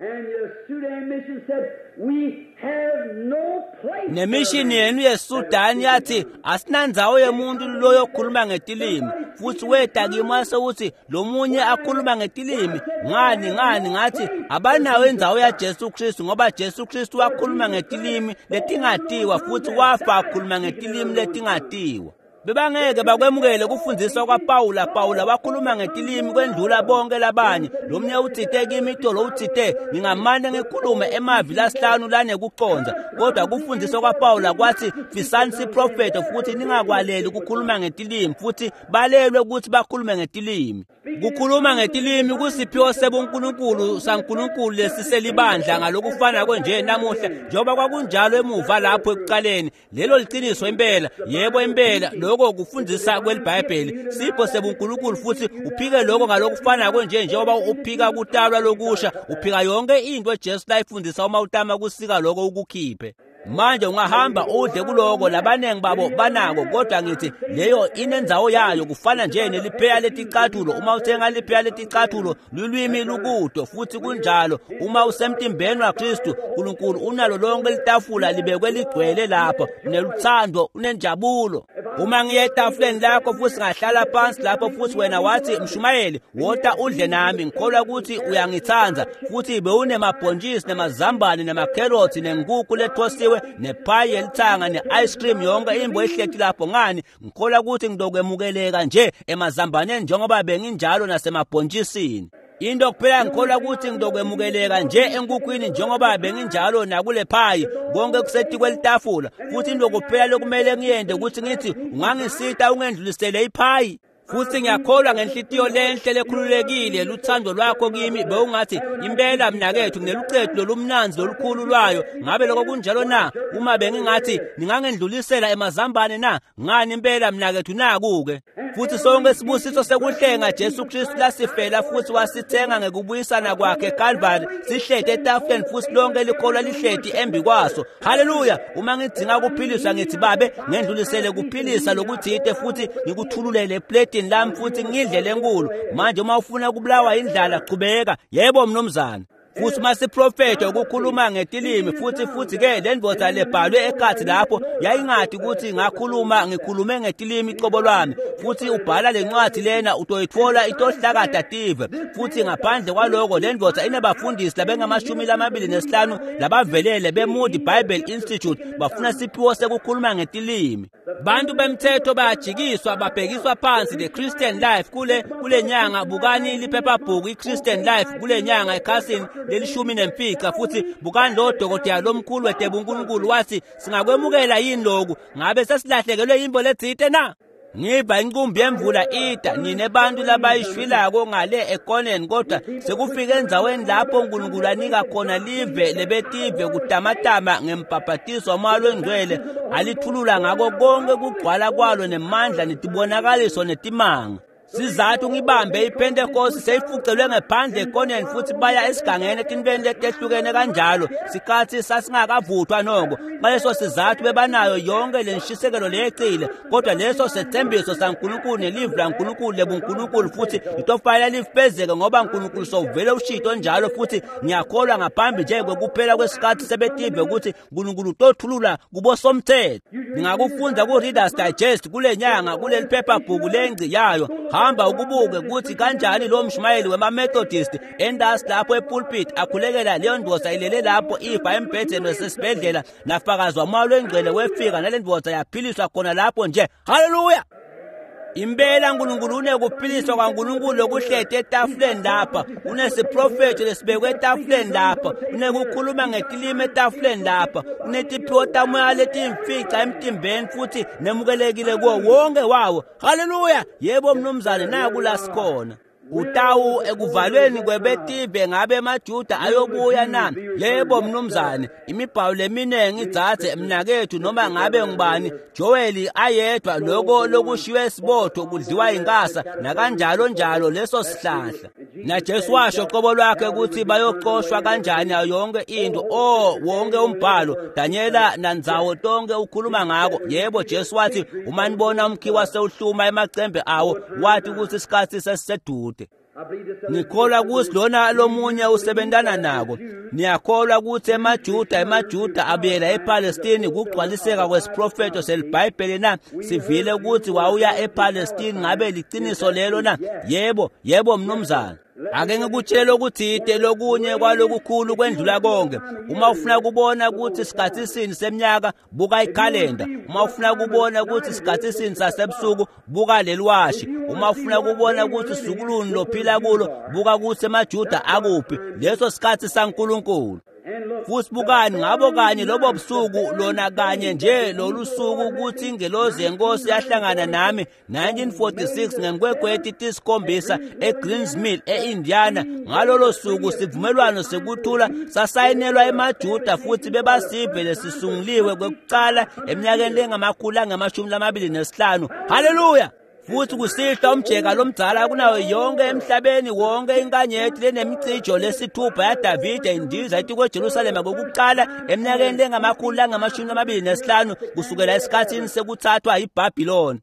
Nemishini yenu yeSudan yathi, asinandzawo yemuntu loyokhuluma ngetilimi. Futhi weta kimi wase uthi lomunye akhuluma ngetilimi. Ngani ngathi, abanawo indzawo yaJesu Kristu, ngoba Jesu Kristu wakhuluma ngetilimi letingatiwa futhi wafa akhuluma ngetilimi letingatiwa. Bebangeke bakwemukele kufundziswa kwaPawula. Pawula wakhuluma ngetilimi kwendlula bonke labanye. Lomnye utsite kimi itolo utsite ngingamane ngikhulume emavi lasihlanu lanekucondza, kodwa kufundziswa kwaPawula kwathi fisani siprofetho futhi ningakwaleli ukukhuluma ngetilimi, futhi balelwe ukuthi bakhulume ngetilimi. Kukhuluma ngetilimi kusiphiwo sebuNkulunkulu saNkulunkulu lesiselibandla ngalokufanako nje namuhla njengoba kwakunjalo emuva lapho ekuqaleni. Lelo liciniso impela, yebo impela, lokho kufundzisa kweliBhayibheli, sipho sebuNkulunkulu, futhi uphike lokho ngalokufanako nje njengoba uphika kutalwa lokusha, uphika yonke into Jesu layifundisa uma utama kusika lokho ukukhiphe. Manje ungahamba udle kuloko, labanengi babo banako, kodwa ngithi leyo inendzawo yayo. Kufana nje nelipheya leticathulo, uma uthenga lipheya leticathulo lulwimi lukudo, futhi kunjalo uma usemtimbeni waKristu. uNkulunkulu unalo lonke litafula libekwe ligcwele lapho, uneluthando, unenjabulo. Uma ngiye etafuleni lakho futhi ngahlala phansi lapho, futhi wena wathi, mshumayeli, wota udle nami, ngikholwa ukuthi uyangithanda, futhi bewunemabhontshisi nemazambane nemakherothi nenkukhu lethosiwe nephayi yelithanga ne-ice cream, yonke imbo ihleti lapho, ngani, ngikholwa ukuthi ngidokwemukeleka nje emazambaneni njengoba benginjalo nasemabhontshisini. Into kuphela ngikholwa ukuthi ngidokwemukeleka nje enkukhwini njengoba benginjalo nakule phayi, konke kusetikwe litafula, futhi into kuphela lokumele ngiyende ukuthi ngithi ungangisita ungendlulisele iphayi. Futhi ngiyakholwa ngenhlitiyo lenhle lekhululekile luthando lwakho kimi, bewungathi impela mnakethu nginelucetu lolumnanzi lolukhulu lwayo. Ngabe lokho kunjalo na? Uma bengingathi ningangendlulisela emazambane na? Ngani impela mnakethu, naku-ke. Futhi sonke sibusiso sekuhlenga Jesu Kristu lasifela futhi wasithenga ngekubuyisana kwakhe eKalvari, sihleti etafuleni futhi lonke likholwa lihleti embi kwaso. Haleluya! Uma ngidzinga kuphiliswa ngithi, Babe, ngendlulisele kuphilisa lokuthite futhi ngikuthululele epletini lami futhi ngidle lenkulu. Manje uma ufuna kubulawa indlala, qhubeka. Yebo mnumzane. Futhi masiprofetho ukukhuluma ngetilimi, futhi ke le ndoda lebhalwe ekhathi lapho yayingathi ukuthi ngakhuluma ngikhulume ngetilimi icobo lwami, futhi ubhala lencwadi lena utoyithola itohlakada tive. Futhi ngaphandle kwaloko le ndoda inabafundisi labengamashumi 25 labavelele beMoody Bible Institute, bafuna siphiwo sekukhuluma ngetilimi. Bantu bemthetho bayajikiswa, babhekiswa phansi. The Christian Life kule nyanga, bukani liphephabhuku iChristian Life kule nyanga ekhasini leli-15, futhi bukani lo dokotela lomkhulu wetebunkulunkulu wathi singakwemukela yini lokhu? Ngabe sesilahlekelwe yimbo letsite na? Ngiva inqumbi yemvula ida, nine bantu labayishwilako ngale ekoneni, kodwa sekufike endzaweni lapho uNkulunkulu anika khona live lebetive kutamatama ngembhabhatiso waMoya Longcwele, alithulula ngako konke kugcwala kwalo nemandla netibonakaliso netimanga. Sizathu ngibambe iPentecost seyifucelwe ngephandle ekoneni futhi baya esigangeni etintweni letehlukene kanjalo, sikhathi sasingakavuthwa noko. Ngaleso sizathu bebanayo yonke le nshisekelo leyecile, kodwa leso sethembiso saNkulunkulu nelivi laNkulunkulu lebuNkulunkulu futhi litofanele lifezeke, ngoba uNkulunkulu sowuvele ushito njalo. Futhi ngiyakholwa ngaphambi nje kwekuphela kwesikhathi sebetive ukuthi uNkulunkulu utothulula kubosomthetho. Ningakufunda ku-Reader's Digest kule nyanga, kuleli phephabhuku lengci yayo. Hamba ukubuke ukuthi kanjani lo mshumayeli wema-Methodist endasi lapho epulpit akhulekela leyo ndoda ilele lapho ifa embhedeni wesesibhedlela, nafakazi waMoya Longcwele wefika nale ndoda yaphiliswa khona lapho nje. Haleluya! Impela uNkulunkulu unekuphiliswa kwaNkulunkulu lokuhleti etafuleni lapha, unesiprofetho lesibekwe etafuleni lapha, unekukhuluma ngetilimi etafuleni lapha, unetiphiwo tamoya letiyimfica emtimbeni, futhi nemukelekile kuwo wonke wawo. Haleluya! Yebo mnumzane, naku la sikhona. Utawu ekuvalweni kwebetive ngabe emaJuda ayobuya na? Yebo mnumzane. Imibhalo leminingi idzadze mnakethu, noma ngabe ngubani, Joel ayedwa, lokho lokushiwe esibotho kudliwa inkasa nakanjalo njalo leso sihlahla. Na Jesu washo qobo lwakhe ukuthi bayoxoshwa kanjani nayo yonke into. Oh, wonke umbhalo Daniela nandzawo tonke ukhuluma ngako. Yebo, Jesu wathi uma nibona umkhiwa sewuhluma emacembe awo, wathi ukuthi isikhathi sesisedude. Ngikholwa ukuthi lona lomunye usebentana nako. Niyakholwa ukuthi emaJuda abuyela ePalestine kugcwaliseka kwesiprofeto seliBhayibheli na? Sivile ukuthi wawuya ePalestine, ngabe liciniso lelo na? Yebo, yebo mnumzane. Ake ngikutshele okuthite lokunye kwalokukhulu kwendlula konke. Uma ufuna kubona ukuthi isikhathi sini seminyaka, buka ikhalenda. Uma ufuna kubona ukuthi isikhathi sini sasebusuku, buka leliwashi. Uma ufuna kubona ukuthi sukuluni lophila kulo, buka ukuthi emaJuda akuphi. Leso sikhathi saNkulunkulu. Futhi bukani ngabo kanye lobo busuku lona kanye nje lolu suku ukuthi ingelozi yenkosi yahlangana nami 1946 ngenkwekweti tisikhombisa eGreens Mill eIndiana. Ngalolo suku sivumelwano sekuthula sasayinelwa emaJuda futhi bebasive lesisunguliwe kwekucala eminyakeni lengama-225. Haleluya! Futhi kusihlwa umjeka lomdzala kunayo yonke emhlabeni wonke inkanyeti lenemicijo lesithupha yaDavide indiza etikweJerusalema kokuqala eminyakeni lengama-225 kusukela esikhathini sekuthathwa iBhabhiloni.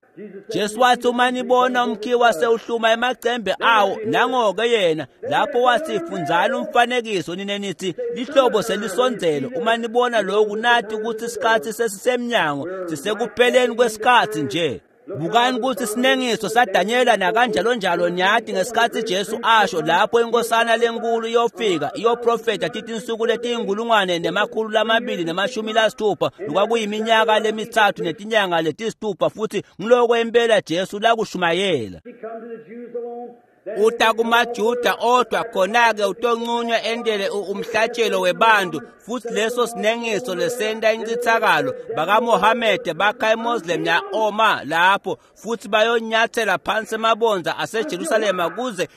Jesu wathi uma nibona umkhiwa sewuhluma emacembe awo, nangoke yena lapho wathi fundzani umfanekiso nine nithi lihlobo selisondzele. Uma nibona lokhu nathi ukuthi isikhathi sesisemnyango, sisekupheleni kwesikhathi nje. Bukani ukuthi sinengiso saDanyela nakanjalo njalo nyathi ngesikhathi Jesu asho lapho inkosana lenkulu iyofika iyoprofetha tithi insuku leti-1260 lokwakuyiminyaka lemithathu netinyanga letisithupha futhi ngiloko impela Jesu lakushumayela. Uta kumaJuda odwa khona-ke utonqunywa entele umhlatshelo webantu futhi leso sinengiso lesenta incithakalo. BakaMohamede bakha iMoslem ya-Oma lapho futhi bayonyathela phansi emabonza aseJerusalema kuze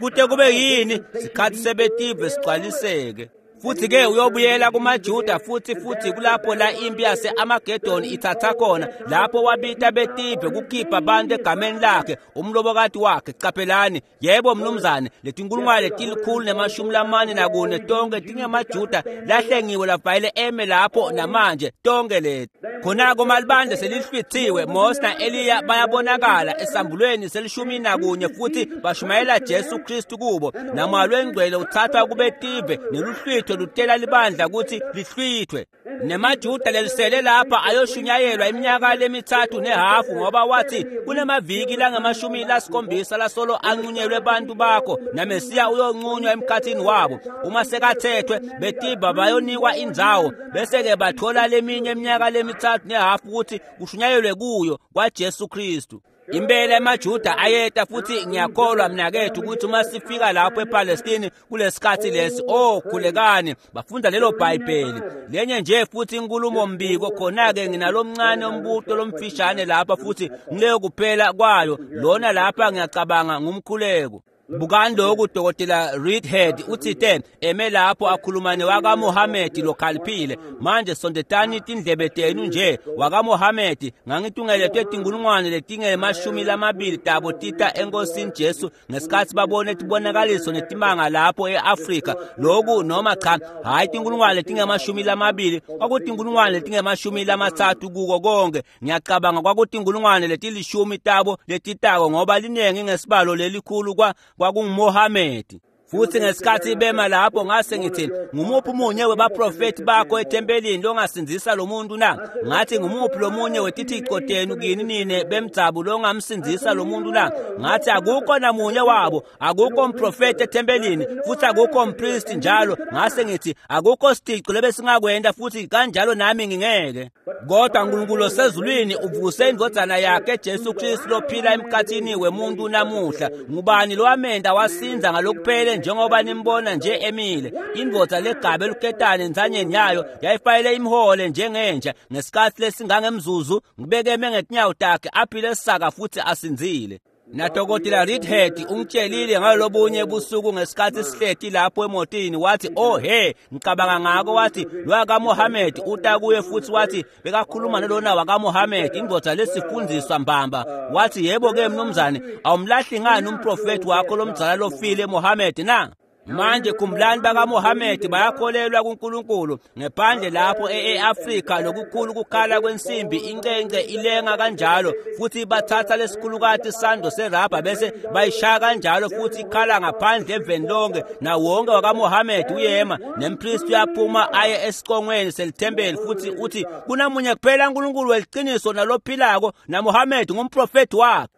kute kube yini sikhathi sebetive sigcwaliseke. Futhi-ke uyobuyela kumaJuda futhi kulapho la impi yase-Amagedoni ithatha khona, lapho wabita betive kukhipha abantu egameni lakhe umlobokati wakhe. Caphelani, yebo mnumzane, letinkulungwane 144 tonke tingemaJuda lahlengiwe lavayile eme lapho namanje tonke leti. Khona-ke malibandla selihlwithiwe, Mose na-Eliya bayabonakala esambulweni sel-11 futhi bashumayela Jesu Kristu kubo. Namoya lwengcwele uthathwa kubetive neluhlwitho lutela libandla ukuthi lihlwithwe. NemaJuda lelisele lapha ayoshunyayelwa iminyaka lemithathu nehafu ngoba wathi kunemaviki langama-70 lasolo anqunyelwe bantu bakho naMesiya uyonqunywa emkhathini wabo. Uma sekathethwe betiba bayonikwa indzawo bese-ke bathola leminye iminyaka lemithathu nehafu ukuthi kushunyayelwe kuyo kwaJesu Kristu. Impela emaJuda ayeta futhi ngiyakholwa mnakethu ukuthi uma sifika lapho ePalestine kulesikhathi lesi, oh khulekani, bafunda lelo Bhayibheli. Lenye nje futhi inkulumo mbiko khona-ke nginalomncane umbuto lomfishane lapha futhi ngileyo kuphela kwayo lona lapha ngiyacabanga ngumkhuleko. Bukani lokhu Dr. Reedhead uthite eme lapho akhuluma newakaMohamedi lokhaliphile. Manje sondetani tindlebe tenu nje wakaMohamedi ngangitungeletwe tinkulungwane letingema-20 tabo tita enkosini Jesu ngesikhathi babone tibonakaliso netimanga lapho e-Afrika. Lokhu noma cha, hhayi tinkulungwane letingema-20, kwakutinkulungwane letingema-30 kuko konke. Ngiyacabanga kwakutinkulungwane leti-10 tabo letitako ngoba linengi ngesibalo lelikhulu kwakunguMohamedi. Futhi ngesikhathi bema lapho ngase ngithi ngumuphi umunye webaprofethi bakho ethempelini longasindzisa lo muntu na? Ngathi ngumuphi lomunye wetithixo tenu kini nine bemdzabu longamsindzisa lo muntu na? Ngathi akukho namunye wabo, akukho mprofethi ethempelini futhi akukho mpristi njalo. Ngase ngithi akukho sithixo lebesingakwenda futhi kanjalo nami ngingeke. Kodwa uNkulunkulu osezulwini uvuse indvodzana yakhe Jesu Kristu lophila emkhathini wemuntu namuhla. Ngubani lowamenda wasinza ngalokuphele njengoba nimbona nje emile? Indvodza legabe eluketane entsanyeni yayo yayifayele imhole njengenja ngesikhathi lesingangemzuzu ngibekeme ngetinyawo takhe aphile saka futhi asinzile. NaDokotela Reedhead ungitshelile ngalobunye busuku ngesikhathi sihleti lapho emotini, wathi oh he, ngicabanga ngako, wathi lwakaMohamedi uta kuye futhi wathi bekakhuluma nalona wakaMohamedi indvodza lesifundziswa mbamba. Wathi yebo ke mnumzane, awumlahli ngani umprofethi wakho lomdzala lofile Mohamedi na? Manje khumbulani bakaMohamedi bayakholelwa kuNkulunkulu. Ngephandle lapho e-Afrika lokukhulu kukhala kwensimbi incence ilenga kanjalo futhi bathatha lesikhulukati sando serabha bese bayishaya kanjalo futhi ikhala ngaphandle eveni lonke. Na wonke wakaMohamedi uyema nempristi uyaphuma aye esiqongweni selithempeli futhi uthi kunamunye kuphela uNkulunkulu weliciniso nalophilako, naMohamedi ngumprofethi wakhe.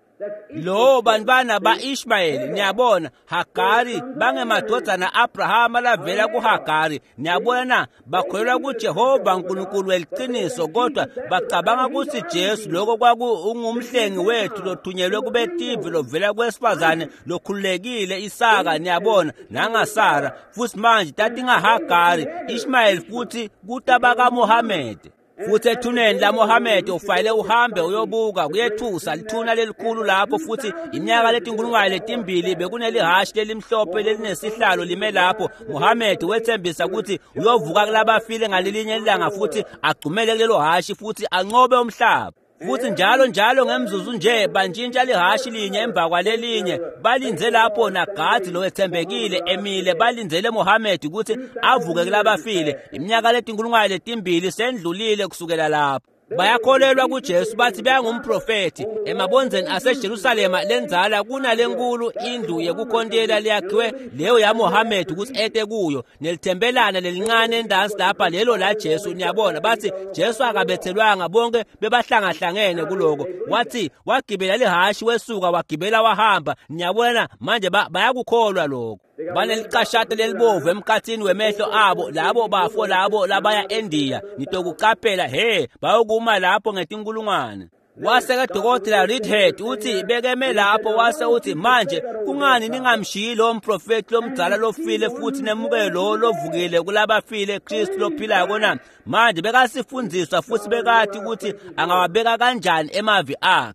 Lo bantwana ba-Ishmayeli, niyabona, Hagari bangemadvodzana Abrahama lavela kuHagari. Niyabona na, bakholelwa kuJehova uNkulunkulu weliciniso, kodwa bacabanga kutsi Jesu lokho kwaku ungumhlengi wethu lothunyelwe kubetive lovela kwesifazane lokhululekile Isaka, niyabona, nangaSara. Futhi manje tatingahagari Ishmayeli futhi kutabakaMohamede. Futhi ethuneni laMohamede ufanele uhambe uyobuka, kuyethusa lithuna lelikhulu lapho. Futhi iminyaka letinkulungwane letimbili bekunelihashi lelimhlophe lelinesihlalo lime lapho. Muhammad wethembisa ukuthi uyovuka kulabafile ngalelinye ilanga futhi agcumele kulelo hashi futhi anqobe umhlaba. Futhi njalo njalo ngemzuzu nje bantshintsha lihashi linye emva kwalelinye, balinze lapho nagadi lowethembekile emile, balindzele Muhammad ukuthi avuke kulabafile. Iminyaka letinkulungwane letimbili sendlulile kusukela lapho. Bayakholelwa kuJesu, bathi beyangumprofethi. Emabondzeni aseJerusalema lenzala kunalenkulu indlu yekukhontela leyakhiwe leyo yaMohammed ukuthi ete kuyo, nelithempelana lelincane endansi lapha lelo la Jesu. Niyabona, bathi Jesu akabethelwanga, bonke bebahlangahlangene kuloko. Wathi wagibela lihashi wesuka wagibela wahamba. Niyabona manje bayakukholwa lokho. Banelicashata lelibovu emkhathini wemehlo abo labo bafo labo labaya eNdiya. Nitokucaphela he bayokuma lapho ngetinkulungwane. Wase-ke Dokotela Reedhead uthi bekeme lapho, wase uthi, manje kungani ningamshiyi lo mprofethi lomdzala lofile futhi nemukele lo lovukile kulabafile, Kristu lophilako na? Manje bekasifundziswa futhi bekati ukuthi angawabeka kanjani emavi akhe.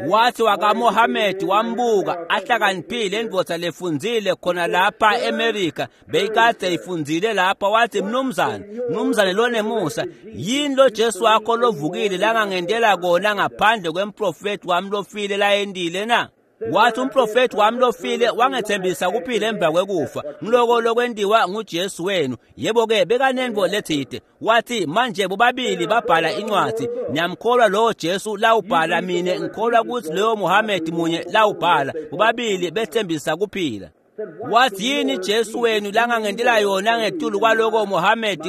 Wathi wakaMohamedi wambuka, ahlakaniphile, indvodza lefundzile khona lapha eMerika, beyikade ifundzile lapha. Wathi, mnumzane, mnumzane lonemusa, yini lo Jesu wakho lovukile langangendela kona ngaphandle kwemprofethi wami lofile layendile na? Wathi umprofethi wami lofile wangethembisa kuphila emva kwekufa, ngiloko lokwentiwa nguJesu wenu. Yebo-ke, bekanentfo letsite. Wathi manje bobabili babhala incwadi, niyamkholwa lowo Jesu lawubhala, mine ngikholwa kutsi loyo Muhammad munye lawubhala, bobabili bethembisa kuphila. Wathi yini Jesu wenu langangendela yona ngetulu kwaloko Muhammad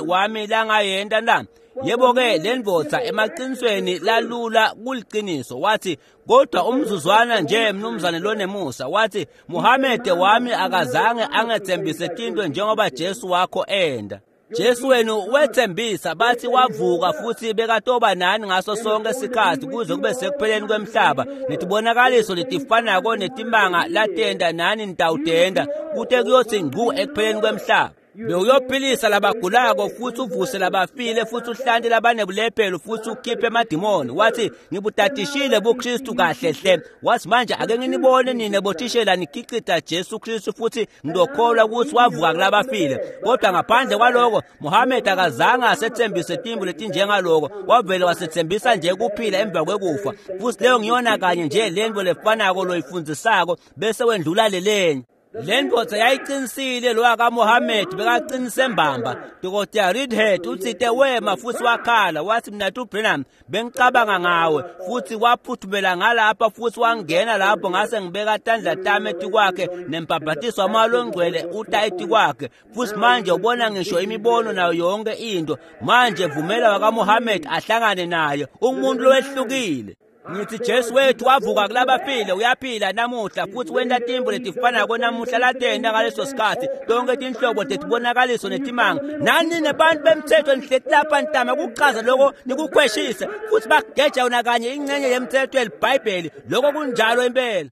wami langayenta na? Yebo-ke, le ndvodza emaqinisweni lalula kuliciniso. Wathi, kodwa umzuzwana nje mnumzane lonemusa. Wathi Muhammad wami akazange angethembise tinto njengoba Jesu wakho enda. Jesu wenu wethembisa, bathi wavuka futhi bekatoba nani ngaso sonke isikhathi kuze kube sekupheleni kwemhlaba, netibonakaliso letifanako netimanga latenda nani nitawutenda kute kuyothi ngcu ekupheleni kwemhlaba. Bewuyophilisa labagulako futhi uvuse labafile futhi uhlante labanebulephelo futhi ukhiphe emadimoni. Wathi ngibutatishile buKristu kahle hle. Wathi manje ake nginibone nine bothishela nikhicita Jesu Kristu futhi ngidokholwa ukuthi wavuka kulabafile. Kodwa ngaphandle kwaloko Muhammad akazange asethembise timbu letinjengaloko, wavele wasethembisa nje kuphila emva kwekufa. Futhi leyo ngiyona kanye nje lento lefanako loyifundzisako bese wendlula lelenye. Le ndvodza yayiqinisile, lo wakaMohammed bekaqinise mbamba. Dr. Reedhead utsite wema futhi wakhala, wathi mnatu Branham, bengicabanga ngawe. Futhi waphuthumela ngalapha futhi wangena lapho, ngase ngibeka tandla tami etikwakhe nembhabhatiso wamoya longcwele uta etikwakhe. Futhi manje ubona ngisho imibono nayo yonke into. Manje vumela wakaMohammed ahlangane naye, umuntu lowehlukile. Ngithi Jesu wethu wavuka kulabafile, uyaphila namuhla futhi wenta timbo letifanako namuhla latenta ngaleso sikhathi, tonke tinhlobo tetibonakaliso netimanga. Nani nebantu bemthetho nihleti lapha nitama kuchaza loko nikukhweshise, futhi bageja yona kanye ingcenye yemthetho yelibhayibheli. Loko kunjalo impela.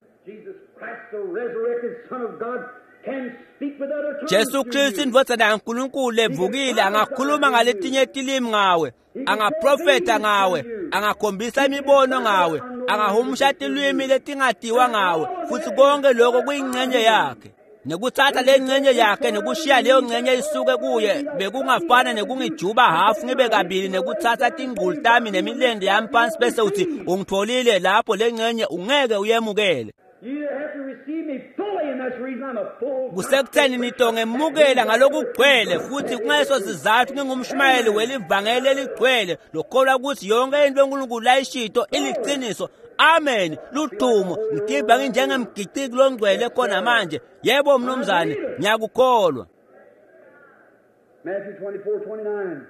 Jesu Kristu indvodzana yaNkulunkulu levukile angakhuluma ngaletinye tilimi ngawe, angaprofetha ngawe, angakhombisa imibono ngawe, angahumusha tilwimi letingatiwa ngawe, futhi konke lokho kuyingcenye yakhe. Nekuthatha le ngcenye yakhe nekushiya leyo ngcenye isuke kuye bekungafana nekungijuba hafu ngibe kabili, nekuthatha tingqulu tami nemilende yami phansi bese uthi ungitholile lapho, le ngcenye ungeke uyemukele. Kusekutheni nitongemukela ngalokugcwele, futhi kungaleso sizathu ngingumshumayeli welivangeli eligcwele lokholwa ukuthi yonke into uNkulunkulu layishito iliqiniso. Amen. Ludumo. Ngidibha nginjengemgiciki longcwele khona manje. Yebo mnumzane, ngiyakukholwa. Matthew 24:29.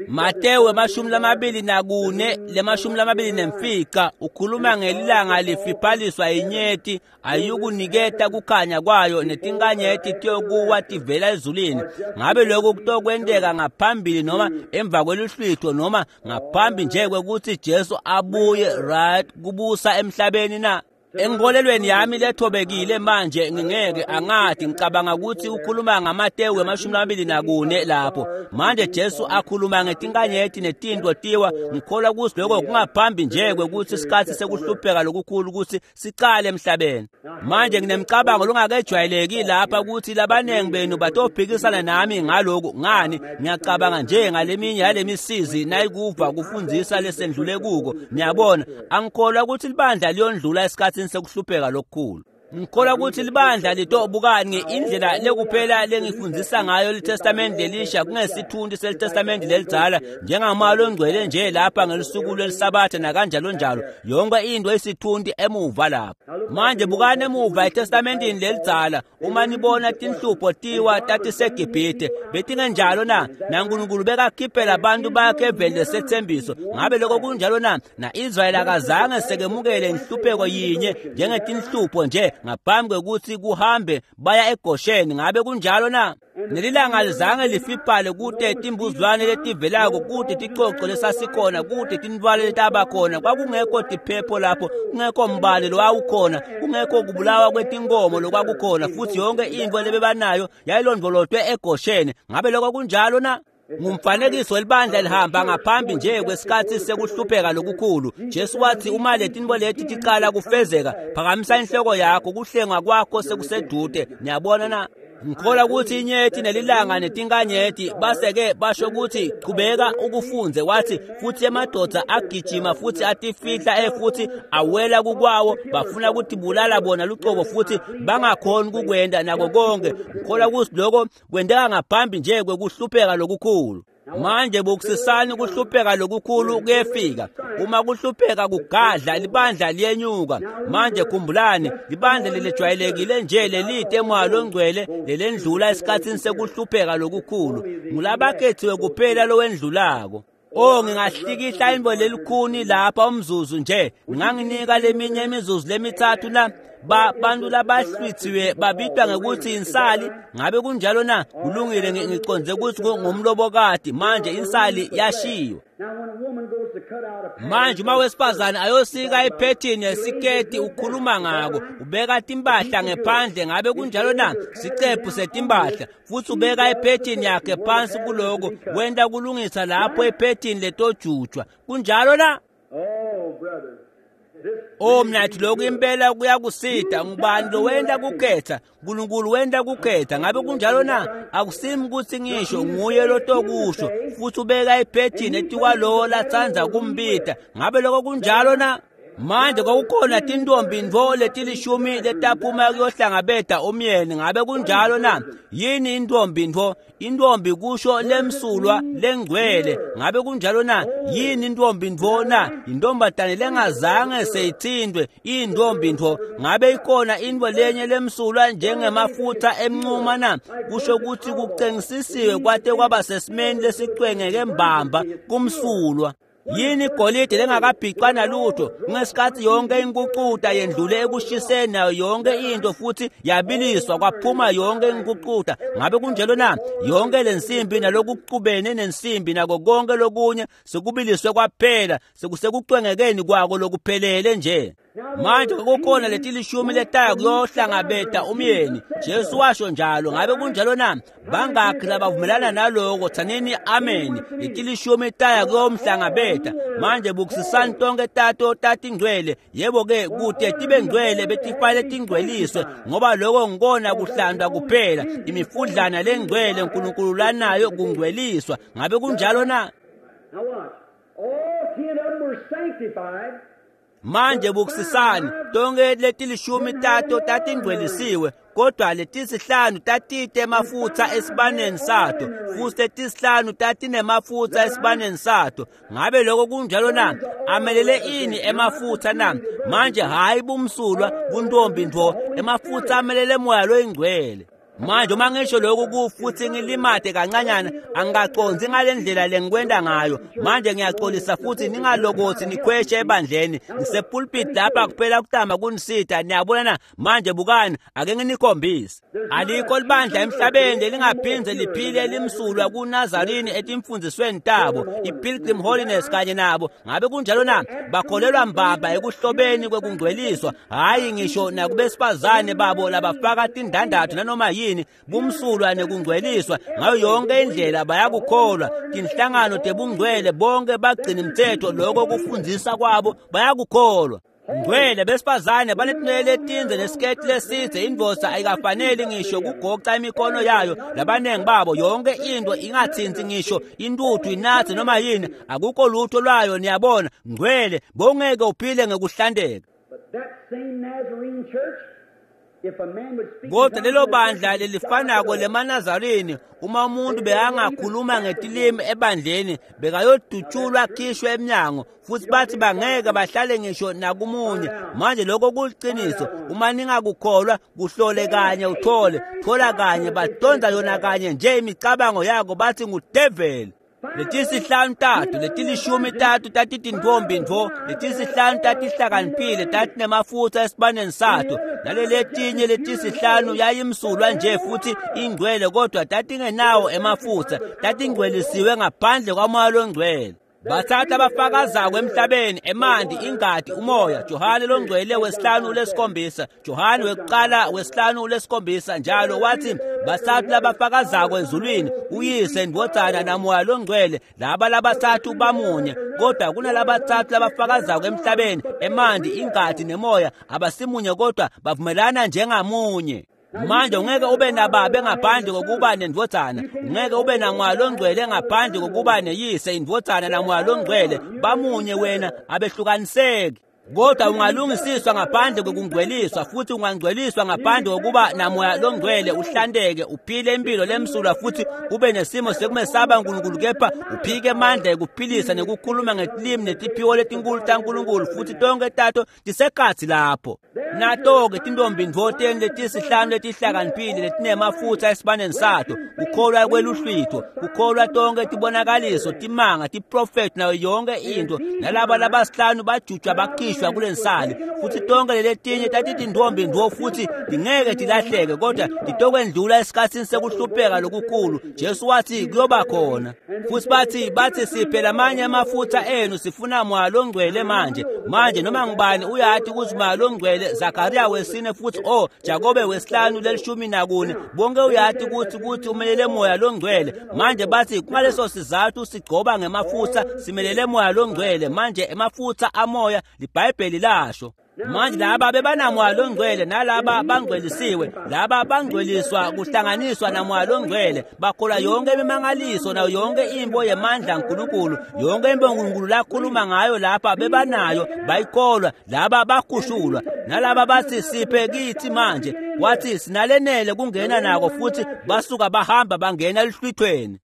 Matewu 24 le-25 ukhuluma ngelilanga lifiphaliswa inyeti ayikuniketa kukhanya kwayo netinkanyeti tiyokuwa tivela ezulwini. Ngabe lokhu kutokwenteka ngaphambili noma emva kweluhlwitho noma ngaphambi nje kwekutsi Jesu abuye right kubusa emhlabeni na? Enkolelweni yami lethobekile manje ngingeke angathi ngicabanga ukuthi ukhuluma ngaMatewu 24 lapho. Manje Jesu akhuluma ngetinkanyeti netinto tiwa, ngikholwa ukuthi lokho kungaphambi nje kwekuthi isikhathi sekuhlupheka lokukhulu ukuthi sicale emhlabeni. Manje nginemcabango longakejwayeleki lapha ukuthi labanengi benu batophikisana nami ngaloku. Ngani ngiyacabanga nje ngaleminye yalemisizi nayikuva kufundzisa lesendlule kuko. Niyabona, angikholwa ukuthi libandla liyondlula esikhathini sekuhlupheka lokukhulu. Ngikholwa ukuthi libandla litobukani indlela lekuphela lengifundzisa ngayo liTestamente lelisha kungesithunti seliTestamente lelidzala njengamalo ongcwele nje lapha ngelusuku lweliSabatha nakanjalo njalo. Yonke into isithunti emuva lapho. Manje bukani emuva eTestamentini lelidzala, uma nibona tinhlupho tiwa tatiseGibhithe betingenjalo na? NaNkulunkulu bekakhiphela abantu bakhe eveni lesethembiso. Ngabe lokho kunjalo na? Na-Israyeli akazange sekemukele inhlupheko yinye njengetinhlupho nje ngaphambi kwekuthi kuhambe baya eGosheni. Ngabe kunjalo na? Nelilanga lizange lifiphale kute timbuzwane letivelako, kute ticoco lesasikhona, kute tintfwale letabakhona. Kwakungekho tiphepho lapho, kungekho mbane lowawukhona, kungekho kubulawa kwetinkomo lokwakukhona, futhi yonke intfo lebebanayo yayilondvolotwe eGosheni. Ngabe lokho kunjalo na? Ngumfanekiso welibandla lihamba ngaphambi nje kwesikhathi sekuhlupheka lokukhulu. Jesu wathi uma letintfo leti ticala kufezeka, phakamisa inhloko yakho, kuhlengwa kwakho sekusedude. Niyabona na? Ngikholwa ukuthi inyeti nelilanga netinkanyeti base-ke basho ukuthi qhubeka ukufunze. Wathi futhi emadoda agijima futhi atifihla futhi awela kukwawo, bafuna ukutibulala bona lucobo futhi bangakhoni kukwenda nako konke. Ngikholwa ukuthi lokho kwenteka ngaphambi nje kwekuhlupheka lokukhulu. Manje bukusisani ukuhlupheka lokukhulu kuyefika. Uma kuhlupheka kugadla, libandla liyenyuka. Manje khumbulani, libandla lelejwayelekile nje lelide emoya longcwele lelendlula esikhathini sekuhlupheka lokukhulu. Ngulabakhethiwe kuphela lowendlulako. Oh, ngingahlikihla intfo lelikhuni lapha umzuzu nje. Nginganginika leminye imizuzu lemithathu na? Bantu labahlwithiwe babitwa ngekuthi insali. Ngabe kunjalo na? Kulungile, ngiconze ukuthi ngumlobokati. Manje insali yashiwo. Manje uma wesifazane ayosika iphethini yesiketi ukhuluma ngako, ubeka timpahla ngephandle. Ngabe kunjalo na? Sicephu setimpahla, futhi ubeka iphethini yakhe phansi kuloko, wenta kulungisa lapho iphethini letojujwa. Kunjalo na? Oh mnathi, lokhu impela kuyakusida. Ngubani lowenta kukhetha? Nkulunkulu wenta kukhetha. Ngabe kunjalo na? Akusimi ukuthi ngisho, nguye lotokusho, futhi ubeka iphethini etikwalowo latsandza kumbita. Ngabe lokho kunjalo na? Manje kwakukhona tintombi ntfo letilishumi letaphuma kuyohlangabeta umyeni. Ngabe kunjalo na? Yini intombi ntfo? Intombi kusho lemsulwa lengcwele. Ngabe kunjalo na? Yini intombi ntfo na? Intombatane lengazange seyithintwe, intombi ntfo. Ngabe ikhona intfo lenye lemsulwa njengemafutha emncuma na? Kusho ukuthi kucengisisiwe kwate kwaba sesimeni lesicwengeke mbamba kumsulwa. Yini igolide lengakabhicwa nalutho? Ngesikhathi yonke inkucuta yendlule ekushiseni nayo yonke into futhi yabiliswa kwaphuma yonke inkucuta. Ngabe kunjalo na? Yonke lensimbi nalokucubene nensimbi nako konke lokunye sekubiliswe kwaphela, sekusekucwengekeni kwako lokuphelele nje. Manje kukhona letilishumi letaya kuyohlangabeta umyeni. Jesu washo njalo. Ngabe kunjalo na? Bangakhi labavumelana naloko? Tsanini amen. Letilishumi taya kuyomhlangabeta. Manje bukusisani tonke tato tatingcwele. Yebo-ke kute tibe ngcwele betifanele tingcweliswe, ngoba lokho ngikona kuhlandwa kuphela. Imifudlana lengcwele uNkulunkulu lanayo kungcweliswa. Ngabe kunjalo na? All 10 of them were sanctified. Manje bukusisani tonke letilishumi tato tatingcwelisiwe, kodwa letisihlanu tatite emafutha esibaneni sato, futhi letisihlanu tatinemafutha esibaneni sato. Ngabe lokho kunjalo na? Amelele ini emafutha na? Manje hayi bumsulwa buntombi ntfo, emafutha amelele moya loyingcwele. Manje uma ngisho lokhu futhi ngilimate kancanyana, angikacondzi ngale ndlela lengikwenda ngayo. Manje ngiyaxolisa futhi ningalokothi nikhweshe ebandleni. Ngisepulpit lapha kuphela kutama kunisita. Niyabona na? Manje bukani, ake nginikhombise. Alikho libandla emhlabeni lelingaphindze liphile limsulwa kuNazarini etimfundzisweni tabo, iPilgrim Holiness kanye nabo. Ngabe kunjalo na? Bakholelwa mbamba ekuhlobeni kwekungcweliswa, hhayi ngisho nakubesifazane babo labafaka tindandatho nanoma yini, bumsulwa nekungcweliswa ngayo yonke indlela bayakukholwa. Tinhlangano tebungcwele bonke bagcina imithetho, lokho kufundzisa kwabo bayakukholwa. Ngcwele besifazane banetinwele letinze nesiketi lesidze, indvodza ayikafaneli ngisho kugoca imikhono yayo. Labanengi babo yonke into ingathinti ngisho intuthu, inathe noma yini, akukho lutho lwayo. Niyabona, ngcwele bongeke uphile ngekuhlandeka. Kodwa lelo bandla lelifanako lemaNazarini, uma umuntu bekangakhuluma ngetilimi ebandleni, bekayodutshulwa akhishwe emnyango, futhi bathi bangeke bahlale ngisho nakumunye. Manje lokho kuliqiniso. Uma ningakukholwa, kuhlole kanye uthole, thola kanye, badonsa yona kanye nje imicabango yako, bathi ngudeveli. Letisihlanu tatu, letilishumi tatu tatitintfombi ntfo, letisihlanu tatihlakaniphile tatinemafutsa esibaneni sato, naleletinye letisihlanu yayimsulwa nje futhi ingcwele, kodwa tatingenawo emafutsa, tatingcwelisiwe ngaphandle kwaMoya loNgcwele. Bathatha abafakazako emhlabeni, emanti, ingati, umoya. Johane longcwele 5:7, Johane wekuqala 5:7 njalo wathi bathathu labafakazako ezulwini, uyise, indvodzana namoya longcwele. Laba labathathu bamunye, kodwa kunalabathathu labafakazako emhlabeni, emanti, ingati nemoya. Abasimunye kodwa bavumelana njengamunye. Manje ungeke ube nababe ngaphandle kokuba nendvodzana, ungeke ube namoya longcwele ngaphandle kokuba neyise, indvodzana namoya longcwele. Bamunye wena, abehlukaniseki. Kodwa ungalungisiswa ngaphandle kokungcweliswa, futhi ungangcweliswa ngaphandle kokuba namoya longcwele, uhlanteke, uphile impilo lemsulwa, futhi ube nesimo sekumesaba uNkulunkulu, kepha uphike amandla ekuphilisa nekukhuluma ngetilimi netiphiwo letinkulu taNkulunkulu, futhi tonke tato tisekhatsi lapho. Nato-ke tintombi ntfo teni letisihlanu letihlakaniphile letinemafutsa esibaneni sato, kukholwa kweluhlwitho, kukholwa tonke tibonakaliso, timanga, tiprofethi nayo yonke into. Nalaba labasihlanu bajutshwa bakhishwa kulensali, futhi tonke leletinye tatitintombi ntfo futhi tingeke tilahleke, kodwa titokwendlula esikhatsini sekuhlupheka lokukhulu. Jesu wathi kuyoba khona. Futhi bathi siphe lamanye amafutsa enu, sifuna moya longcwele manje. Manje noma ngubani uyati ukuthi moya longcwele, Zakariya 4 futhi Jakobe 5:14, bonke uyati ukuthi umelele moya longcwele. Manje bathi kungaleso sizathu sigcoba ngemafutsa, simelele moya longcwele. Manje emafutsa amoya, liBhayibheli lasho. Manje laba bebanamoya longcwele, nalaba bangcwelisiwe, laba bangcweliswa kuhlanganiswa namoya longcwele, bakholwa yonke imimangaliso nayo yonke imbo yemandla kaNkulunkulu, yonke imbo uNkulunkulu lakhuluma ngayo lapha bebanayo, bayikholwa. Laba bakhushulwa, nalaba bathi siphe kithi manje, wathi sinalenele kungena nako, futhi basuka bahamba bangena eluhlwithweni.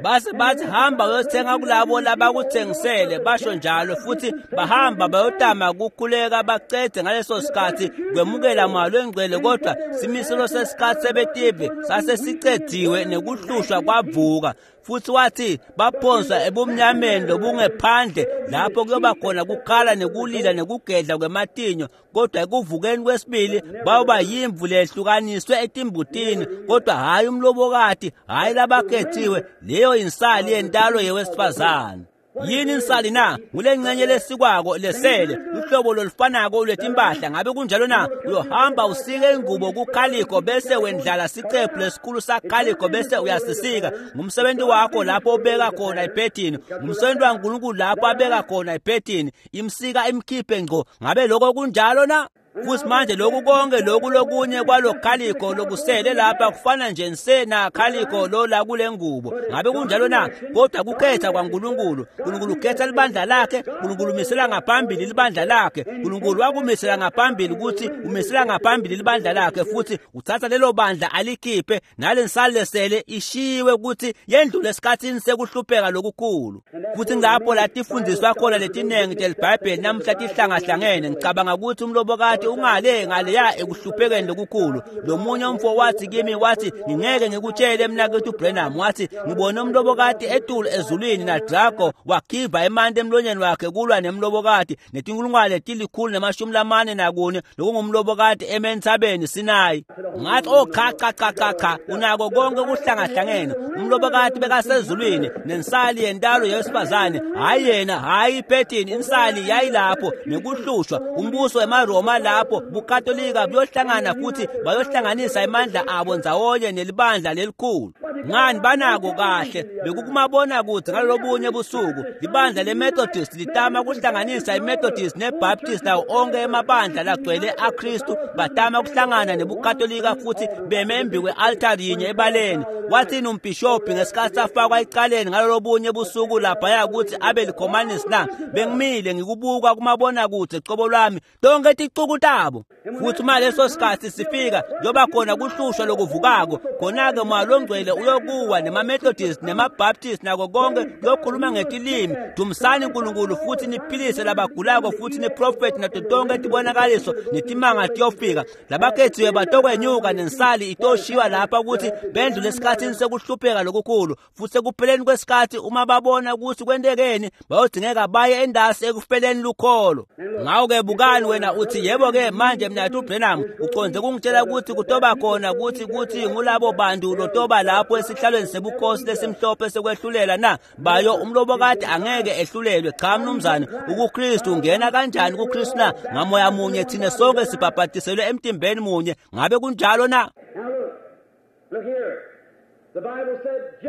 Base bathi hamba uyothenga kulabo labakuthengisele, basho njalo, futhi bahamba bayotama kukhuleka bacede ngaleso sikhathi kwemukela moya longcwele, kodwa simiselo sesikhathi sebetive sase sicediwe nekuhlushwa kwavuka. Futhi wathi baphonswa ebumnyameni lobungephandle, lapho kuyoba khona kukhala nekulila nekugedla kwematinyo, kodwa ekuvukeni kwesibili bayoba yimvu lehlukaniswe etimbutini, kodwa hhayi umlobokati, hhayi labakhethiwe. Leyo insali yentalo yewesifazane. Yini insali na? Ngulengcenye lesikwako lesele, luhlobo lolufanako lwetimpahla. Ngabe kunjalo na? Uyohamba usike ingubo kukhalikho, bese wendlala sicephu lesikhulu sakhalikho, bese uyasisika. Ngumsebenzi wakho lapho ubeka khona iphethini, ngumsebenzi waNkulunkulu lapho abeka khona iphethini, imsika imkhiphe ngco. Ngabe lokho kunjalo na? Futhi manje lokhu konke lokhu lokunye kwalokhalikho lokusele lapha kufana nje nsena khalikho lo la kule ngubo. Ngabe kunjalo na? Kodwa kukhetha kwaNkulunkulu. uNkulunkulu ukhetha libandla lakhe, uNkulunkulu umisela ngaphambili libandla lakhe. uNkulunkulu wakumisela ngaphambili ukuthi umisela ngaphambili libandla lakhe, futhi uthatha lelo bandla alikhiphe, nalensali lesele ishiwe ukuthi yendlule esikhathini sekuhlupheka lokukhulu. Futhi ngapho la tifundiswa khona letinengi teliBhayibheli namuhla tihlangahlangene. Ngicabanga ukuthi umlobokati Umlobokati ungale ngaleya ekuhluphekeni lokukhulu. Lomunye umfo wathi kimi, wathi ngingeke ngikutshele mnakethu Branham, wathi ngibone umlobokati etulu ezulwini naDrago wakhiva emanti emlonyeni wakhe kulwa nemlobokati netinkulungwane 144 lokungumlobokati ementsabeni Sinayi. Ngathi oh cha cha cha cha cha, unako konke kuhlangahlangene. Umlobokati bekasezulwini nensali yentalo yesifazane, hayi yena, hayi iphethini, insali yayilapho nekuhlushwa umbuso wemaRoma lapho buKatolika buyohlangana futhi bayohlanganisa imandla abo ndzawonye nelibandla lelikhulu. Ngani banako kahle bekukumabona kude ngalolobunye busuku libandla leMethodist litama kuhlanganisa iMethodist neBaptist nawo onke emabandla lagcwele aKristu batama kuhlangana nebuKatolika futhi beme embi kwe-altari yinye ebaleni. Wathini umbhishobhi ngesikhathi afakwa ecaleni ngalolobunye busuku laphaya ukuthi abe likhomanisi na? Bengimile ngikubuka kumabona kude cobo lwami tonke ticuku tabo. Futhi uma leso sikhathi sifika njengoba khona kuhlushwa lokuvukako, khona-ke moya longcwele uyokuwa nema-Methodist nema-Baptist nako konke kuyokhuluma ngetilimi. Dumisani uNkulunkulu futhi niphilise labagulako futhi niprofethi nato tonke tibonakaliso netimanga tiyofika. Labakhethiwe batokwenyuka nensali itoshiwa lapha ukuthi bendlule esikhathini sekuhlupheka lokukhulu. Futhi ekupheleni kwesikhathi uma babona ukuthi kwentekeni bayodingeka baye endasi ekupheleni lukholo. Ngakho-ke bukani wena uthi yebo-ke manje mnathu Branham uconze kungitshela ukuthi kutoba khona kuthi ngulabo bantu lotoba lapho esihlalweni sebukhosi lesimhlophe sekwehlulela na? Bayo umlobokati angeke ehlulelwe. Cha mnumzane, ukuKristu ungena kanjani kuKristu na? Ngamoya munye thina sonke sibhabhatiselwe emtimbeni munye. Ngabe kunjalo na?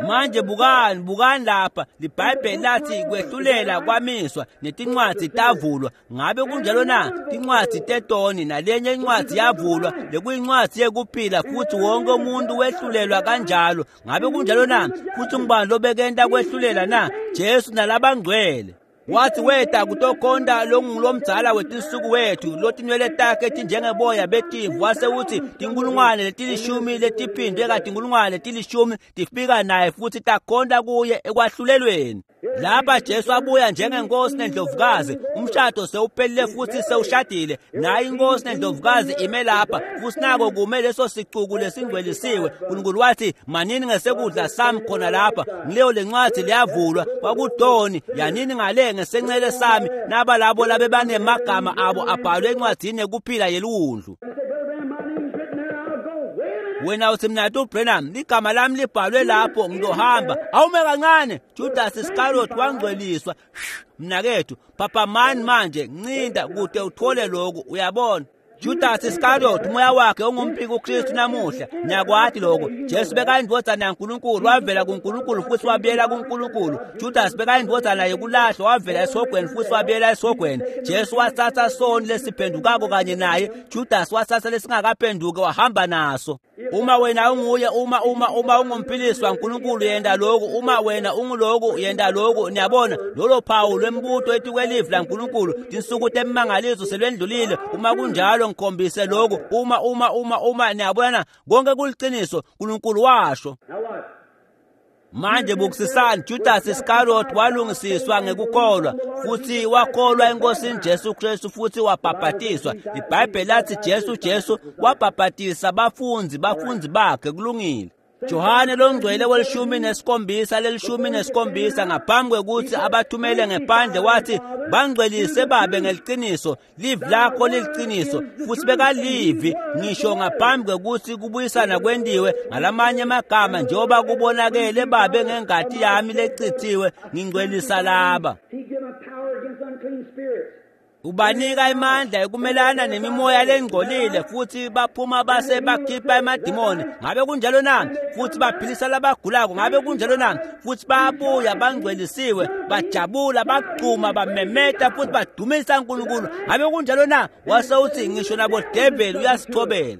Manje bukani, bukani lapha liBhayibheli lathi kwehlulela kwamiswa netincwadzi tavulwa. Ngabe kunjalo na? Tincwadzi tetoni nalenye incwadzi yavulwa lekuyincwadzi yekuphila futhi wonke umuntu wehlulelwa kanjalo. Ngabe kunjalo na? Futhi ngubani lobekenta kwehlulela na? Jesu nalabangcwele. Wathi weta kutokhonta longulomdzala wetinsuku wethu lotinwele takhe tinjengeboya betimvu, wase uthi tinkulungwane letilishumi letiphindwe katinkulungwane letilishumi tifika naye futhi takhonta kuye ekwahlulelweni. Lapha Jesu abuya njengenkosi nendlovukazi, umshado sewuphelile futhi sewushadile. Nayi inkosi nendlovukazi ime lapha futhi nako kume leso sicuku lesingcwelisiwe. uNkulunkulu wathi manini ngesekudla sami khona lapha, ngileyo lencwadi liyavulwa kwakudoni yanini ngale ngesencele sami naba labo labebanemagama abo abhalwe encwadini yekuphila yeliwundlu. Wena uthi mnathu Branham ligama lami libhalwe lapho ngizohamba. Awume kancane, Judas Iscariot wangcweliswa. Mnakethu, phaphamani manje, ncinda kude uthole lokhu, uyabona. Judas Iscariot umoya wakhe ungumpiki uKristu namuhla. Niyakwati lokho. Jesu bekayindvodzana yaNkulunkulu, wavela kuNkulunkulu futhi wabuyela kuNkulunkulu. Judas bekayindvodzana yekulahlwa, wavela esihogweni futhi wabuyela esihogweni. Jesu wathatha soni lesiphendukako kanye naye. Judas wathatha lesingakaphenduki wahamba naso. Uma wena unguye, uma uma uma ungumphilisi waNkulunkulu yenda lokhu, uma wena unguloku yenda lokhu. Niyabona lolo phawu lwembuto etikwelivi laNkulunkulu, tinsuku temimangaliso selwendlulile. Uma kunjalo ngikhombise lokhu. Uma uma uma uma niyabona konke kuliciniso, uNkulunkulu washo. Manje bukisisani, Judas Iscariot walungisiswa ngekukholwa futhi wakholwa eNkosini Jesu Kristu futhi wabhabhatiswa. IBhayibheli lathi Jesu wabhabhatisa bafundi bakhe. Kulungile. Johane longcwele welishumi nesikhombisa ngaphambi kwekuthi abathumele ngephandle wathi bangcwelise babe ngeliciniso, livi lakho liliciniso. Futhi bekalivi ngisho ngaphambi kwekuthi kubuyisana kwendiwe ngalamanye amagama, njengoba kubonakele babe ngengati yami lecithiwe ngingcwelisa laba. Ubanika imandla ekumelana nemimoya lengcolile futhi baphuma base bakhipha emadimoni. Ngabe kunjalo na? Futhi baphilisa labagulako. Ngabe kunjalo na? Futhi babuya bangcwelisiwe, bajabula, bagcuma, bamemeta futhi badumisa uNkulunkulu. Ngabe kunjalo na? Wase uthi ngisho nabodeveli uyasithobela.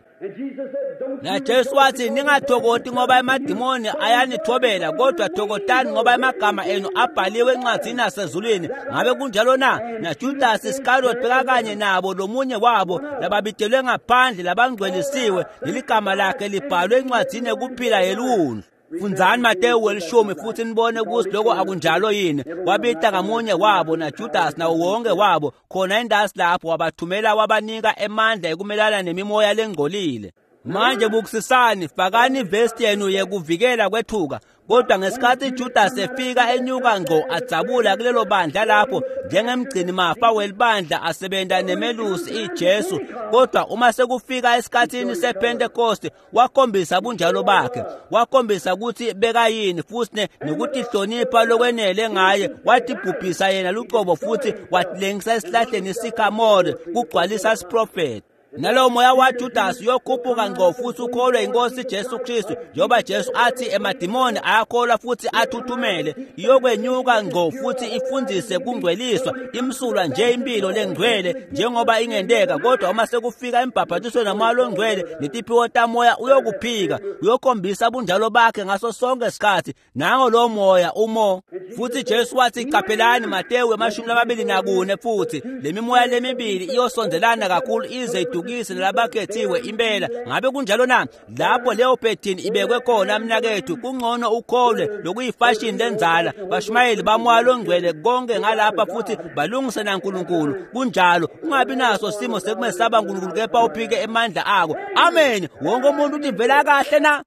Na Jesu wathi ningathokoti ngoba emadimoni ayanithobela, kodwa thokotani ngoba amagama enu abhaliwe encwadini yasezulwini. Ngabe kunjalo na? Na Judas Iscariot bekakanye nabo, lomunye wabo lababitelwe ngaphandle labangcwelisiwe, leligama lakhe libhalwe encwadini yekuphila yeliwundlu. Fundzani Matewu welishumi futhi nibone ukuthi lokho akunjalo yini. Wabita ngamunye wabo naJudas nawo wonke wabo khona endasi lapho, wabathumela wabanika emandla ekumelana nemimoya lengcolile. Manje bukisisani, fakani ivesti yenu yekuvikela kwethuka. Kodwa ngesikhathi Judas efika enyuka ngqo adzabula kulelo bandla lapho njengemgcini mafa welibandla asebenta nemelusi iJesu, kodwa uma sekufika esikhathini sePentecost wakhombisa bunjalo bakhe, wakhombisa ukuthi bekayini futhi nokutihlonipha lokwenele ngaye, watibhubhisa yena luqobo futhi watilengisa esihlahleni isikamore kugcwalisa isiprofethi. Nalowo moya waJudas uyokhuphuka ngqo futhi ukholwe inkosi Jesu Kristu, njengoba Jesu athi emadimoni ayakholwa futhi athuthumele. Iyokwenyuka ngqo futhi ifundise kungcweliswa, imsulwa nje impilo lengcwele njengoba ingenteka. Kodwa uma sekufika embhabhatisweni nomoya longcwele netiphiwo tamoya, uyokuphika, uyokhombisa bunjalo bakhe ngaso sonke isikhathi. Nango lo moya umo. Futhi Jesu wathi, qaphelani Matewu 24, futhi lemimoya lemibili iyosondelana kakhulu ize idukise nalabakhethiwe impela. Ngabe kunjalo na? Lapho leyo phethini ibekwe khona, mnakethu, kungcono ukholwe lokuyifashini lenzala. Bashumayeli bamoya longcwele konke ngalapha futhi balungise naNkulunkulu. Kunjalo, ungabi naso simo sekumesaba uNkulunkulu kepha uphike emandla akho. Amen. Wonke umuntu utivela kahle na?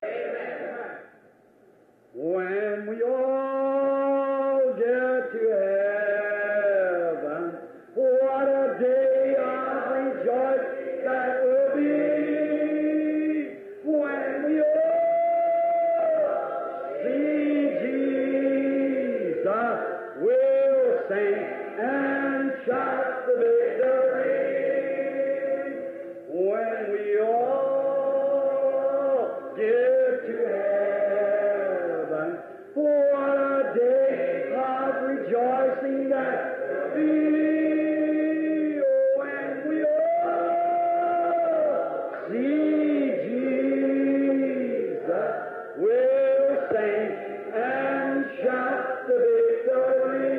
When we all get to heaven, what a day of rejoice that will be. When we all see Jesus, we'll sing and shout the victory. When we all get to heaven, what a day of rejoicing that will be. When we all see Jesus, we'll sing and shout the victory.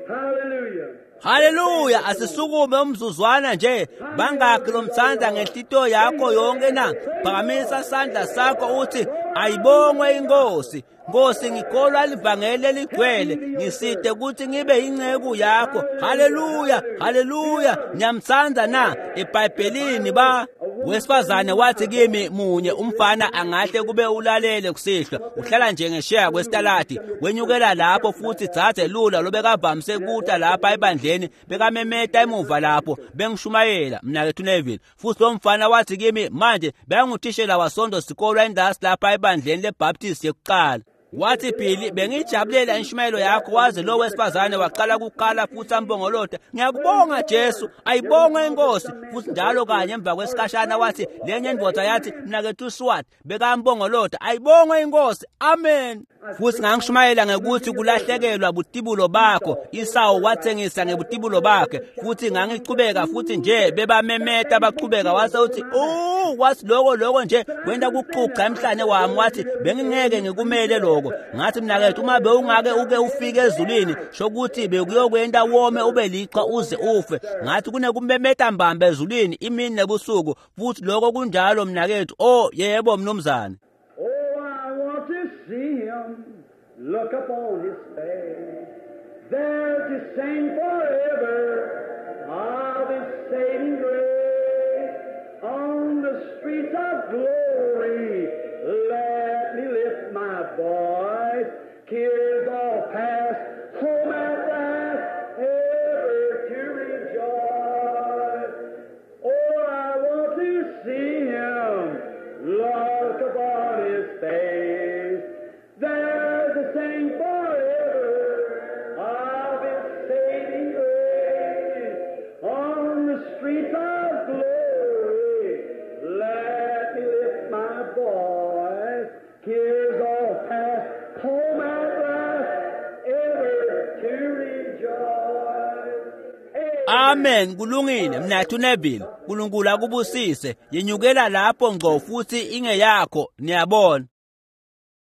Hallelujah. Haleluya, asisukume umzuzwana nje. Bangakhi lomthanda ngenhlitiyo yakho yonke na? Phakamisa isandla sakho uthi, ayibongwe inkosi. Nkosi, ngikholwa livangeli eligcwele, ngiside ukuthi ngibe inceku yakho. Haleluya, haleluya. Ngiyamthanda na? EBhayibhelini ba wesifazane wathi kimi, munye umfana angahle kube ulalele kusihlwa, uhlala nje ngesheya kwesitaladi, wenyukela lapho futhi dzadze lula lobekavamise kuta lapha ebandleni, bekamemeta emuva lapho bengishumayela mnakethu Neville. Futhi lo mfana wathi kimi, manje benguthishela wasonto sikolwa endasi lapha ebandleni leBaptist yekuqala. Wathi, Billy, bengijabulela inshumayelo yakho, waze lo wesifazane waqala ukukhala futhi ambongolota, ngiyakubonga Jesu, ayibongwe inkosi. Futhi njalo kanye emva kwesikhashana wathi, lenye indoda yathi, mnakethu Swat, bekambongolota, ayibongwe inkosi, amen. Futhi ngangishumayela ngekuthi kulahlekelwa butibulo bakho, Isawu wathengisa ngebutibulo bakhe. Futhi ngangichubeka futhi nje bebamemeta bachubeka, wase uthi, oh, wathi lokho nje kwenta kuxuxa emhlane wami, wathi bengingeke ngikumele lokho. Ngathi, mnakethu, uma bewungake uke ufike ezulwini, shokuthi bekuyokwenta wome ube liqhwa uze ufe. Ngathi kunekumemeta mbamba ezulwini imini nebusuku, futhi lokho kunjalo mnakethu. Oh yebo mnumzane. Oh, I want to see him, look upon his face, there to sing forever of his saving grace. On the streets of glory, let me lift my voice. Tears all past, home at last, ever to rejoice. Oh, I want to see him, look upon his face, there to sing forever of his saving grace. On the streets of glory, let me lift my voice. Tears all past, home at last, ever to rejoice. Amen, kulungile mnathu Neville. uNkulunkulu akubusise. Yenyukela lapho ngqo futhi ingeyakho, niyabona.